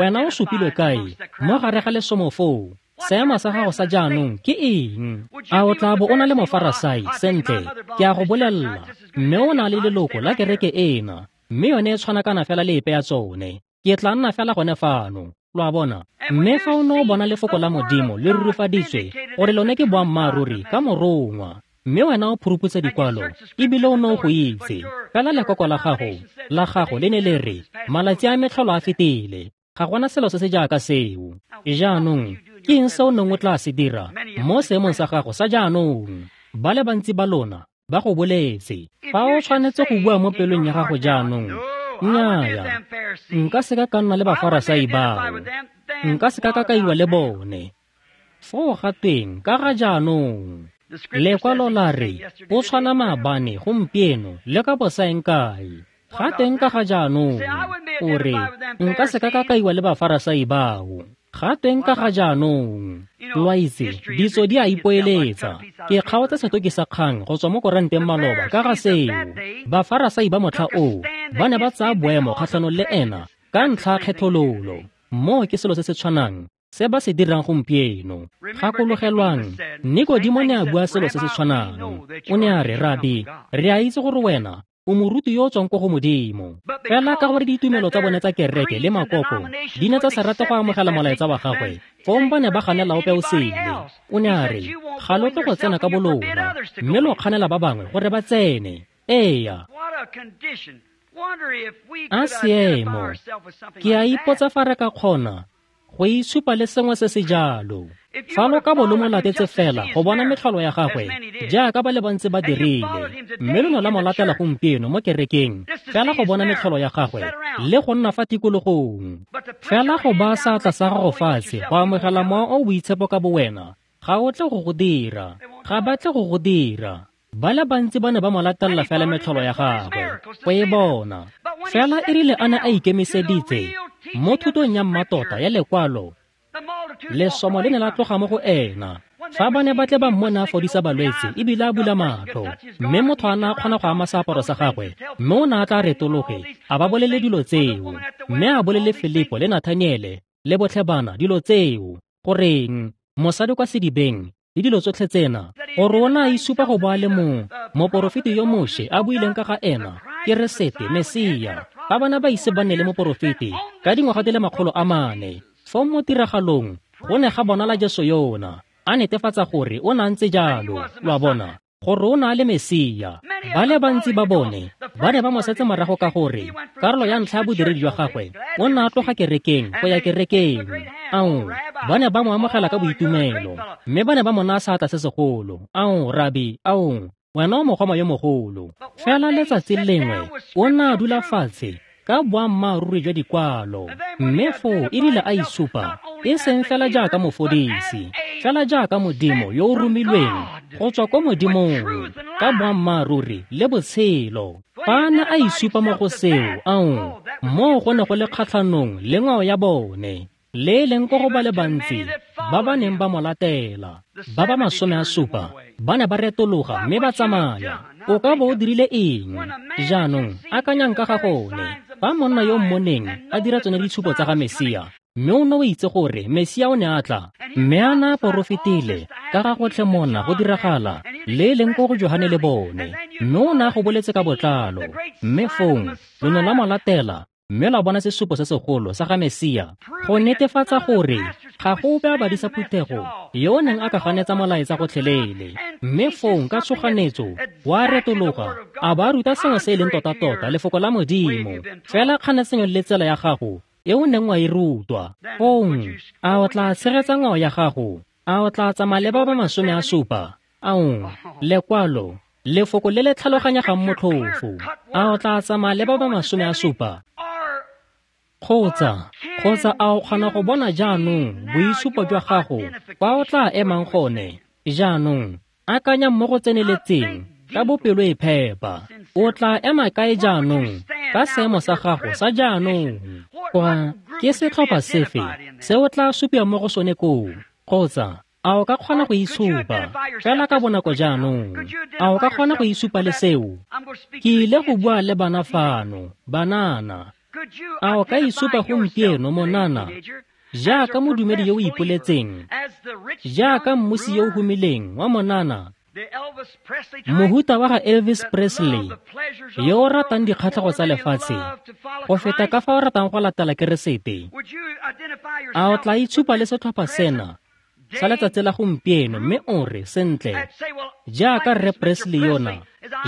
Wena o supilwe kae mo gare ga lesomo foo? Seemo sa gago sa jaanong ke eng? A o tla bo o na le Mofarasai? Sentle, ke a go bolelela, mme o na le leloko la kereke ena, mme yone e tshwanakana fela le epe ya tsone. Ke tla nna fela gone fano. Lo a bona? Mme fa o ne o bona lefoko la Modimo le rurifaditswe gore lone ke boammaaruri ka morongwa, mme wena o phuruputsa dikwalo ebile o ne o go itse, fela lekoko la gago le ne le re, malatsi a metlholo a fetile, ga gona selo se se jaaka seo. Jaanong, ke eng se o neng o tla se dira mo seemong sa gago sa jaanong? Ba le bantsi ba lona ba go boletse. Fa o tshwanetse go bua mo pelong ya gago jaanong, nnyaya, nka se ka ka nna le Bafarasai bao, nka se ka ka kaiwa le bone. Foo ga teng ka ga jaanong, lekwalo la re, o tshwana maabane, gompieno, le ka bosaeng kae. Ga teng ka ga jaanong, o re, nka se ka ka kaiwa le Bafarasai bao. Ga teng ka ga jaanong. Lo a itse, ditso di a ipoeletsa. Ke kgaotse setoki sa kgang go tswa mo koranteng maloba ka ga seo. Bafarasai ba motlha oo ba ne ba tsaya boemo kgatlhanong le ena ka ntlha ya kgethololo. Moo ke selo se se tshwanang se ba se dirang gompieno. Gakologelwang, Nikodimo ne a bua selo se se tshwanang. O ne a re, Rabi, re a itse gore wena o moruti yo o tswang ko go Modimo. Fela ka gore ditumelo tsa bone tsa kereke le makoko di ne tsa se rate go amogela molaetsa wa gagwe, fong ba ne ba ganela ope o sele. O ne a re, ga lo tle go tsena ka bolona, mme lo kganela ba bangwe gore ba tsene. Eya. A seemo. Ke a ipotsa fa re ka kgona go itshupa le sengwe se se jalo. Fa lo ka bo lo mo latetse fela go bona metlholo ya gagwe, jaaka ba le bantsi ba dirile, mme lo ne la mo latela gompieno mo kerekeng fela go bona metlholo ya gagwe le go nna fa tikologong. Fela go baya seatla sa gago fatshe go amogela mowa o boitshepo ka bowena, ga o tle go go dira. Ga ba tle go go dira. Ba le bantsi ba ne ba mo latella fela metlholo ya gagwe go e bona. Fela e rile a ne a ikemiseditse mo thutong ya mmatota ya lekwalo, Lesomo le ne la tloga mo go ena. Fa ba ne ba tle ba mmona a fodisa balwetse ebile a bula matlho, mme motho a ne a kgona go ama seaparo sa gagwe, mme o ne a tla retologe a ba bolele dilo tseo, mme a bolele Filipo le Nathaniele le botlhe bana dilo tseo, goreng mosadi kwa sedibeng le dilo tsotlhe tsena, gore o ne a isupa go bo a le moporofeti yo Moshe a buileng ka ga ena, Keresete Mesia. Fa bana ba ise ba nne le moporofeti ka dingwaga di le 400, foo mo tiragalong go ne ga bonala Jesu yona a netefatsa gore o ne a ntse jalo, lo a bona, gore o ne a le Mesia. Ba le bantsi ba bone ba ne ba mo setse morago ka gore karolo ya ntlha ya bodiredi jwa gagwe o ne a tloga kerekeng go ya kerekeng. Ao, ba ne ba mo amogela ka boitumelo, mme ba ne ba mo naya seatla se segolo. Ao, rabi, ao, wena o mogoma yo mogolo. Fela letsatsi lengwe o ne a dula fatshe ka boammaaruri jwa dikwalo, mme foo e rile a isupa e seng fela jaaka mofodisi, fela jaaka Modimo yo o romilweng go tswa ko Modimong ka boammaaruri le botshelo. Fa a ne a isupa mo go seo, ao, moo go ne go le kgatlhanong le ngwao ya bone, le e leng ko go ba le bantsi ba ba neng ba mo latela. Ba ba 70 ba ne ba retologa mme ba tsamaya. O ka bo o dirile eng? Jaanong akanyang ka ga gone. Fa monna yo mmoneng a dira tsone ditshupo tsa ga Mesia, mme o ne o itse gore Mesia o ne a tla, mme a na a porofetile ka ga gotlhe mona go diragala, le e leng ko go Johane le bone, mme o ne a go boletse ka botlalo, mme fong lo ne la mo latela mme la bona sesupo se segolo sa ga Mesia go netefatsa gore ga go ope a badisa phuthego yo o neng a ka ganetsa molaetsa gotlhelele. Mme fong ka tshoganetso wa retologa a ba ruta sengwe se e leng tota-tota lefoko la Modimo, fela kganetsenyo le tsela ya gago e o neng wa e rutwa. Fong a o tla tshegetsa ngwao ya gago? A o tla tsamaya le ba ba 70? Ao, lekwalo, lefoko le le tlhaloganyegang motlhofo. A o tla tsamaya le ba ba 70? Kgotsa a o kgona go bona jaanong boitshupo jwa gago kwa o tla emang gone? Jaanong akanya mo go tseneletseng ka bopelo e phepa. O tla ema kae jaanong ka seemo sa gago sa jaanong? Kwa ke setlhopha sefe se o tla supiwa mo go sone koo? Kgotsa a o ka kgona go itshupa fela ka bonako jaanong? A o ka kgona go itshupa le seo? Ke ile go bua le bana fano, banana. A o ka isupa gompieno monana jaaka modumedi yo o ipoletseng, jaaka mmusi yo o humileng wa monana, mohuta wa ga Elvis Presley, yo o ratang dikgatlhego tsa lefatshe go feta ka fa o ratang go latela Keresete? A o tla itshupa le setlhopha sena sa letsatsi la gompieno mme o re, sentle, jaaka Rre Presley yona,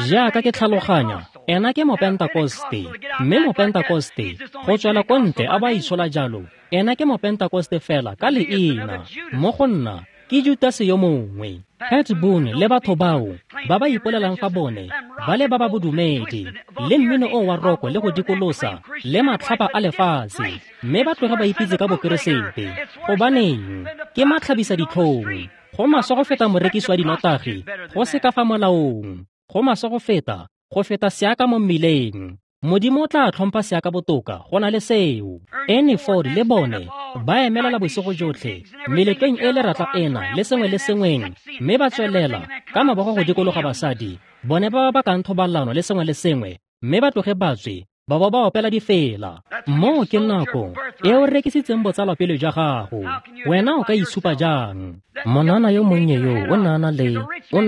jaaka ke tlhaloganya, ena ke mopentakoste, mme mopentakoste go tswela ko ntle a ba itshola jalo, ena ke mopentakoste fela ka leina. Mo go nna ke Judase yo mongwe. Pat Boone le batho bao ba ba ipolelang fa bone ba le ba ba bodumedi, le mmino o wa roko le go dikolosa le matlhapa a lefatshe, mme ba tloge ba ipitse ka bokeresete. Gobaneng, ke matlhabisa ditlhong. Go maswe go feta morekisi wa dinotagi go se ka fa molaong. Go maswe go feta seaka mo mmileng. Modimo o tla tlhompha seaka botoka go na le seo. Ernie Ford le bone ba emelela bosigo jotlhe meletlong e leratla ena le sengwe le sengweng, mme ba tswelela ka mabogo go dikologa basadi bone ba ba bakang thobalano le sengwe le sengwe, mme ba tloge ba tswe ba bo ba opela difela. Moo ke nako e o rekisitseng botsalwapele jwa gago. Wena o ka itshupa jang? Monana yo monnye yo o ne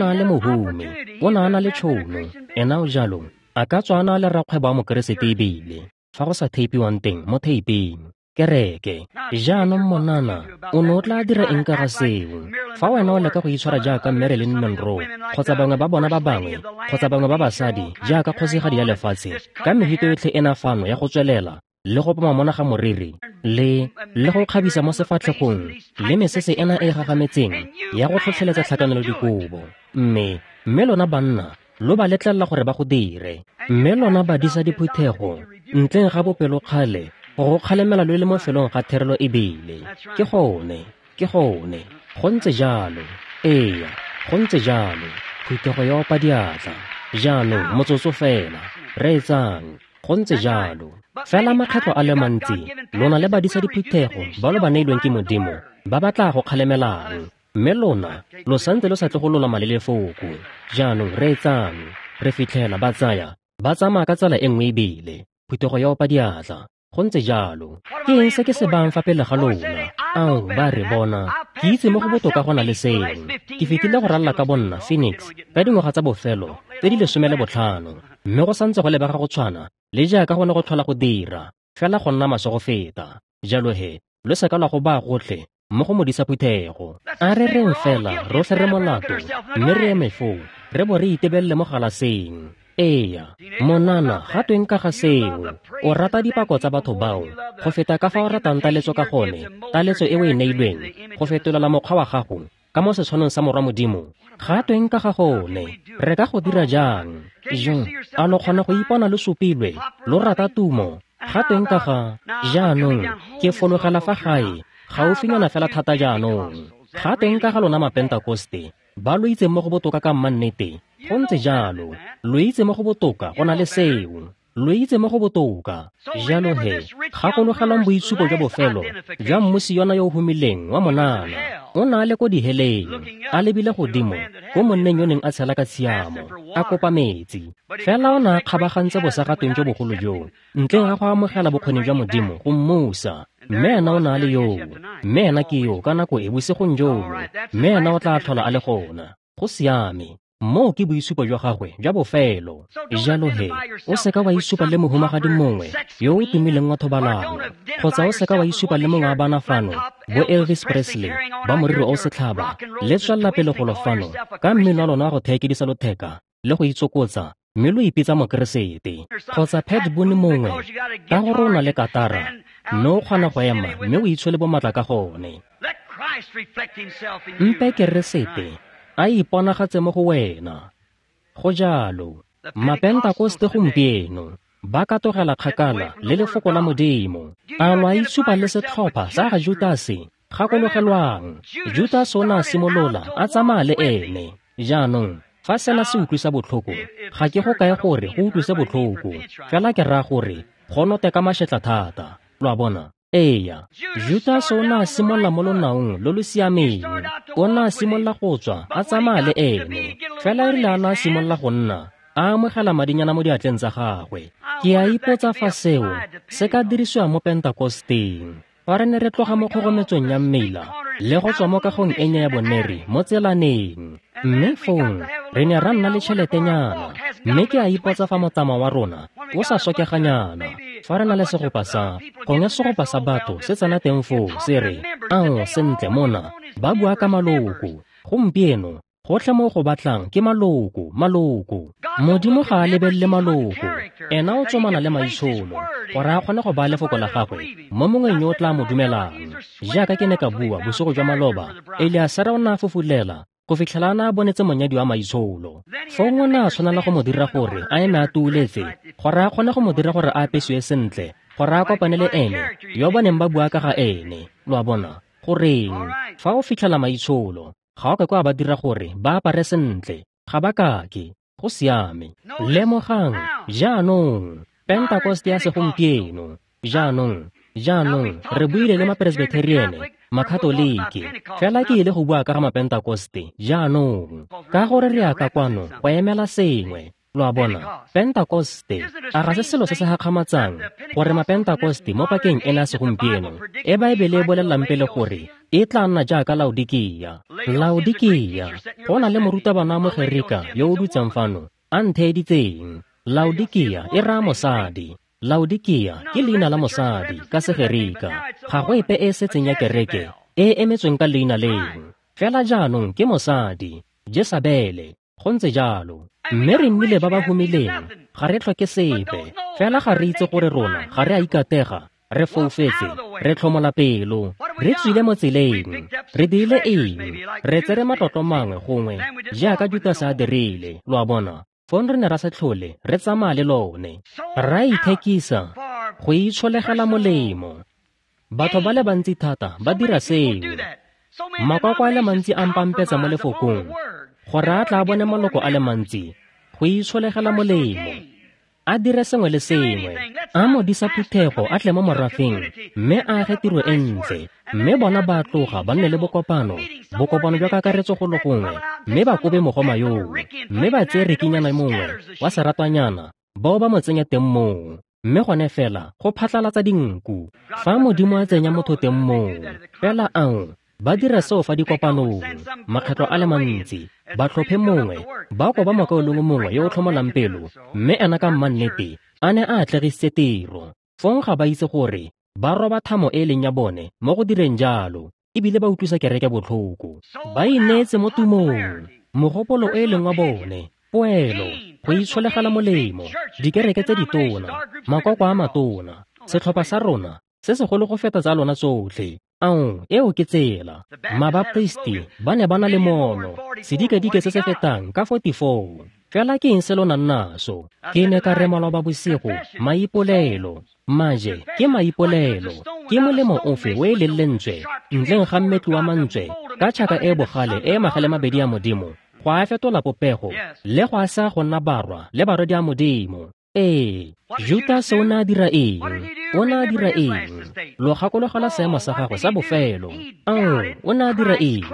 a le mohumi, o ne a na le tšhono, ena o jalo a ka tswa a na le rakgwebo wa mokeresete ebile fa go sa theipiwang teng mo theipeng kereke. Jaanong monana o ne o tla dira eng ka ga seo? Fa wena o leka go itshwara jaaka Marilyn Monroe kgotsa bangwe ba bona ba bangwe kgotsa bangwe ba basadi jaaka kgosigadi ya lefatshe ka mehito yotlhe ena fano ya go tswelela le go poma mona ga moriri le go kgabisa mo sefatlhegong le mesese ena e gagametseng ya go tlhotlheletsa tlhakanelo dikobo, mme lona banna lo ba letlelela gore ba go dire, mme lona badisa diphuthego ntleng ga bopelokgale go kgalemela lo le mo felong ga therelo ebile. Ke gone, go ntse jalo. Ee, go ntse jalo. Phuthego ya opa diatla. Jaanong motsotso fela, reetsang. Go ntse jalo. Fela makgetlho a le mantsi lona le badisa diphuthego ba lo ba neilweng ke Modimo, ba ba tla go kgalemelang, mme lona lo santse lo sa tle go lolama le lefoko. Jaanong reetsang, re fitlhela ba tsaya ba tsamaya ka tsela e nngwe ebile phuthego ya opa diatla. Go ntse jalo. Ke eng se ke se bayang fa pele ga lona? Ao, ba re bona, ke itse mo go botoka go na le seo. Ke fetile go ralala ka bonna Phoenix ka dingwaga tsa bofelo tse di 15, mme go santse go lebega go tshwana le jaaka go ne go tlhola go dira, fela go nna maswe go feta. Jalo he, lo seka lwa go baya gotlhe mo go modisa phuthego. A re reng fela rotlhe re molato, mme re eme foo, re bo re itebelele mo galaseng. Eya, monana, ga tweng ka ga seo? O rata dipako tsa batho bao go feta ka fa o ratang taletso ka gone, taletso e o e neilweng go fetolela mokgwa wa gago ka mo setshwanong sa Morwa Modimo. Ga tweng ka ga gone? Re ka go dira jang? Jo, a lo kgona go ipona lo supilwe, lo rata tumo? Ga tweng ka ga jaanong? Ke fologela fa gae gaufinyana fela thata jaanong. Ga tweng ka ga lona Mapentakoste ba lo itseng mo go botoka ka mmannete? Go ntse jalo, lo itse mo go botoka go na le seo, lo itse mo go botoka. Jalo he, gakologelang boitshupo jwa bofelo jwa mmusi yona yo o humileng wa monana. O ne a le ko diheleng, a lebile godimo ko monneng yo neng a tshela ka tshiamo, a kopa metsi. Fela o ne a kgabagantse bosagatweng jo bogolo joo, ntleng ga go amogela bokgoni jwa Modimo go mmusa. Mme ena o ne a le yoo, mme ena ke yo ka nako e bosigong jono, mme ena o tla tlhola a le gona. Go siame. Moo ke boitshupo jwa gagwe jwa bofelo. Jalo he, o seka wa itshupa le mohumagadi mongwe yo o tumileng wa thobalano, kgotsa o seka wa itshupa le mongwe wa bana fano, bo Elvis Presley, ba moriri o setlhaba, le tswelela pele golo fano ka mmino wa lona wa go theekedisa lotheka le go itsokotsa, mme lo ipitsa Mokeresete. Kgotsa Pat Boone mongwe, ka gore o na le katara, mme o kgona go ema mme o itshole bomatla ka gone. Mpe Keresete a iponagatse mo go wena. Go jalo. Mapentakoste gompieno ba katogela kgakala le lefoko la Modimo. A lo a itshupa le setlhopha sa ga Judase? Gakologelwang, Judase o ne a simolola a tsamaya le ene. Jaanong, fa sena se utlwisa botlhoko, ga ke go kae gore go utlwise botlhoko, fela ke raya gore go note ka mašetla thata. Lo a bona? Eya, Judase o ne a simolola mo lonaong lo lo siameng. O ne a simolola go tswa a tsamaya le ene, fela e rile a ne a simolola go nna a amogela madinyana mo diatleng tsa gagwe. Ke a ipotsa fa seo se ka dirisiwa mo Pentakosteng. Fa re ne re tloga mo kgogometsong ya mmila le go tswa mo kagong e nnye ya boneri mo tselaneng, mme fong re ne ra nna le tšheletenyana, mme ke a ipotsa fa motsamao wa rona o sa sokeganyana. Fa re na le segopa sa gongwe segopa sa batho se tsena teng foo se re, ao, sentle mona ba bua ka maloko. Gompieno gotlhe mo go batlang ke maloko, maloko. Modimo ga a lebelele maloko, ena o tsomana le maitsholo gore a kgone go baya lefoko la gagwe mo mongweng yo o tla mo dumelang. Jaaka ke ne ka bua bosigo jwa maloba, Eliasara o ne a fofulela go fitlhela a ne a bonetse monyadi wa maitsholo. Fong o ne a tshwanela go mo dira gore a eme a tuuletse, gore a kgone go mo dira gore a apesiwe sentle, gore a kopane le ene yo ba neng ba bua ka ga ene. Lo a bona? Goreng? Fa o fitlhela maitsholo, ga o ka kwa ba dira gore ba apare sentle, ga ba kake. Go siame. Lemogang jaanong Pentakoste ya segompieno. Jaanong re buile le Mapresbitheriene, Makatoliki, fela ke ile go bua ka ga Mapentakoste jaanong, ka gore re ya ka kwano go emela sengwe. Lo a bona? Pentakoste, a ga se selo se se gakgamatsang gore Mapentakoste mo pakeng ena ya segompieno e Baebele e bolelelang pele gore e tla nna jaaka Laodikia. Laodikia, go na le morutabana wa Mogerika yo o dutseng fano a ntheeditseng. Laodikia e raya mosadi. Laodikia ke leina la mosadi ka Segerika. Ga go epe e setseng ya kereke e emetsweng ka leina leo. Fela jaanong ke mosadi, Jesabele. Go ntse jalo. Mme re nnile ba ba humileng, ga re tlhoke sepe, fela ga re itse gore rona ga re a ikatega, re foufetse, re tlhomola pelo, re tswile mo tseleng, re dirile eng, re tsere matlotlo mangwe gongwe jaaka Judase a dirile. Lo a bona? Fong re ne ra se tlhole re tsamaya le lone, ra ithekisa go itsholegela molemo. Batho ba le bantsi thata ba dira seo. Makoko a le mantsi a mpampetsa mo lefokong gore a tla bone maloko a le mantsi go itsholegela molemo. a dire sengwe le sengwe, a modisa phuthego a tle mo morafeng mme a age tiro e ntle, mme bona ba tloga ba nne le bokopano, bokopano jwa kakaretso go le gongwe, mme ba kobe mogoma yoo, mme ba tseye rekinyana mongwe wa seratwanyana bao ba mo tsenya teng moo, mme gone fela go phatlalatsa dinku. Fa Modimo a tsenya motho teng moo, fela ao ba dira seo fa dikopanong makgetlo a le mantsi, ba tlhophe mongwe, ba koba mokaulengwe mongwe yo o tlhomolang pelo, mme ena ka mmannete a ne a atlegisitse tiro. Fong ga ba itse gore ba roba thamo e leng ya bone mo go direng jalo, ebile ba utlwisa kereke botlhoko. Ba ineetse mo tumong, mogopolo e leng wa bone, poelo, go itsholegela molemo, dikereke tse ditona, makoko a matona, setlhopha sa rona se segolo go feta tsa lona tsotlhe. Ao, eo ke tsela. Mabaptisti ba ne ba na le mono, sedikadike se se fetang ka 44. Fela ke eng se lo nang naso? Ke ne ka re maloba bosigo, maipolelo. Maje ke maipolelo. Ke molemo ofe o e leng lentswe ntleng ga mmetli wa mantswe ka tšhaka e bogale e magale mabedi a Modimo, go a fetola popego le go a sa go nna barwa le barwedi a Modimo. Ee, Judase o ne a dira eng? O ne a dira eng? Lo gakologelwa seemo sa gagwe sa bofelo. Ao, o ne a dira eng?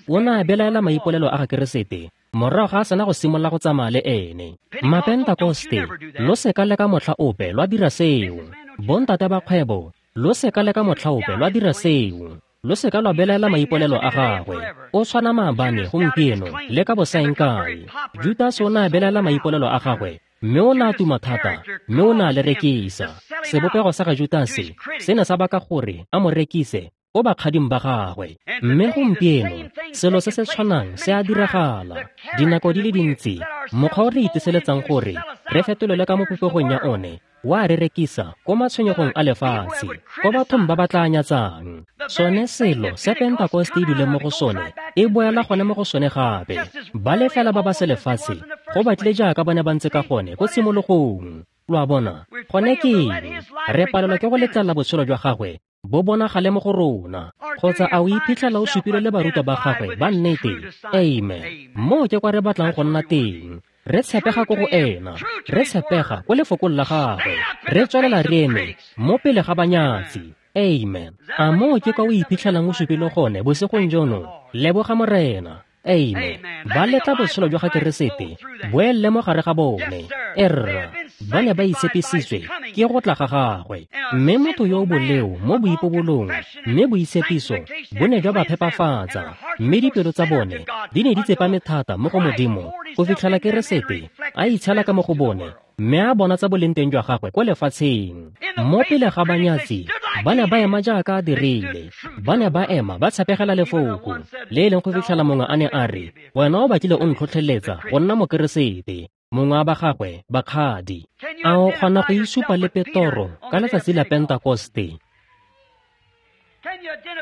O ne a belaela maipolelo a ga Keresete morago ga a sena go simolola go tsamaya le ene. Mapentakoste, lo seka le ka motlha ope lwa dira seo. Bontate ba kgwebo, lo seka le ka motlha ope lwa dira seo. Lo seka lwa belaela maipolelo a gagwe. O tshwana maabane, gompieno, le ka bosaengkae. Judase o ne a belaela maipolelo a gagwe, mme o ne a tuma thata, mme o ne a le rekisa. Sebopego sa ga Judase se ne sa baka gore a mo rekise ko bakgading ba gagwe. Mme gompieno selo se se tshwanang se a diragala. Dinako di le dintsi, mokgwa o re iteseletsang gore re fetolelwe ka mo popegong ya one wa re rekisa ko matshwenyegong a lefatshe, ko bathong ba ba tla nyatsang. Sone selo se Pentakoste e duleng mo go sone e boela gone mo go sone gape. Ba le fela ba ba se lefatshe go batlile jaaka ba ne ba ntse ka gone ko tshimologong. Lo a bona, gone ke eng? Re palelwa ke go letlelela botshelo jwa gagwe bo bonagale mo go rona. Kgotsa a o iphitlhela o supile le barutwa ba gagwe ba nnete? Amen. Moo ke kwa re batlang go nna teng. Re tshepega ko go ena, re tshepega ko lefokong la gagwe, re tswelela re eme mo pele ga banyatsi. Amen. A moo ke kwa o iphitlhelang o supile gone bosigong jono? Leboga Morena. Amen. Ba letla botshelo jwa ga Keresete boelle mo gare ga bone. Erra, ba ne ba itshepisitswe ke go tla ga gagwe. Mme motho yo o boleo mo boipobolong, mme boitshepiso bo ne jwa ba phepafatsa, mme dipelo tsa bone di ne di tsepame thata mo go Modimo go fitlhela Keresete a itshela ka mo go bone, mme a bona tsa boleng teng jwa gagwe ko lefatsheng. Mo pele ga banyatsi, ba ne ba ema jaaka a dirile. Ba ne ba ema ba tshepegela lefoko, le e leng go fitlhela mongwe a ne a re, wena o batlile o ntlhotlheletsa go nna Mokeresete. Mongwe wa ba gagwe bakgadi. A o kgona go isupa le Petoro ka letsatsi la Pentakoste?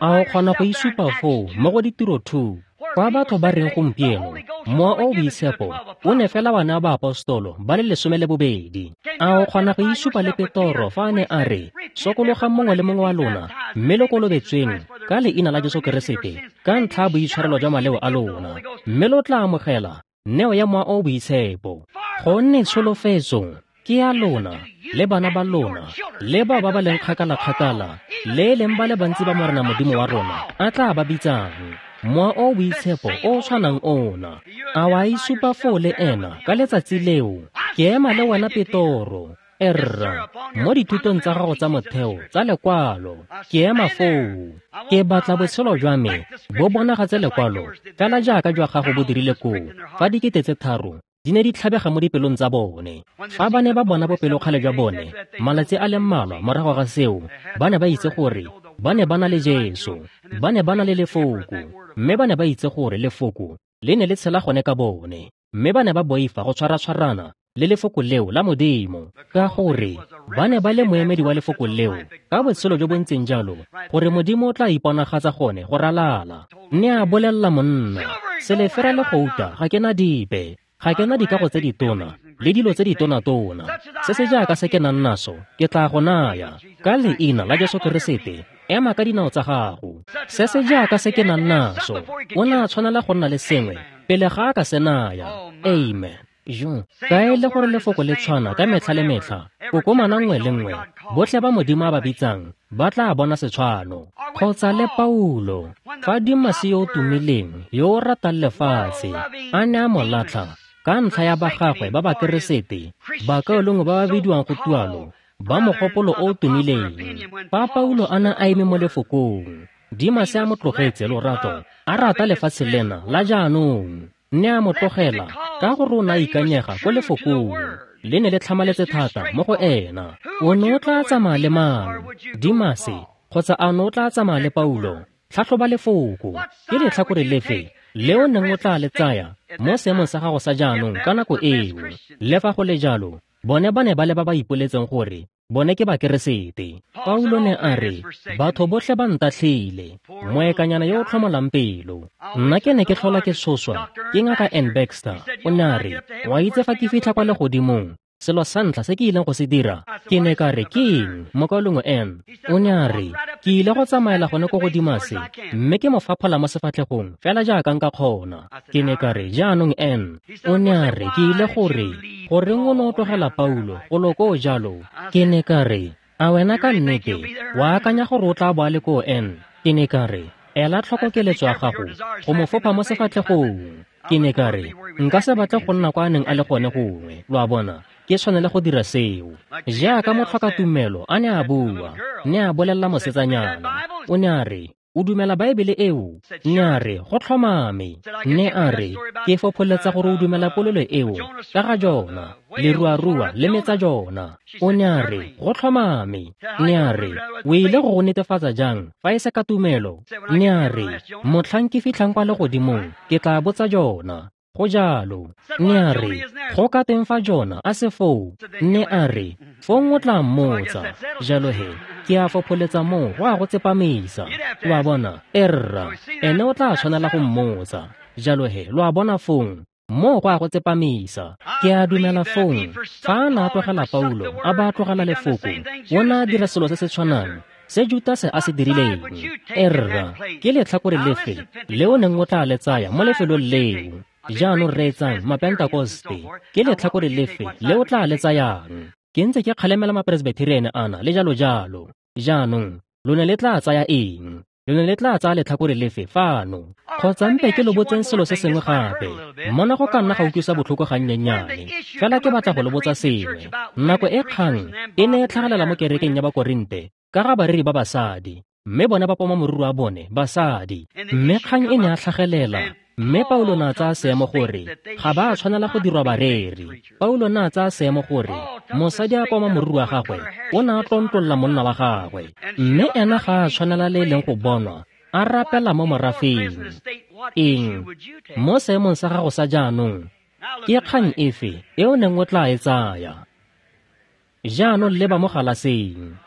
A o kgona go isupa foo mo go Ditiro 2, kwa batho ba reng gompieno Mowa o o Boitshepo o ne fela wa naya baapostolo ba le 12? A o kgona go isupa le Petoro fa a ne a re, sokologang mongwe le mongwe wa lona mme lo kolobetsweng ka leina la Jesu Keresete ka ntlha ya boitshwarelo jwa maleo a lona, mme lo tla amogela neo ya Mowa o o Boitshepo. Gonne tsholofetso ke ya lona le bana ba lona le bao ba ba leng kgakala-kgakala, le e leng ba le bantsi ba Morena Modimo wa rona a tla ba bitsang. Mowa o o Boitshepo o o tshwanang ona. A wa isupa foo le ena ka letsatsi leo? Ke ema le wena Petoro, erra, mo dithutong tsa gago tsa motheo tsa lekwalo. Ke ema foo. Ke batla botshelo jwa me bo bonagatse lekwalo fela jaaka jwa gago bo dirile koo fa 3,000 di ne di tlhabega mo dipelong tsa bone. Fa ba ne ba bona bopelokgale jwa bone malatsi a le mmalwa morago ga seo, ba ne ba itse gore ba ne ba na le Jesu, ba ne ba na le lefoko, mme ba ne ba itse gore lefoko le ne le tshela gone ka bone, mme ba ne ba boifa go tshwara-tshwarana le lefoko leo la Modimo, ka gore ba ne ba le moemedi wa lefoko leo ka botshelo jo bo ntseng jalo gore Modimo o tla iponagatsa gone go ralala. Ne a bolelela monna, selefera le gouta ga ke na dipe, ga ke na dikago tse ditona le dilo tse ditona-tona. Se se jaaka se ke nang naso ke tla go naya ka leina la Jesu Keresete. Ema ka dinao tsa gago. Se se jaaka se ke nang naso. O ne a tshwanela go nna le sengwe pele ga a ka se naya. Amen. Jo, ka e le gore lefoko le tshwana ka metlha le metlha, kokomana nngwe le nngwe, botlhe ba Modimo a ba bitsang ba tla bona setshwano. Kgotsa le Paulo, fa Dimase yo o tumileng yo o ratang lefatshe a ne a mo latlha ka ntlha ya ba gagwe ba Bakeresete, bakaulengwe ba ba bidiwang go tualo ba mogopolo o o tumileng. Fa Paulo a ne a eme mo lefokong, Dimase a mo tlogetse lorato, a rata lefatshe lena la jaanong, ne a mo tlogela ka gore o ne a ikanyega ko lefokong. Le ne le tlhamaletse thata mo go ena. O ne o tla tsamaya le mang, Dimase, kgotsa a ne o tla tsamaya le Paulo? Tlhatlhoba lefoko. Ke letlhakore lefe le o neng o tla le tsaya mo seemong sa gago sa jaanong ka nako eo? Le fa go le jalo, bone ba ne ba le ba ba ipoletseng gore bone ke Bakeresete. Paulo ne a re, batho botlhe ba ntatlhile, moekanyana yo o tlhomolang pelo. Nna ke ne ke tlhola ke tshoswa ke ngaka Ann Baxter. O ne a re, wa itse fa ke fitlha kwa legodimong, selo sa ntlha se ke ileng go se dira? Ke ne ka re, ke eng, mokaulengwe Ann? O ne a re, ke ile go tsamaela gone ko go Dimase, mme ke mo faphola mo sefatlhegong fela jaaka nka kgona. Ke ne ka re, jaanong Ann. O ne a re, ke ile gore, goreng o ne o tlogela Paulo golo koo jalo? Ke ne ka re, a wena ka nnete wa akanya gore o tla bo a le koo, Ann? Ke ne ka re, ela tlhoko keletso ya gago go mo fopha mo sefatlhegong. Ke ne ka re, nka se batle go nna kwa a neng a le gone gongwe, lo a bona, ke tshwanele go dira seo. Jaaka motlhokatumelo a ne a bua, ne a bolelela mosetsanyana. O ne a re, o dumela Baebele eo? Ne a re, go tlhomame. Ne a re, ke fopholetsa gore o dumela polelo eo ka ga Jona, leruarua le metsa Jona. O ne a re, go tlhomame. Ne a re, o ile go go netefatsa jang fa e se ka tumelo? Ne a re, motlhang ke fitlhang kwa legodimong, ke tla botsa Jona. Go jalo. Ne a re, go ka teng fa Jona a se foo? Ne a re, fong o tla mmotsa. Jalo he, ke a fopholetsa moo go a go tsepamisa. Lo a bona, erra, ene o tla tshwanela go mmotsa. Jalo he, lo a bona fong, moo go a go tsepamisa. Ke a dumela fong, fa a ne a tlogela Paulo, a ba a tlogela lefoko, o ne a dira selo se se tshwanang se Judase a se dirileng. Erra, ke letlhakore lefe le o neng o tla le tsaya mo lefelong leo? Jaanong reetsang, Mapentekoste, ke letlhakore lefe le o tla le tsayang? Ke ntse ke kgalemela Mapresbyterian ana le jalo jalo. Jaanong, lo ne le tla tsaya eng? Lo ne le tla tsaya letlhakore lefe fano? Kgotsa mpe ke lo botseng selo se sengwe gape. Mona go ka nna ga utlwisa botlhoko gannyennyane, fela ke batla go lo botsa sengwe. Nako e kgang e ne e tlhagelela mo kerekeng ya Bakorinte ka ga bareri ba basadi, mme bone ba poma moriri wa bone basadi. Mme kgang e ne a tlhagelela, mme Paulo ne a tsaya seemo gore ga ba a tshwanela go dirwa bareri. Paulo ne a tsaya seemo gore mosadi a poma moriri wa gagwe o ne a tlontlolla monna wa gagwe, mme ena ga a tshwanela le e leng go bonwa a rapela mo morafeng. Eng? Mo seemong sa gago sa jaanong, ke kgang efe e o neng o tla e tsaya? Jaanong leba mo galaseng.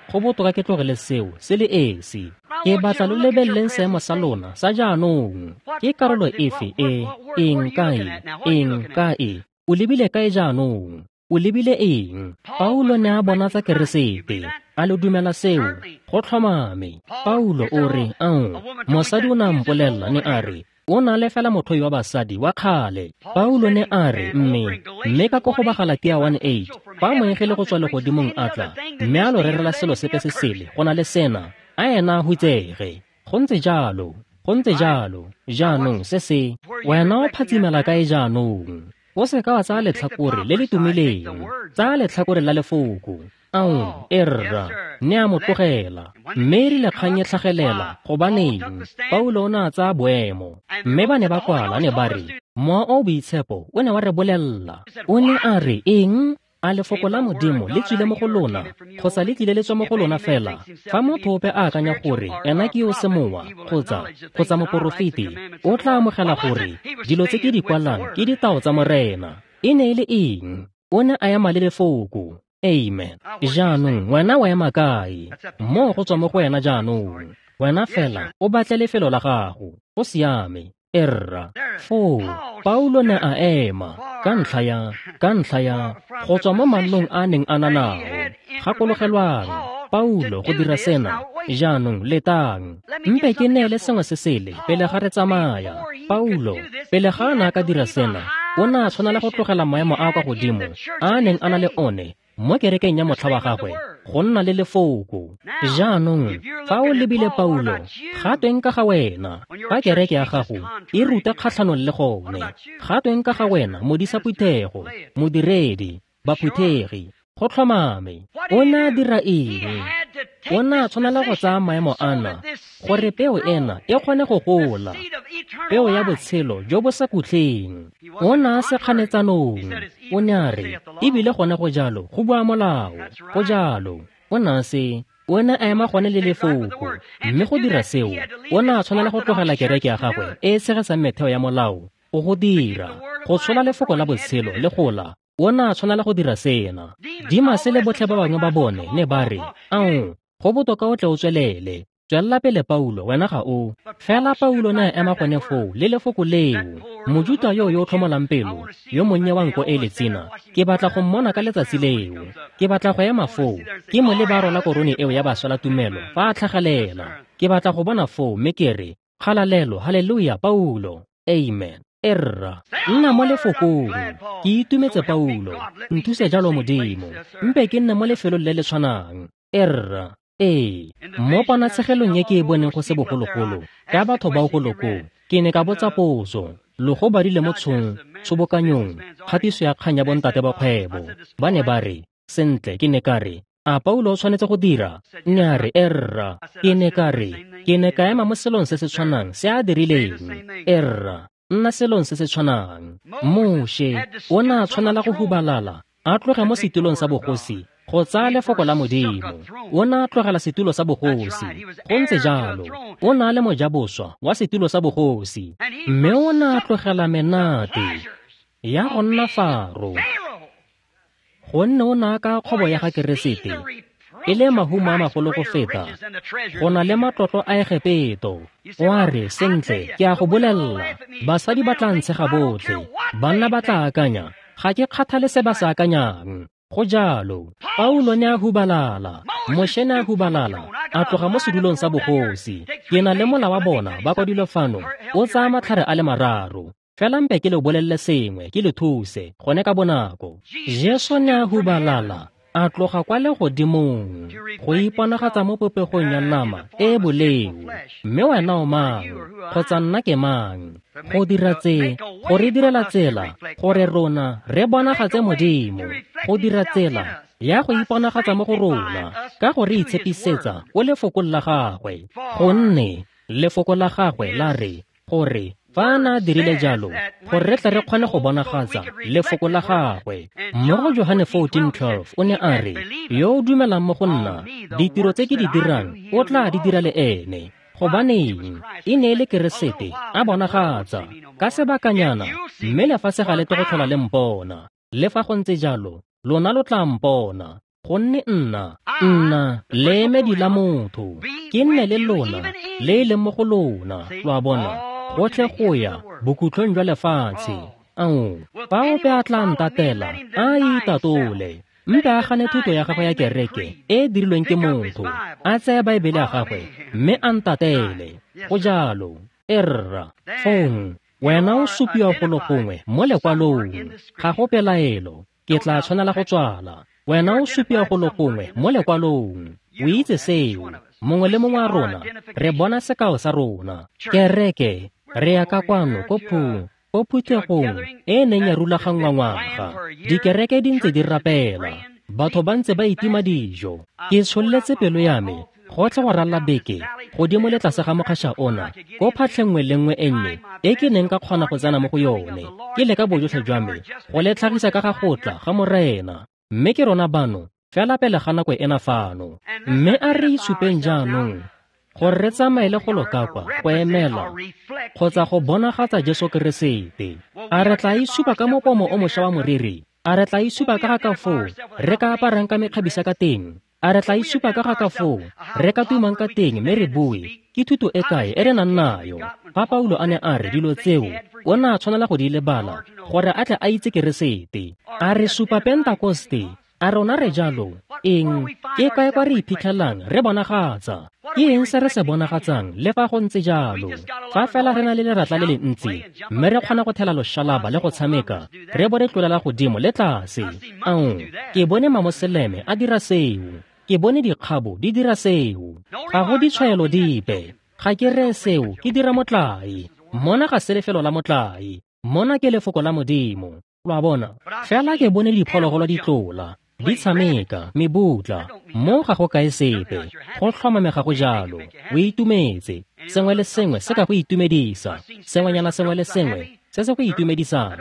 Go botoka ke tlogele seo se le esi. Ke batla lo lebeleleng seemo sa lona sa jaanong. Ke karolo efe e, eng kae, eng kae? O lebile kae jaanong? O lebile eng? Paulo ne a bonatsa Keresete. A lo dumela seo? Go tlhomame. Paulo o re, ao, mosadi o ne a mpolelela, ne a re, o na le fela motho wa basadi wa kgale. Paulo ne a re, mme ka ko go ba Galatia 1:8, fa moengele go tswa legodimong a tla, mme a lo rerela selo sepe se sele go na le sena, a ena a hutsege. Go ntse jalo, go ntse jalo. Jaanong se se, wena o phatsimela kae jaanong? O se ka wa tsaya letlhakore le le tumileng, tsaya letlhakore la lefoko. Ao, erra, ne a mo tlogela. Mme e rile kgang e tlhagelela, gobaneng, Paulo o ne a tsaya boemo. Mme ba ne ba kwala, ne ba re, Mowa o Boitshepo o ne wa re bolella. O ne a re, eng? A lefoko la Modimo le tswile mo go lona, kgotsa le tlile le tswa mo go lona fela? Fa motho ope a akanya gore ena ke yo semowa, kgotsa moporofeti, o tla amogela gore dilo tse ke di kwalang ke ditao tsa Morena. E ne e le eng? O ne a ema le lefoko. Amen. Jaanong wena o ema kae? Moo go tswa mo go wena jaanong. Wena fela o batle lefelo la gago. Go siame. Erra. Foo Paulo ne a ema ka ntlha ya go tswa mo mannong a neng a na nao. Gakologelwang, Paulo go dira sena. Jaanong letang. Mpe ke neele sengwe se sele pele ga re tsamaya. Paulo, pele ga a ne a ka dira sena, O ne a tshwanela go tlogela maemo a kwa godimo a neng a na le one mo kerekeng ya motlha wa gagwe go nna le lefoko. Jaanong fa o lebile Paulo, ga tweng ka ga wena? Fa kereke ya gago e ruta kgatlhanong le gone, ga tweng ka ga wena, modisa phuthego, modiredi, baphuthegi? Go tlhomame. O ne a dira eng? O ne a tshwanela go tsaya maemo ana gore peo ena e kgone go gola, peo ya botshelo jo bo sa khutleng. O ne a se kganetsanong. O ne a re, ebile gone go jalo, go bua molao. Go jalo. O ne a se, o ne a ema gone le lefoko. Mme go dira seo, o ne a tshwanela go tlogela kereke ya gagwe e e tshegetsang metheo ya molao go go dira, go tshola lefoko la botshelo le gola. O ne a tshwanela go dira sena. Dimase le botlhe ba bangwe ba bone ne ba re, "Ao, go botoka o tle o tswelele. Tswelela pele Paulo, wena ga o." Fela Paulo ne a ema gone foo le lefoko leo. Mojuta yo yo tlhomolang pelo, yo monnye wa nko e letsina, ke batla go mmona ka letsatsi leo. Ke batla go ema foo, ke mo le ba rola korone eo ya baswela tumelo fa a tlhagelela. Ke batla go bona foo mme ke re, "Kgalalelo, haleluya, Paulo. Amen." Erra, nna mo lefokong. Ke itumetse Paulo, nthuse jalo Modimo. Mpe ke nne mo lefelong le le tshwanang. Erra, ee, mo ponatshegelong e ke e boneng go se bogologolo ka batho bao go lokong, ke ne ka botsa potso. Logo badile mo tshobokanyong kgatiso ya kgang ya bontate ba kgwebo. Ba ne ba re, sentle, ke ne ka re, a Paulo o tshwanetse go dira? Ne a re, erra. Ke ne ka re, ke ne ka ema mo selong se se tshwanang se a dirileng. Erra, nna selong se se tshwanang. Moshe o ne a tshwanela go hubalala a tloge mo setulong sa bogosi go tsaya lefoko la Modimo. O ne a tlogela setulo sa bogosi. Go ntse jalo. O ne a le mojaboswa wa setulo sa bogosi, mme o ne a tlogela menate ya go nna Faro, gonne o ne a ka kgobo ya ga Keresete e le mahumo a magolo go feta go na le matlotlo a Egepeto. O a re, sentle, ke a go bolelela, basadi ba tla ntshega botlhe, banna ba tla akanya, ga ke kgathale se ba se akanyang. Go jalo. Paulo ne a hubalala, Moshe ne a hubalala, a tloga mo sedulong sa bogosi. Ke na le mola wa bona ba kwadilwe fano, o tsaya matlhare a le mararo. Fela mpe ke le bolelele sengwe, ke le thuse gone ka bonako. Jesu ne a hubalala, a tloga kwa legodimong go iponagatsa mo popegong ya nama e boleu. Mme wena o mang, kgotsa nna ke mang, go dira tse, go re direla tsela gore rona re bonagatse Modimo, go dira tsela ya go iponagatsa mo go rona ka go re itshepisetsa o lefokong la gagwe. Gonne lefoko la gagwe la re, gore fa a na dirile jalo, gore re tle re kgone go bonagatsa lefoko la gagwe. Mo go Johane 14:12 o ne a re, yo o dumelang mo go nna, ditiro tse ke di dirang o tla di dira le ene. Gobaneng? E ne e le Keresete a bonagatsa ka sebakanyana, mme lefatshe ga le tle go tlhola le mpona. Le fa go ntse jalo, lona lo tla mpona, gonne nna leemedi la motho, ke nne le lona le e leng mo go lona. Lo a bona, gotlhe go ya bokhutlong jwa lefatshe. Ao, fa ope a tla ntatela, a itatole. Mpe a gane thuto ya gagwe ya kereke e e dirilweng ke motho, a tseye Baebele ya gagwe mme a ntatele. Go jalo. Erra, fong wena o supiwa golo gongwe mo lekwalong. Ga go pelaelo, ke tla tshwanela go tswala. Wena o supiwa golo gongwe mo lekwalong. O itse seo. Mongwe le mongwe wa rona re bona sekao sa rona. Kereke, re ya ka kwano ko phuthegong e neng ya rulaganngwa ngwaga. Dikereke di ntse di rapela, batho ba ntse ba itima dijo. Ke tsholetse pelo ya me gotlhe go ralla beke godimo le tlase ga mokgaša ona, ko phatlheng nngwe le nngwe e nnye e ke neng ka kgona go tsena mo go yone, ke leka bojotlhe jwa me go le tlhagisa ka ga go tla ga Morena. Mme ke rona bano fela pele ga nako ena fano. Mme a re itshupeng jaanong gore re tsamaele go lokakwa go emela kgotsa go bonagatsa Jesu Keresete. A re tla itshupa ka mopomo o mošwa wa moriri? A re tla itshupa ka ga ka foo re ka aparang ka mekgabisa ka teng? A re tla itshupa ka ga ka foo re ka tumang ka teng mme re bue ke thuto e kae e re nang nayo? Fa Paulo a ne a re dilo tseo, o ne a tshwanela go di lebala gore a tle a itse Keresete. A re supa Pentakoste? A rona re jalo? Eng? Ke kae kwa re iphitlhelang re bonagatsa? Ke eng se re se bonagatsang le fa go ntse jalo? Fa fela re na le leratla le le ntsi, mme re kgona go thela loshalaba le go tshameka, re bo re tlolela godimo le tlase. Ao, ke bone mamoseleme a dira seo. Ke bone dikgabo di dira seo. Ga go ditshwaelo dipe. Ga ke reye seo, ke dira motlae. Mona ga se lefelo la motlae. Mona ke lefoko la Modimo. Lo a bona? Fela ke bone diphologolo di tlola, di tshameka, mebutla. Mo ga go kae sepe. Go tlhomame ga go jalo. O itumetse. Sengwe le sengwe se ka go itumedisa. Sengwenyana sengwe le sengwe se se go itumedisang.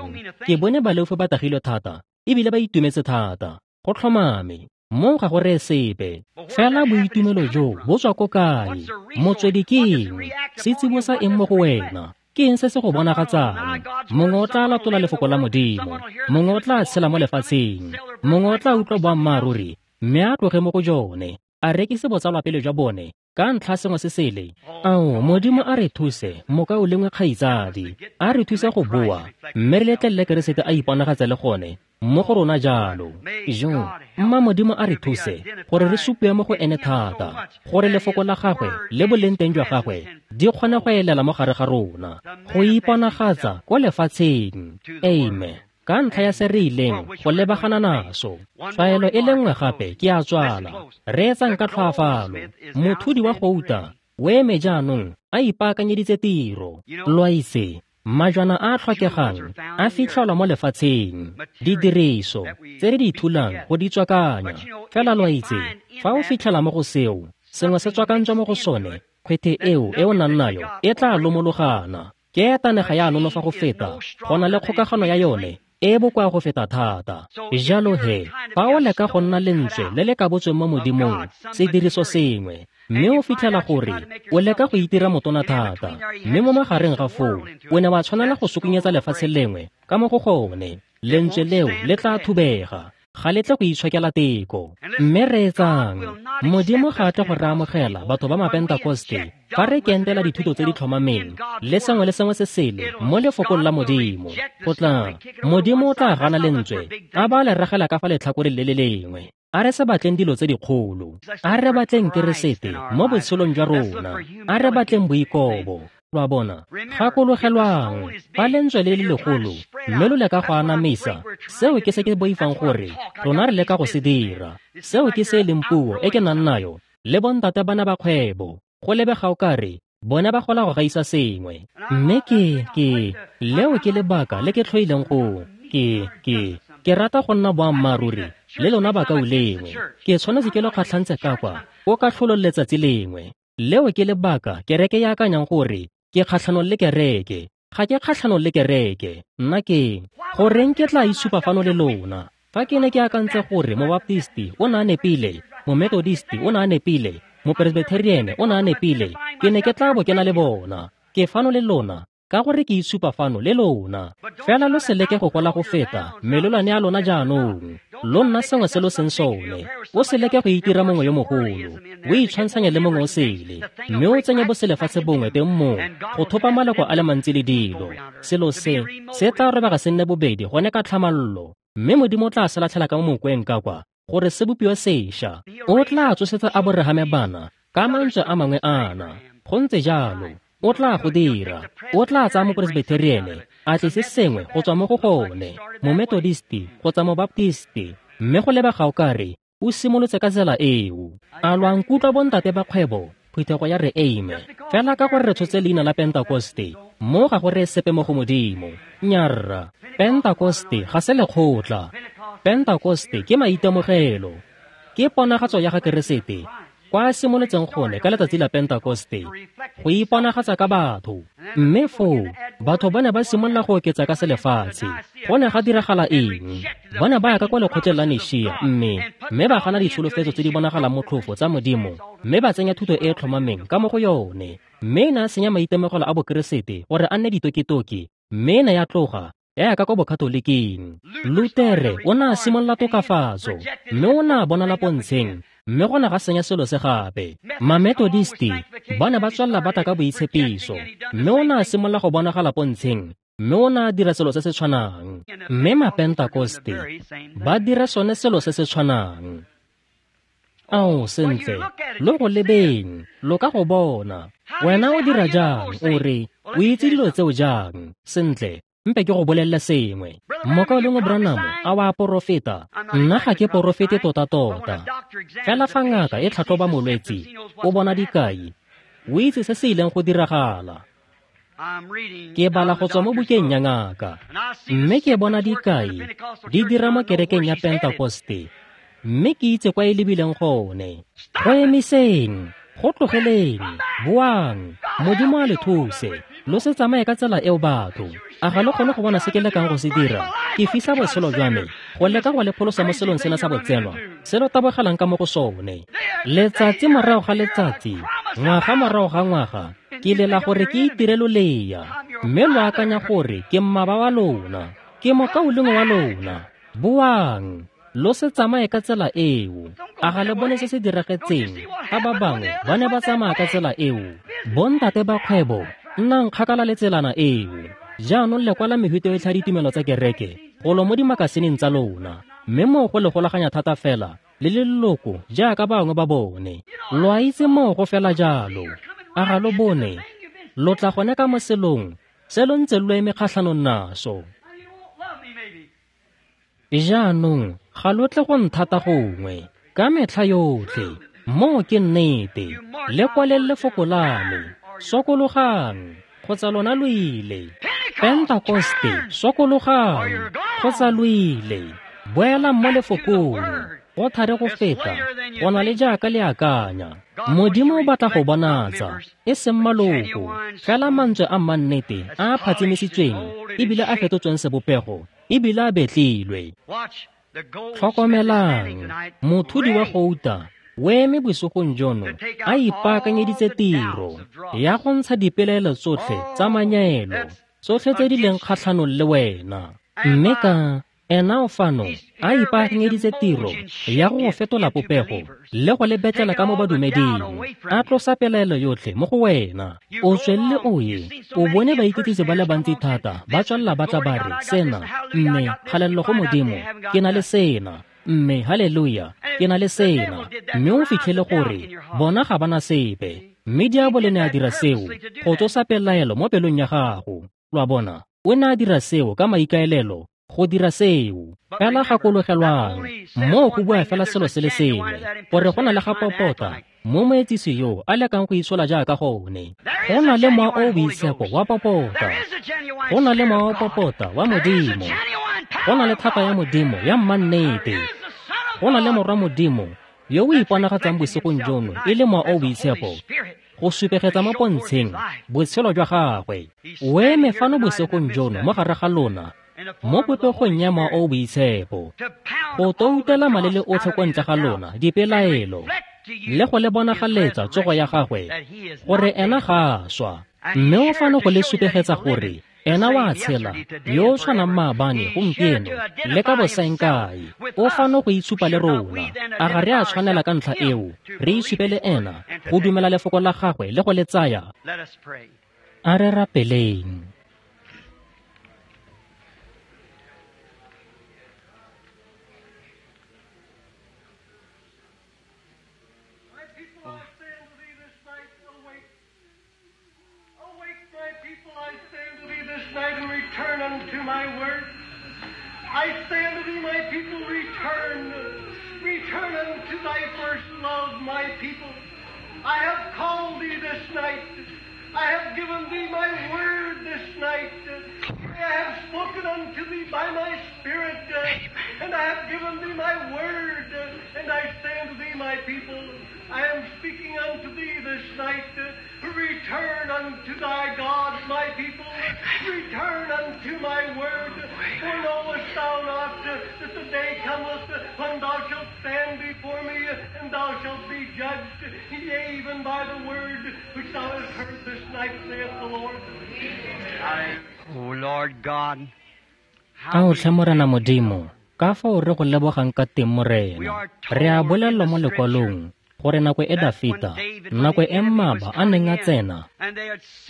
Ke bone baleofi ba tagilwe thata, ebile ba itumetse thata. Go tlhomame. Mo ga go reye sepe. Fela boitumelo jo bo tswa ko kae? Motswedi ke eng? Se tsibosa eng mo go wena? Ke eng se se go bonagatsang? Mongwe o tla latola lefoko la Modimo. Mongwe o tla tshela mo lefatsheng. Mongwe o tla utlwa boammaaruri, mme a tloge mo go jone, a rekise botsalwapele jwa bone ka ntlha sengwe se sele. Ao, Modimo a re thuse, mokaulengwe kgaitsadi. A re thuse go boa, mme re letlelele Keresete a iponagatse le gone mo go rona jalo. Jo, mma Modimo a re thuse gore re supiwe mo go ene thata, gore lefoko la gagwe le boleng teng jwa gagwe di kgone go elela mo gare ga rona, go iponagatsa ko lefatsheng. Amen. Ka ntlha ya se re ileng go lebagana naso. Tshwaelo e le nngwe gape ke a tswala. Reetsang ka tlhoafalo. Mothudi wa gouta o eme jaanong a ipaakanyeditse tiro. Lo a itse, majwana a a tlhokegang a fitlhelwa mo lefatsheng, didiriso tse re di thulang go di tswakanya. Fela lo a itse, fa o fitlhela mo go seo, sengwe se tswakantswe mo go sone, kgwethe eo e o nang nayo e tla lomologana. Ke etanega ya nonofa go feta, go na le kgokagano ya yone e bokoa go feta thata. Jalo he, fa o leka go nna lentswe le le kabotsweng mo Modimong, sediriso sengwe, mme o fitlhela gore o leka go itira motona thata, mme mo magareng ga foo o ne wa tshwanela go sukunyetsa lefatshe lengwe ka mo go gone, lentswe leo le tla thubega. Ga le tle go itshokela teko. Mme reetsang, Modimo ga a tle go re amogela batho ba Mapentakoste fa re kentela dithuto tse di tlhomameng le sengwe le sengwe se sele mo lefokong la Modimo. Go tla, Modimo o tla gana lentswe a ba le ragela ka fa letlhakoreng le le lengwe. A re se batleng dilo tse dikgolo. A re batleng Keresete mo botshelong jwa rona. A re batleng boikobo. Lo a bona? Gakologelwang, fa lentswe le le legolo mme lo leka go anamisa, seo ke se ke boifang gore rona re leka go se dira. Seo ke se e leng puo e ke nang nayo le bontate bana ba kgwebo. Go lebega o kare bona ba gola go gaisa sengwe. Mme ke leo ke lebaka le ke tlhoileng go ke rata go nna boammaaruri le lona bakaulengwe. Ke tshwanetse ke lo kgatlhantse ka kwa o ka tlholong letsatsi lengwe. Leo ke lebaka kereke ya akanyang gore ke kgatlhanong le kereke. Ga ke kgatlhanong le kereke. Nna ke goreng ke tla itshupa fano le lona? Fa ke ne ke akantse gore mobaptisti o ne a nepile, momethodisti o ne a nepile, mopresbyterian o ne a nepile, ke ne ke tla bo ke na le bona. Ke fano le lona ka gore ke itshupa fano le lona. Fela lo se leke go gola go feta melelwane ya lona jaanong. Lo nna sengwe se lo seng sone. O se leke go itira mongwe yo mogolo, o itshwantshanye le mongwe o sele, mme o tsenye boselefatshe bongwe teng moo go thopa maloko a le mantsi le dilo. Selo se se tla robega se nne bobedi gone ka tlhamallo, mme Modimo o tla se latlhela ka mo mokweng ka kwa gore se bopiwe sešwa. O tla tsosetsa Aborahame bana ka mantswe a mangwe ana. Go ntse jalo. O tla go dira. O tla tsaya mopresbyterian a tlise sengwe go tswa mo go gone, momethodisti kgotsa mobaptisti, mme go lebega o kare o simolotse ka tsela eo. A lo a nkutlwa bontate ba kgwebo? Phuthego ya re amen. Fela ka gore re tshotse leina la Pentakoste, mo ga go reye sepe mo go Modimo. Nyarra, Pentakoste ga se lekgotla. Pentakoste ke maitemogelo. Ke ponagatso ya ga Keresete kwa simolotseng gone ka letsatsi la Pentakoste, go iponagatsa ka batho. Mme foo batho ba ne ba simolola go oketsa ka selefatshe. Go ne ga diragala eng? Ba ne ba ya ka kwa lekgotleng la Nishia, mme ba gana ditsholofetso tse di bonagalang motlhofo tsa Modimo, mme ba tsenya thuto e e tlhomameng ka mo go yone. Mme e ne a senya maitemogelo a Bokeresete gore a nne ditokitoki, mme e ne ya tloga ya ya ka kwa Bokatoliking. Lutere o ne a simolola tokafatso, mme o ne a bonala pontsheng, mme go ne ga senya selo se gape. Mamethodisti ba ne ba tswelela ba tla ka boitshepiso, mme o ne a simolola go bonagala pontsheng, Mme o ne a dira selo se se tshwanang. Mme Mapentakoste ba dira sone selo se se tshwanang. Ao, sentle, lo go lebeng, lo ka go bona. Wena o dira jang? O re, o itse dilo tseo jang? Sentle, mpe ke go bolelele sengwe. Mokaulengwe Branham a wa porofeta? Nna ga ke porofete tota-tota. Fela fa ngaka e tlhatlhoba molwetsi, o bona dikai, o itse se se ileng go diragala. Ke bala go tswa mo bukeng ya ngaka, mme ke bona dikai di dira mo kerekeng ya Pentakoste, mme ke itse kwa e lebileng gone. Go emiseng, go tlogeleng, boang, Modimo a le thuse. Lo se tsamaye ka tsela eo batho. A ga lo kgone go bona se ke lekang go se dira? Ke fisa botshelo jwa me go leka go le pholosa mo selong sena sa botsenwa se lo tabogelang ka mo go sone. Letsatsi morago ga letsatsi, ngwaga morago ga ngwaga, ke lela gore ke itire lolea, mme lo akanya gore ke mmaba wa lona, ke mokaulengwe wa lona. Boang, lo se tsamaye ka tsela eo. A ga le bone se se diragetseng ga ba bangwe ba ne ba tsamaya ka tsela eo? Bontate ba kgwebo, nnang kgakala le tselana eo. Jaanong le kwala mehuta yotlhe ya ditumelo tsa kereke golo mo dimakasineng tsa lona, mme moo go le golaganya thata fela le leloko jaaka bangwe ba bone. Lo a itse moo go fela jalo. A ga lo bone? Lo tla gone ka mo selong se lo ntse lo eme kgatlhanong naso. Jaanong ga lo tle go nthata gongwe ka metlha yotlhe. Moo ke nnete. Le kwaleng lefoko la me. Sokologang, kgotsa lona lo ile. Pentakoste, sokologang, kgotsa lo ile. Boelang mo lefokong. Go thari go feta, go na le jaaka le akanya. Modimo o batla go bonatsa, e seng maloko, fela mantswe a mannete a a phatsimisitsweng ebile a fetotsweng sebopego ebile a betlilwe. Tlhokomelang, mothudi wa gouta o eme bosigong jono a ipaakanyeditse tiro ya go ntsha dipelaelo tsotlhe tsa manyelo, tsotlhe tse di leng kgatlhanong le wena. Mme ka ena o fano a ipaakanyeditse tiro ya go fetola popego le go le betlela ka mo badumeding, a tlosa pelaelo yotlhe mo go wena. O tswelele o ye, o bone baiketsisi ba le bantsi thata ba tswelela ba tla ba re, sena, mme kgalelelo go Modimo, ke na le sena, mme haleluya, ke na le sena. Mme o fitlhele gore bona ga ba na sepe. Mme diabolo ne a dira seo go tsosa pelaelo mo pelong ya gago. Lo a bona, o ne a dira seo ka maikaelelo go dira seo. Fela gakologelwang, moo go bua fela selo se le sengwe, gore go na le ga popota mo moetsisi yo a lekang go itshola jaaka gone. Go na le mowa o o boitshepo wa popota, go na le mowa wa popota wa Modimo, go na le thata ya Modimo ya mmannete, go na le morwa Modimo yo o iponagatsang bosigong jono e le mowa o o boitshepo go supegetsa mo pontsheng botshelo jwa gagwe. O eme fano bosigong jono mo gare ga lona mo popegong ya mowa o o boitshepo go toutela malele otlhe ko ntle ga lona dipelaelo le go le bonagaletsa tsogo ya gagwe gore ena ga a swa. Mme o fano go le supegetsa gore ena wa tshela, yo o tshwanang maabane, gompieno le ka bosaengkae. O fano go itshupa le rona. A ga re a tshwanela ka ntlha eo re itshupe le ena go dumela lefoko la gagwe le go le tsaya? A re rapeleng. I say unto thee, my people, return. Return unto thy first love, my people. I have called thee this night. I have given thee my word this night. I have spoken unto thee by my Spirit, and I have given thee my word. And I say unto thee, my people, I am speaking unto thee this night. Return unto thy God, my people. Return unto my word. For knowest thou not that the day cometh when thou shalt stand before me, and thou shalt be judged, yea, even by the word which thou hast heard this night, saith the Lord. O Lord God, A o tlhe Morena Modimo, ka fao re go lebogang ka teng Morena. Re a bolelelwa mo lekwalong gore nako e Dafita, nako e mmaba a neng a tsena,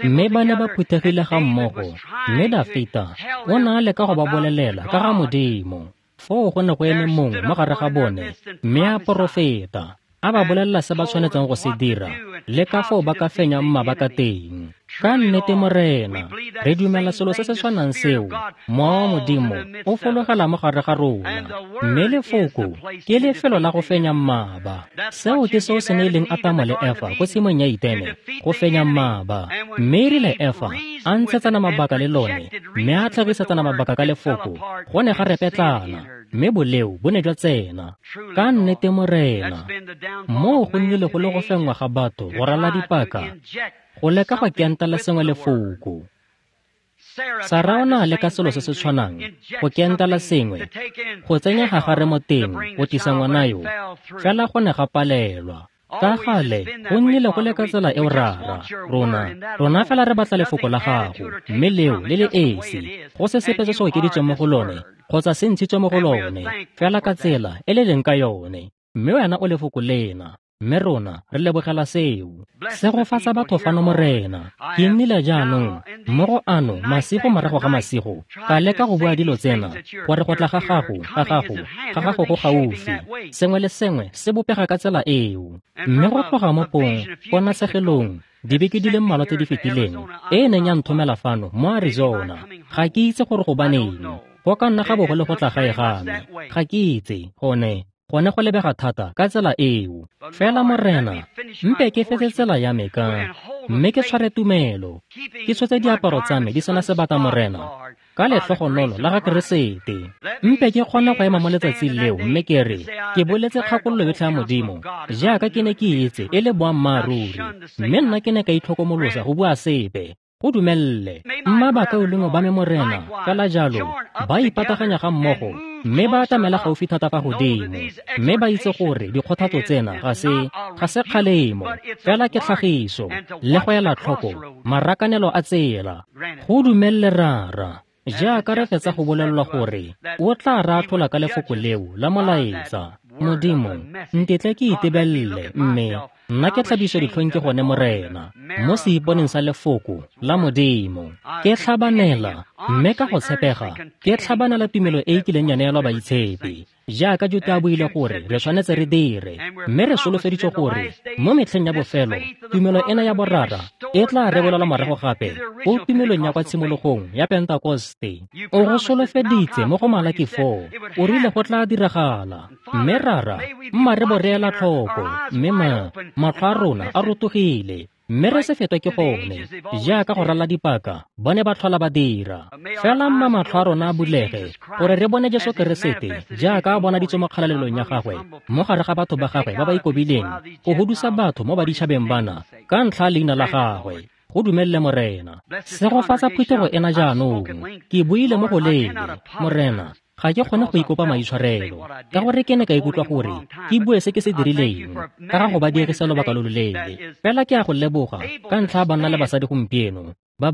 mme ba ne ba phuthegile ga mmogo, mme Dafita o ne a leka go ba bolelela ka ga Modimo. Foo go ne go eme mongwe mo gare ga bone, mme a porofeta, a ba bolelela se ba tshwanetseng go se dira, le ka foo ba ka fenyang mmaba ka teng. Ka nnete Morena, re dumela selo se se tshwanang seo, Mowa wa Modimo o fologela mo gare ga rona, mme lefoko ke lefelo la go fenya mmaba. Seo ke seo se neileng Atamo le Efa ko tshimong ya Etene, go fenya mmaba. Mme erile Efa a ntshetsana mabaka le lone, mme a tlhagisetsana mabaka ka lefoko, go ne ga repetlana, mme boleo bo ne jwa tsena. Ka nnete Morena, moo go nnile go le go fenngwa ga batho go rala dipaka, go leka go kentela sengwe lefoko. Sara o ne a leka selo se se tshwanang, go kentela sengwe, go tsenya gagare mo teng, go tlisa ngwana yo, fela go ne ga palelwa. Ka gale, go nnile go le ka tsela eo Rara, rona fela re batla lefoko la gago, mme leo le le esi, go se sepe se se okeditsweng mo go lone, kgotsa se ntshitswe mo go lone, fela ka tsela e le leng ka yone, mme wena o lefoko lena. Mme rona re lebogela seo. Segofatsa batho fano Morena. Ke nnile jaanong mo go ano masigo morago ga masigo, ka leka go bua dilo tsena, gore go tla ga gago, ga gago go gaufi. Sengwe le sengwe se bopega ka tsela eo. Mme go tloga mo pong, ponatshegelong, dibeke di le mmalwa tse di fetileng, e neng ya nthomela fano mo Arizona. Ga ke itse gore gobaneng. Go ka nna ga bo go le go tla gae ga me. Ga ke itse, gone go lebega thata ka tsela eo. Fela Morena, mpe ke fetse tsela ya me ka, mme ke tshware tumelo, ke tshotse diaparo tsa me di sena sebata Morena, ka letlhogonolo la ga Keresete. Mpe ke kgone go ema mo letsatsing leo mme ke re, ke boletse kgakololo yotlhe ya Modimo, jaaka ke ne ke itse e le boammaaruri, mme nna ke ne ka itlhokomolosa go bua sepe. Go dumelle. Mma bakaulengwe ba me Morena, fela jalo, ba ipataganya ga mmogo, mme ba atamela gaufi thata fa godimo, mme ba itse gore dikgothatso tsena ga se kgalemo, fela ke tlhagiso, le go ela tlhoko marakanelo a tsela. Go dumelle Rara, jaaka re fetsa go bolelelwa gore o tla re atlhola ka lefoko leo la molaetsa. Modimo, ntetle ke itebelele, mme nna ke tlhabiswe ditlhong ke gone Morena, mo seiponeng sa lefoko la Modimo. Ke tlhabanela, mme ka go tshepega, ke tlhabanela tumelo e e kileng ya neelwa baitshepi, jaaka Juta a buile gore re tshwanetse re dire, mme re solofeditswe gore mo metlheng ya bofelo, tumelo ena ya borara e tla rebolelwa morago gape ko tumelong ya kwa tshimologong ya Pentekoste. O go solofeditse mo go Malaki 4, o rile go tla diragala. Mme Rara, mma re bo re ela tlhoko, mme matlho a rona a rotogile, mme re se fetwe ke gone, jaaka go rala dipaka, ba ne ba tlhola ba dira. Fela mma matlho a rona a bulege, gore re bone Jesu Keresete, jaaka a bonaditswe mo kgalalelong ya gagwe, mo gare ga batho ba gagwe ba ba ikobileng, go hudusa batho mo baditšhabeng bana, ka ntlha leina la gagwe. Go dumelle Morena. Segofatsa phuthego ena jaanong. Ke buile mo go leele, Morena, ga ke kgone go ikopa maitshwarelo, ka gore ke ne ka ikutlwa gore ke bue se ke se dirileng, ka ga go ba diegisa lobaka lo loleele. Fela ke a go leboga ka ntlha ya banna le basadi gompieno, ba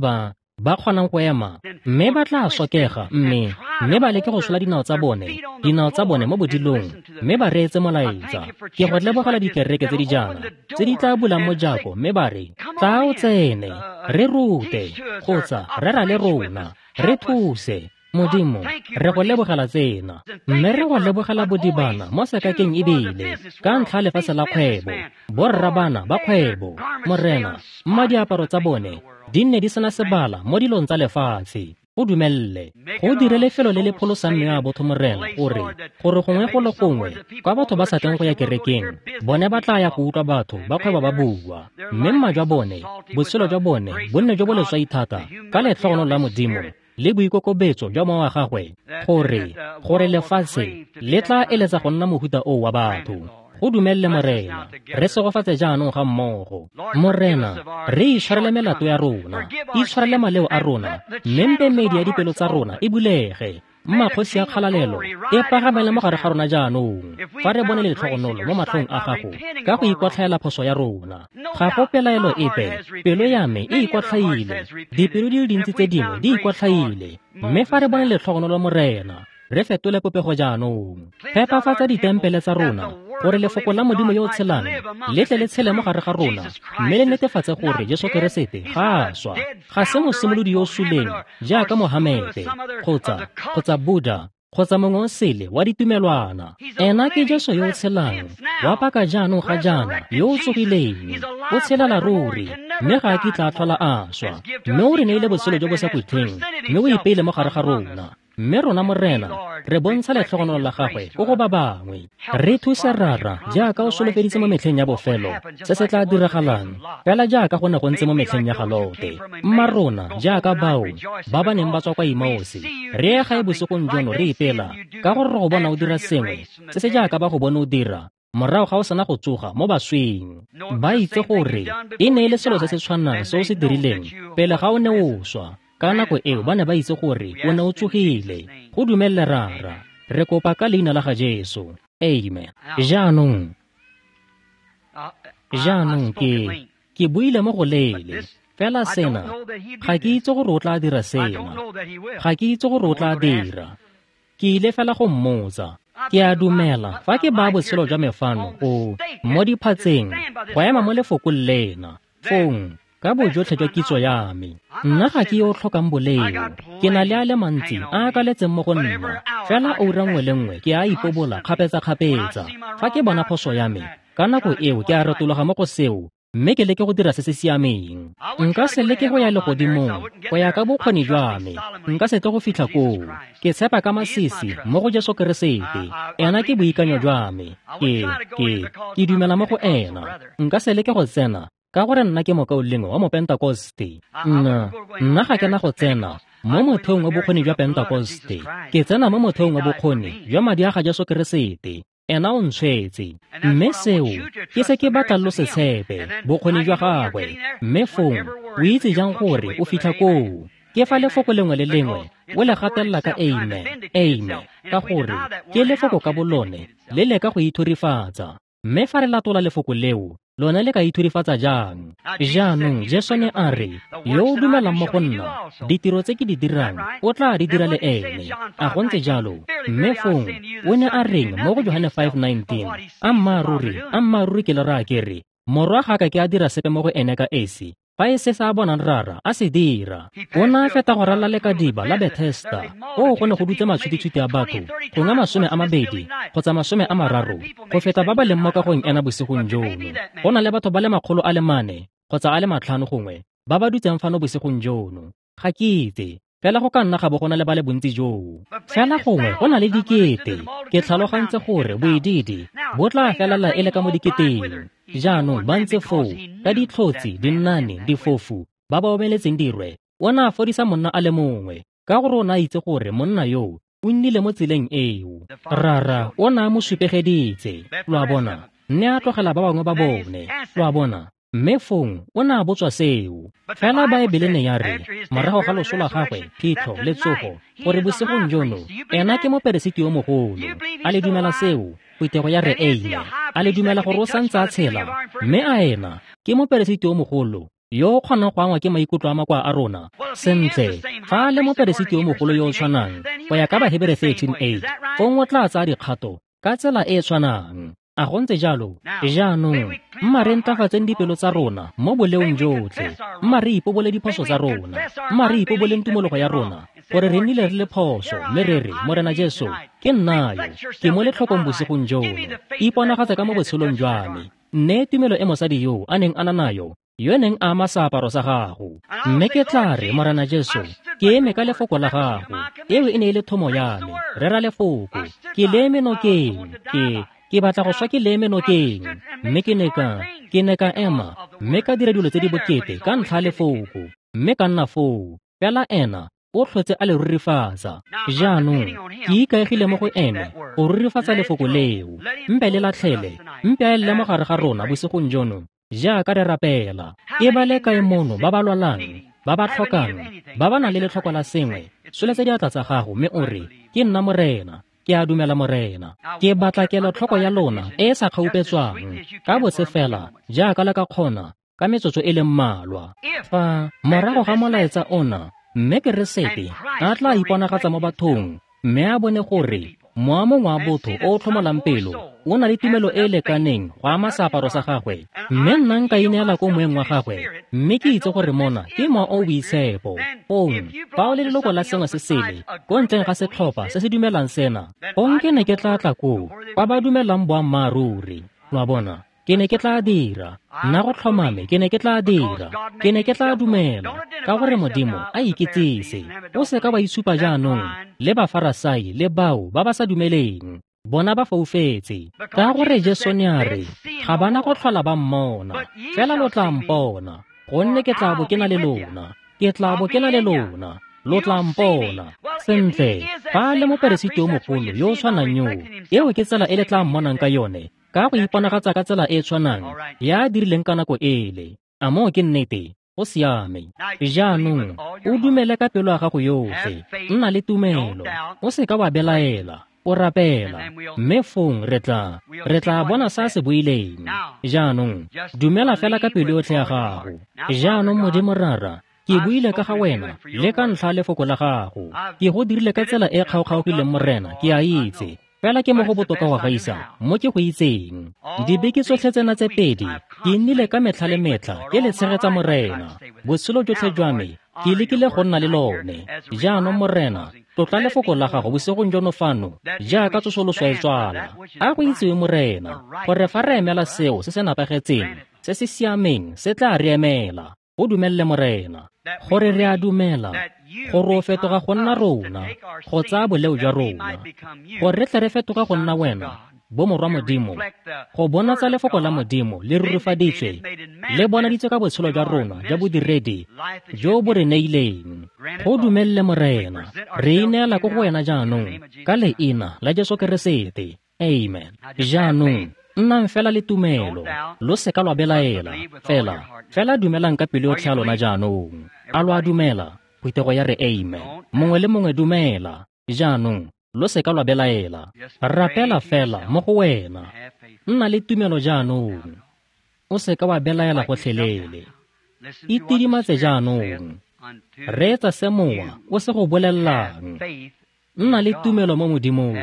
ba kgonang go ema, mme ba tla sokega, mme ba leke go tshola dinao tsa bone mo bodilong, mme ba reetse molaetsa. Ke go lebogela dikereke tse di jaana, tse di tla bulang mojako, mme ba re, tla o tsene, re rute, kgotsa rera le rona, re thuse. Modimo, re go lebogela tsena, mme re go lebogela bodibana mo sekakeng ebile, ka ntlha lefatshe la kgwebo, borra bana ba kgwebo. Morena, mma diaparo tsa bone di nne di sena sebala mo dilong tsa lefatshe. Go dumelle, go dire lefelo le le pholosang mewa ya botho Morena, gore gongwe go le gongwe kwa batho ba sa tleng go ya kerekeng, bone ba tla ya go utlwa batho ba kgwebo ba bua, mme mma jwa bone, botshelo jwa bone bo nne jo bo leswai thata ka letlhogonolo la Modimo le boikokobetso jwa mowa wa gagwe, gore lefatshe le tla eletsa go nna mohuta oo wa batho. Go dumelle Morena, re segofatse jaanong ga mmogo. Morena, re itshwarele melato ya rona, itshwarele maleo a rona, mme mpe medi ya dipelo tsa rona e bulege. Mma kgosi ya kgalalelo e pagamele mo gare ga rona jaanong, fa re bone letlhogonolo mo matlhong a gago ka go ikwatlhaela phoso ya rona. Ga go pelaelo epe, pelo ya me e ikwatlhaile, dipelo di le dintsi tse dingwe di ikwatlhaile, mme fa re bone letlhogonolo Morena, re fetole popego jaanong. Phepafatsa ditempele tsa rona, gore lefoko la Modimo yo o tshelang le tle le tshele mo gare ga rona, mme le netefatse gore Jesu Keresete ga a swa. Ga se mosimolodi yo o suleng jaaka Mohamete kgotsa Buddha kgotsa mongwe o sele wa ditumelwana. Ena ke Jesu yo o tshelang, wa paka jaanong ga jaana, yo o tsogileng, o tshelela ruri, mme ga a kitla a tlhola a swa. Mme o re neile botshelo jo bo sa khutleng, mme o ipeile mo gare ga rona. Mme rona Morena, re bontsha letlhogonolo la gagwe ko go ba bangwe. Re thuse Rara jaaka o solofeditse mo metlheng ya bofelo se se tla diragalang, fela jaaka go ne go ntse mo metlheng ya ga Lote. Mma rona jaaka bao ba ba neng ba tswa kwa Emmaus, re ye gae bosigong jono re ipela ka gore re go bona o dira sengwe se se jaaka ba go bone o dira morago ga o sena go tsoga mo basweng. Ba itse gore e ne e le selo se se tshwanang se o se dirileng pele ga o ne o swa. Ka nako eo ba ne ba itse gore o ne o tsogile. Go dumelele Rara, re kopa ka leina la ga Jesu. Amen. Jaanong ke buile mo go leele, fela sena ga ke itse gore o tla dira sena, ga ke itse gore o tla dira. Ke ile fela go mmotsa. Ke a dumela fa ke baya botshelo jwa me fano go mo diphatseng go ema mo lefokong lena, fong ka bojotlhe jwa kitso ya me. Nna ga ke yo o tlhokang boleo, ke na le a le mantsi a a kaletseng mo go nna, fela oura nngwe le nngwe ke a ipobola kgapetsa-kgapetsa. Fa ke bona phoso ya me, ka nako eo ke a retologa mo go seo, mme ke leke go dira se se siameng. Nka se leke go ya legodimong go ya ka bokgoni jwa me, nka se tle go fitlha koo. Ke tshepa ka masisi mo go Jesu Keresete, ena ke boikanyo jwa me. Ke dumela mo go ena. Nka se leke go tsena ka gore nna ke mokaulengwe wa Mopentekoste. Nna ga ke na go tsena mo motheong wa bokgoni jwa Pentekoste. Ke tsena mo motheong wa bokgoni jwa madi a ga Jesu Keresete. Ena o ntshwetse. Mme seo ke se ke batlang lo se tshepe, bokgoni jwa gagwe. Mme fong o itse jang gore o fitlha koo? Ke fa lefoko lengwe le lengwe o le gatelela ka amen, amen, ka gore ke lefoko ka bolone le leka go ithurifatsa. Mme fa re latola lefoko leo, lone le ka ithurifatsa jang? Jaanong Jesu ne a re, yo o dumelang mo go nna, ditiro tse ke di dirang o tla di dira le ene. A go ntse jalo? Mme fong o ne a reng mo go Johane 5:19? Ammaaruri, ammaaruri ke le raya ke re, Morwa ga ka ke a dira sepe mo go ene ka esi, fa e se sa bonang Rara a se dira. O ne a feta go ralala lekadiba la Bethesda, koo go ne go dutse matshwititshwiti a batho, gongwe 20 kgotsa 30 go feta ba ba leng mo kagong ena bosigong jono. Go na le batho ba le 400 kgotsa a le 500 gongwe ba ba dutseng fano bosigong jono. Ga ke itse, fela go ka nna ga bo go na le ba le bontsi joo. Fela gongwe go na le dikete. Ke tlhalogantse gore boidiidi bo tla felela e le ka mo diketeng. Jaanong ba ntse foo ka ditlhotsi, dinnane, difofu, ba ba omeletseng dirwe. O ne a fodisa monna a le mongwe ka gore o ne a itse gore monna yoo o nnile mo tseleng eo. Rara o ne a mo supegeditse, lo a bona, mme a tlogela ba bangwe ba bone, lo a bona. Mme fong o ne a botswa seo. Fela Baebele ne ya re, morago ga loso la gagwe, phitlho le tsogo, gore bosigong jono ena ke moperesiti yo mogolo. A le dumela seo? Phuthego ya re amen. A le dumela gore o santse a tshela? Mme a ena ke moperesiti yo mogolo yo o kgonang go angwa ke maikutlo a makoa a rona? Sentle, fa a le moperesiti yo mogolo yo o tshwanang, go ya ka Bahebere 13:8, fong o tla tsaya dikgato ka tsela e e tshwanang. A go ntse jalo? Jaanong mma re ntlafatseng dipelo tsa rona mo boleong jotlhe. Mma re ipobole diphoso tsa rona. Mma re ipoboleng tumologo ya rona, gore re nnile re le phoso, mme re re, Morena Jesu, ke nna yo, ke mo letlhokong bosigong jono. Iponagatse ka mo botshelong jwa me. Nneye tumelo e mosadi yo a neng a na nayo, yo neng a ama seaparo sa gago. Mme ke tla re, Morena Jesu, ke eme ka lefoko la gago. Eo e ne e le thomo ya me. Rera lefoko. Ke le eme nokeng. Ke batla go swa ke le eme nokeng. Mme ke ne ka ema, mme ka dira dilo tse di bokete ka ntlha ya lefoko, mme ka nna foo. Fela ena o tlhotse a le rurifatsa. Jaanong ke ikaegile mo go ene go rurifatsa lefoko leo. Mpe le latlhele, mpe a elle mo gare ga rona bosigong jono jaaka re rapela. Ke ba le kae mono ba ba lwalang, ba ba tlhokang, ba ba nang le letlhoko la sengwe? Tsholetsa diatla tsa gago mme o re, ke nna Morena. Ke a dumela Morena. Ke batla kelotlhoko ya lona e e sa kgaupetswang ka botse fela jaaka le ka kgona ka metsotso e le mmalwa. Fa morago ga molaetsa ona, mme Keresete a tla iponagatsa mo bathong, mme a bone gore Mowa mongwe wa botho o o tlhomolang pelo o na le tumelo e e lekaneng go ama seaparo sa gagwe, mme nna nka ineela ko moeng wa gagwe, mme ke itse gore mona ke mowa o o boitshepo. Fong fa o le leloko la sengwe se sele ko ntleng ga setlhopha se se dumelang sena, fong ke ne ke tla tla koo kwa ba dumelang boammaaruri. Lo a bona? Ke ne ke tla dira. Nna go tlhomame ke ne ke tla dira. Ke ne ke tla dumela, ka gore Modimo a ikitsise. O seka wa itshupa jaanong le Bafarasai le bao ba ba sa dumeleng. Bona ba foufetse. Ka gore Jesu ne a re, ga bana go tlhola ba mmona, fela lo tla mpona, gonne ke tla bo ke na le lona. Ke tla bo ke na le lona. Lo tla mpona. Sentle, fa le moperesiti yo mogolo yo o tshwanang yoo, eo ke tsela e le tla mmonang ka yone, ka go iponagatsa ka tsela e e tshwanang ya dirileng ka nako ele. A moo ke nnete? Go siame. Jaanong o dumele ka pelo ya gago yotlhe, nna le tumelo, o seka wa belaela, o rapela, mme fong re tla bona sa se buileng. Jaanong dumela fela ka pelo yotlhe ya gago. Jaanong Modimo Rara, ke buile ka ga wena le ka ntlha lefoko la gago. Ke go dirile ka tsela e kgaokgaogileng, Morena, ke a itse. Fela ke mo go botoka go gaisa mo ke go itseng. Dibeke tsotlhe tsena tse pedi ke nnile ka metlha le metlha ke le tshegetsa Morena. Botshelo jotlhe jwa me ke lekile go nna le lone. Jaanong Morena, tlotla lefoko la gago bosigong jono fano jaaka tsosoloso e tswala. A go itsiwe Morena, gore fa re emela seo se se nepagetseng, se se siameng se tla re emela. Go dumelle Morena, gore re a dumela gore o fetoga go nna rona, go tsaya boleo jwa rona, gore re tle re fetoga go nna wena, bo morwa Modimo, go bonatsa lefoko la Modimo le rurifaditswe, le bonaditswe ka botshelo jwa rona jwa bodiredi jo bo re neileng. Go dumelle Morena, re ineela ko go wena jaanong ka leina la Jesu Keresete. Amen. Jaanong nnang fela le tumelo, lo seka lwa belaela, fela dumelang ka pelo yotlhe ya lona jaanong. A lo a dumela? Phuthego ya re amen. Mongwe le mongwe dumela. Jaanong lo seka lwa belaela. Rapela fela mo go wena. Nna le tumelo jaanong. O seka wa belaela gotlhelele. Itidimatse jaanong. Reetsa se mowa o se go bolellang. Nna le tumelo mo Modimong.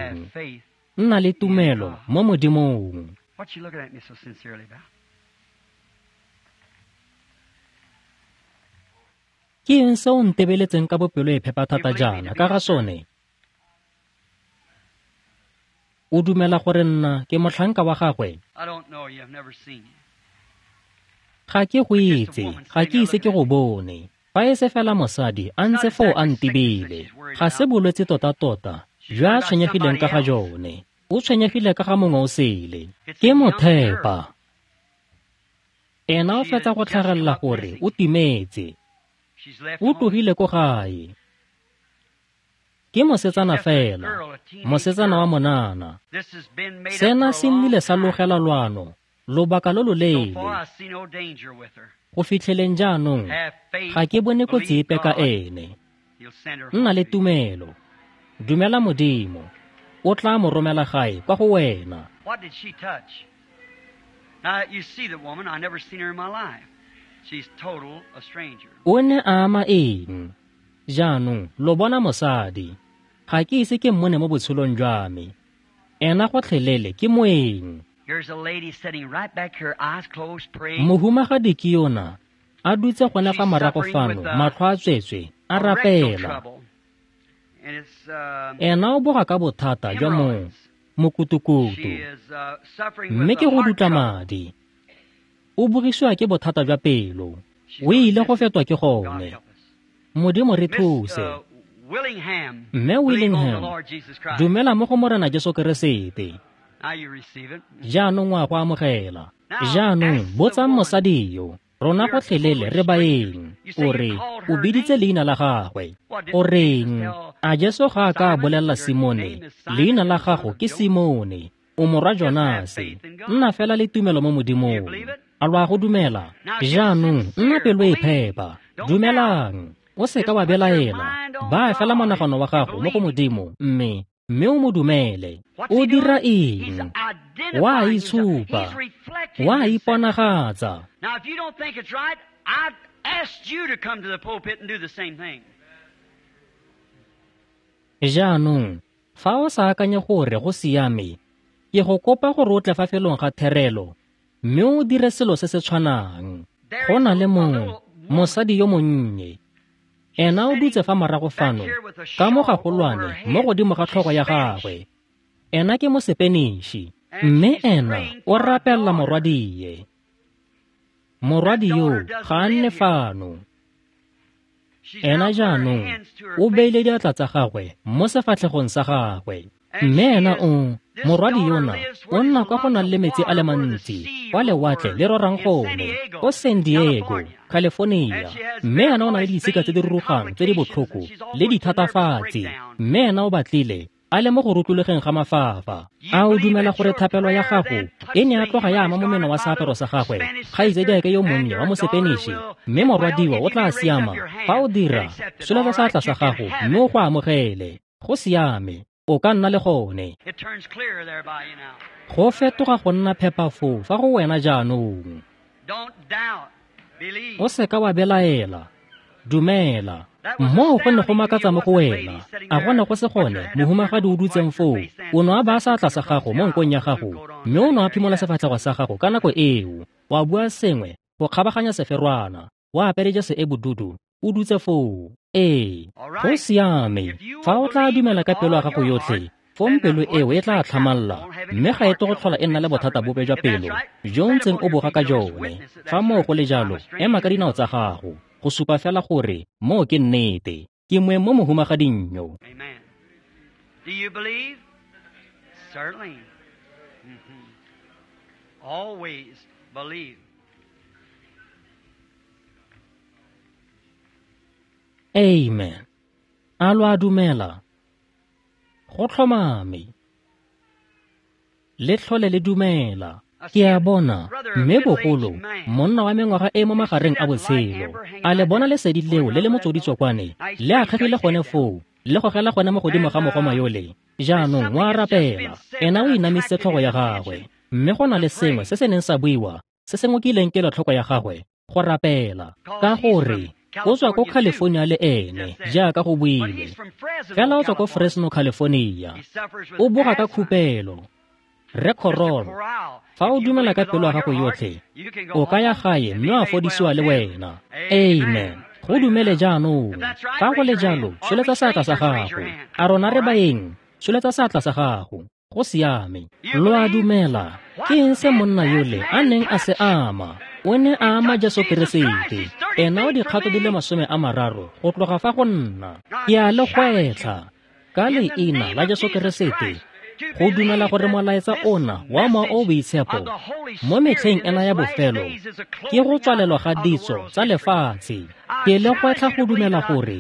Nna le tumelo mo Modimong. What you looking at me so sincerely about? Ke eng se o ntebeletseng ka bopelo e phepa thata jaana ka ga sone? O dumela gore nna ke motlhanka wa gagwe? I don't know you, I've never seen you. Ga ke go itse, ga ke ise ke go bone. Fa e se fela mosadi a ntse foo a ntebile. Ga se bolwetse tota-tota jwa a tshwenyegileng ka ga jone. O tshwenyegile ka ga mongwe o sele. Ke mothepa. Ena o fetsa go tlhagelela gore o timetse. O tlogile ko gae. Ke mosetsana fela, mosetsana wa monana. Sena se nnile sa logela lwano lobaka lo loleele. Go fitlheleng jaanong ga ke bone kotsi epe ka ene. Nna le tumelo. Dumela Modimo. O tla mo romela gae kwa go wena. What did she touch? Now you see the woman, I never seen her in my life. She's total a stranger. O ne a ama eng? Jaanong lo bona mosadi. Ga ke ise ke mmone mo botshelong jwa me. Ena gotlhelele ke moeng. Here's a lady sitting right back here, eyes closed, praying. Mohumagadi ke yona a dutse gone fa morago fano, matlho a tswetswe, a rapela. Ena o boga ka bothata jwa mokutukutu, mme ke go dutla madi. O bogisiwa ke bothata jwa pelo. O ile go fetwa ke gone. Modimo re thuse. Mme Willingham, dumela mo go Morena Jesu Keresete. Jaanong wa go amogela. Jaanong botsang mosadi yo. Rona gotlhelele re baeng. O re o biditse leina la gagwe. O reng? A Jesu ga a ka a bolelela Simone, leina la gago ke Simone, o morwa Jonase. Nna fela le tumelo mo Modimong. A lo a go dumela? Jaanong nna pelo e phepa. Dumelang. O seka wa belaela. Baya fela monagano wa gago mo go Modimo, mme o mo dumele. O dira eng? Wa itshupa. Wa iponagatsa. Now if you don't think it's right, I've asked you to come to the pulpit and do the same thing. Jaanong Fa o sa akanye gore go siame, ke go kopa gore o tle fa felong ga therelo mme o dire selo se se tshwanang. Go na le mosadi yo monnye. Ena o dutse fa morago fano ka mo gagolwane mo godimo ga tlhogo ya gagwe. Ena ke Mosepeniši, mme ena o rapella morwadie. Morwadi yo ga a nne fano. Ena jaanong o beile diatla tsa gagwe mo sefatlhegong sa gagwe. Mme ena o morwadi yona o nna kwa go nang le metsi a le mantsi, kwa lewatle le rorang gone, ko San Diego, California. Mme ena o na le ditshika tse di rurugang tse di botlhoko le dithatafatsi. Mme ena o batlile a le mo go rutlologeng ga mafafa. A o dumela gore thapelo ya gago e ne ya tloga ya ama momeno wa seaparo sa gagwe, kgaitsadiake yo monnye wa Mosepeniši, mme morwadiwa o tla siama? Fa o dira, tsholetsa seatla sa gago mme o go amogele. Go siame, o ka nna le gone. Go fetoga go nna phepa foo fa go wena jaanong. O seka wa belaela, dumela. Moo go ne go makatsa mo go wena. A go ne go se gone mohumagadi o dutseng foo? O ne a baya seatla sa gago mo nkong ya gago, mme o ne a phimola sefatlhego sa gago ka nako eo. Wa bua sengwe go kgabaganya seferwana, wa apere jase e bodudu, o dutse foo. Ee, go siame. Fa o tla dumela ka pelo ya gago yotlhe, fong pelo eo e tla tlhamalla, mme ga e tle go tlhola e nna le bothata bope jwa pelo jo ntseng o boga ka jone. Fa moo go le jalo, ema ka dinao tsa gago go supa fela gore moo ke nnete. Ke moeng mo mohumagading yo. Amen. Do you believe? Certainly. Always believe. Amen. A lo a dumela? Go tlhomame. Le tlhole le dumela. Ke a bona, mme bogolo, monna wa mengwaga e mo magareng a botshelo. A le bona lesedi leo le le motsoditsokwane, le akgegile gone foo, le gogela gone mo godimo ga mogoma yole. Jaanong wa rapela, ena o inamisitse tlhogo ya gagwe, mme go na le sengwe se se neng sa buiwa, se se ngokileng kelotlhoko ya gagwe, go rapela. Ka gore o tswa ko California le ene, jaaka go builwe. Fela o tswa ko Fresno, California. O boga ka khupelo. Rre Corral, fa o dumela ka pelo ya gago yotlhe, o ka ya gae mme wa fodisiwa le wena. Amen. Go dumele jaanong. Fa go le jalo, tsholetsa seatla sa gago. A rona re baeng, tsholetsa seatla sa gago. Go siame. Lo a dumela? Ke eng se monna yole a neng a se ama? O ne a ama Jesu Keresete. Ena o dikgato di le 30 go tloga fa go nna. Ke a le gwetlha ka leina la Jesu Keresete go dumela gore molaetsa ona wa Mowa o Boitshepo mo metlheng ena ya bofelo ke go tswalelwa ga ditso tsa lefatshe. Ke le gwetlha go dumela gore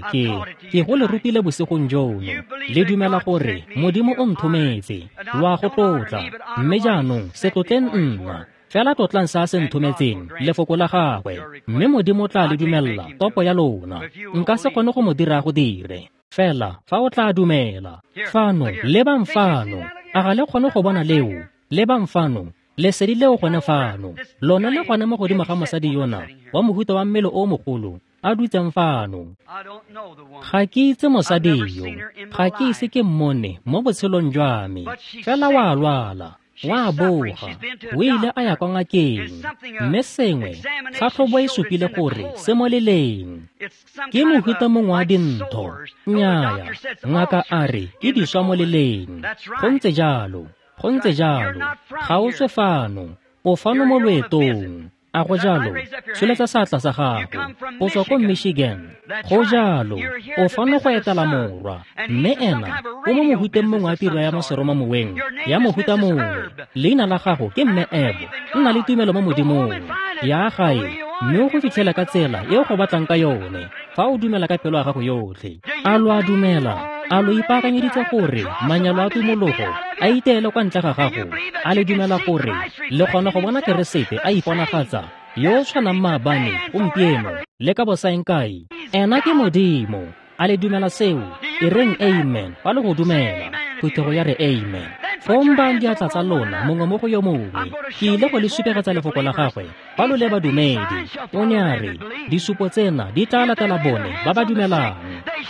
ke go le rutile bosigong jono. Le dumela gore Modimo o nthometse, lo a go tlotla. Mme jaanong se tlotleng nna, fela tlotlang se a se nthometseng, lefoko la gagwe, mme Modimo o tla le dumella topo ya lona. Nka se kgone go mo dira go dire, fela fa o tla dumela. Fano, lebang fano. A ga le kgone go bona leo? Lebang fano, lesedi leo gone fano. Lone le gone mo godimo ga mosadi yona wa mohuta wa mmele o mogolo a dutseng fano. Ga ke itse mosadi yo, ga ke ise ke mmone mo botshelong jwa me. Fela wa lwala, wa boga, o ile a ya kwa ngakeng, mme sengwe tlhatlhobo e supile gore se mo leleng. Ke mohuta mongwe wa dintho. Nnyaya, ngaka a re ke diswa mo leleng. Go ntse jalo, go ntse jalo. Ga o tswe fano, o fano mo loetong. A go jalo? Tsholetsa seatla sa gago. O tswa ko Michigan. Go jalo, o fano go etela morwa, mme ena o mo mohuteng mongwe wa tiro ya mo seromamoweng ya mohuta mongwe. Leina la gago ke Mme Ebo. Nna le tumelo mo Modimong. Ya gae, mme o go fitlhela ka tsela e o go batlang ka yone, fa o dumela ka pelo ya gago yotlhe. A lo a dumela? A lo ipaakanyeditse gore manyalo a tumologo a iteele kwa ntle ga gago? A le dumela gore le kgona go bona Keresete a iponagatsa yo o tshwanang maabane, gompieno le ka bosaengkae? Ena ke Modimo. A le dumela seo? E reng amen fa le go dumela. Phuthego ya re amen. Fong bayang diatla tsa lona mongwe mo go yo mongwe. Ke ile go le supegetsa lefoko la gagwe fa lo le badumedi. O ne a re, disupo tsena di tla latela bone ba ba dumelang.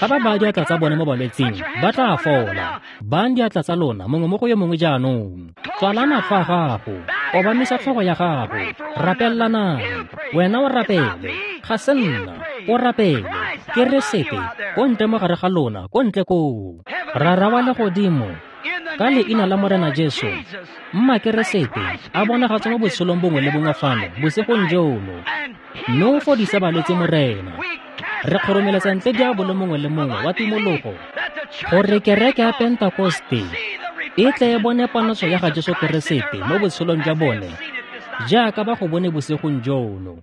Fa ba baya diatla tsa bone mo balwetsing, ba tla fola. Bayang diatla tsa lona mongwe mo go yo mongwe jaanong. Tswala matlho a gago, obamisa tlhogo ya gago, rapellanang. Wena o rapele, ga se nna, o rapele. Keresete ko ntle mo gare ga lona, ko ntle koo. Rara wa legodimo, ka leina la Morena Jesu, mma Keresete a bonagatse mo botshelong bongwe le bongwe fano bosigong jono, mme o fodise balwetse Morena. Re kgoromeletsa ntle diabolo mongwe le mongwe wa tumologo, gore kereke ya Pentekoste e tle e bone ponatso ya ga Jesu Keresete mo botshelong jwa bone jaaka ba go bone bosigong jono.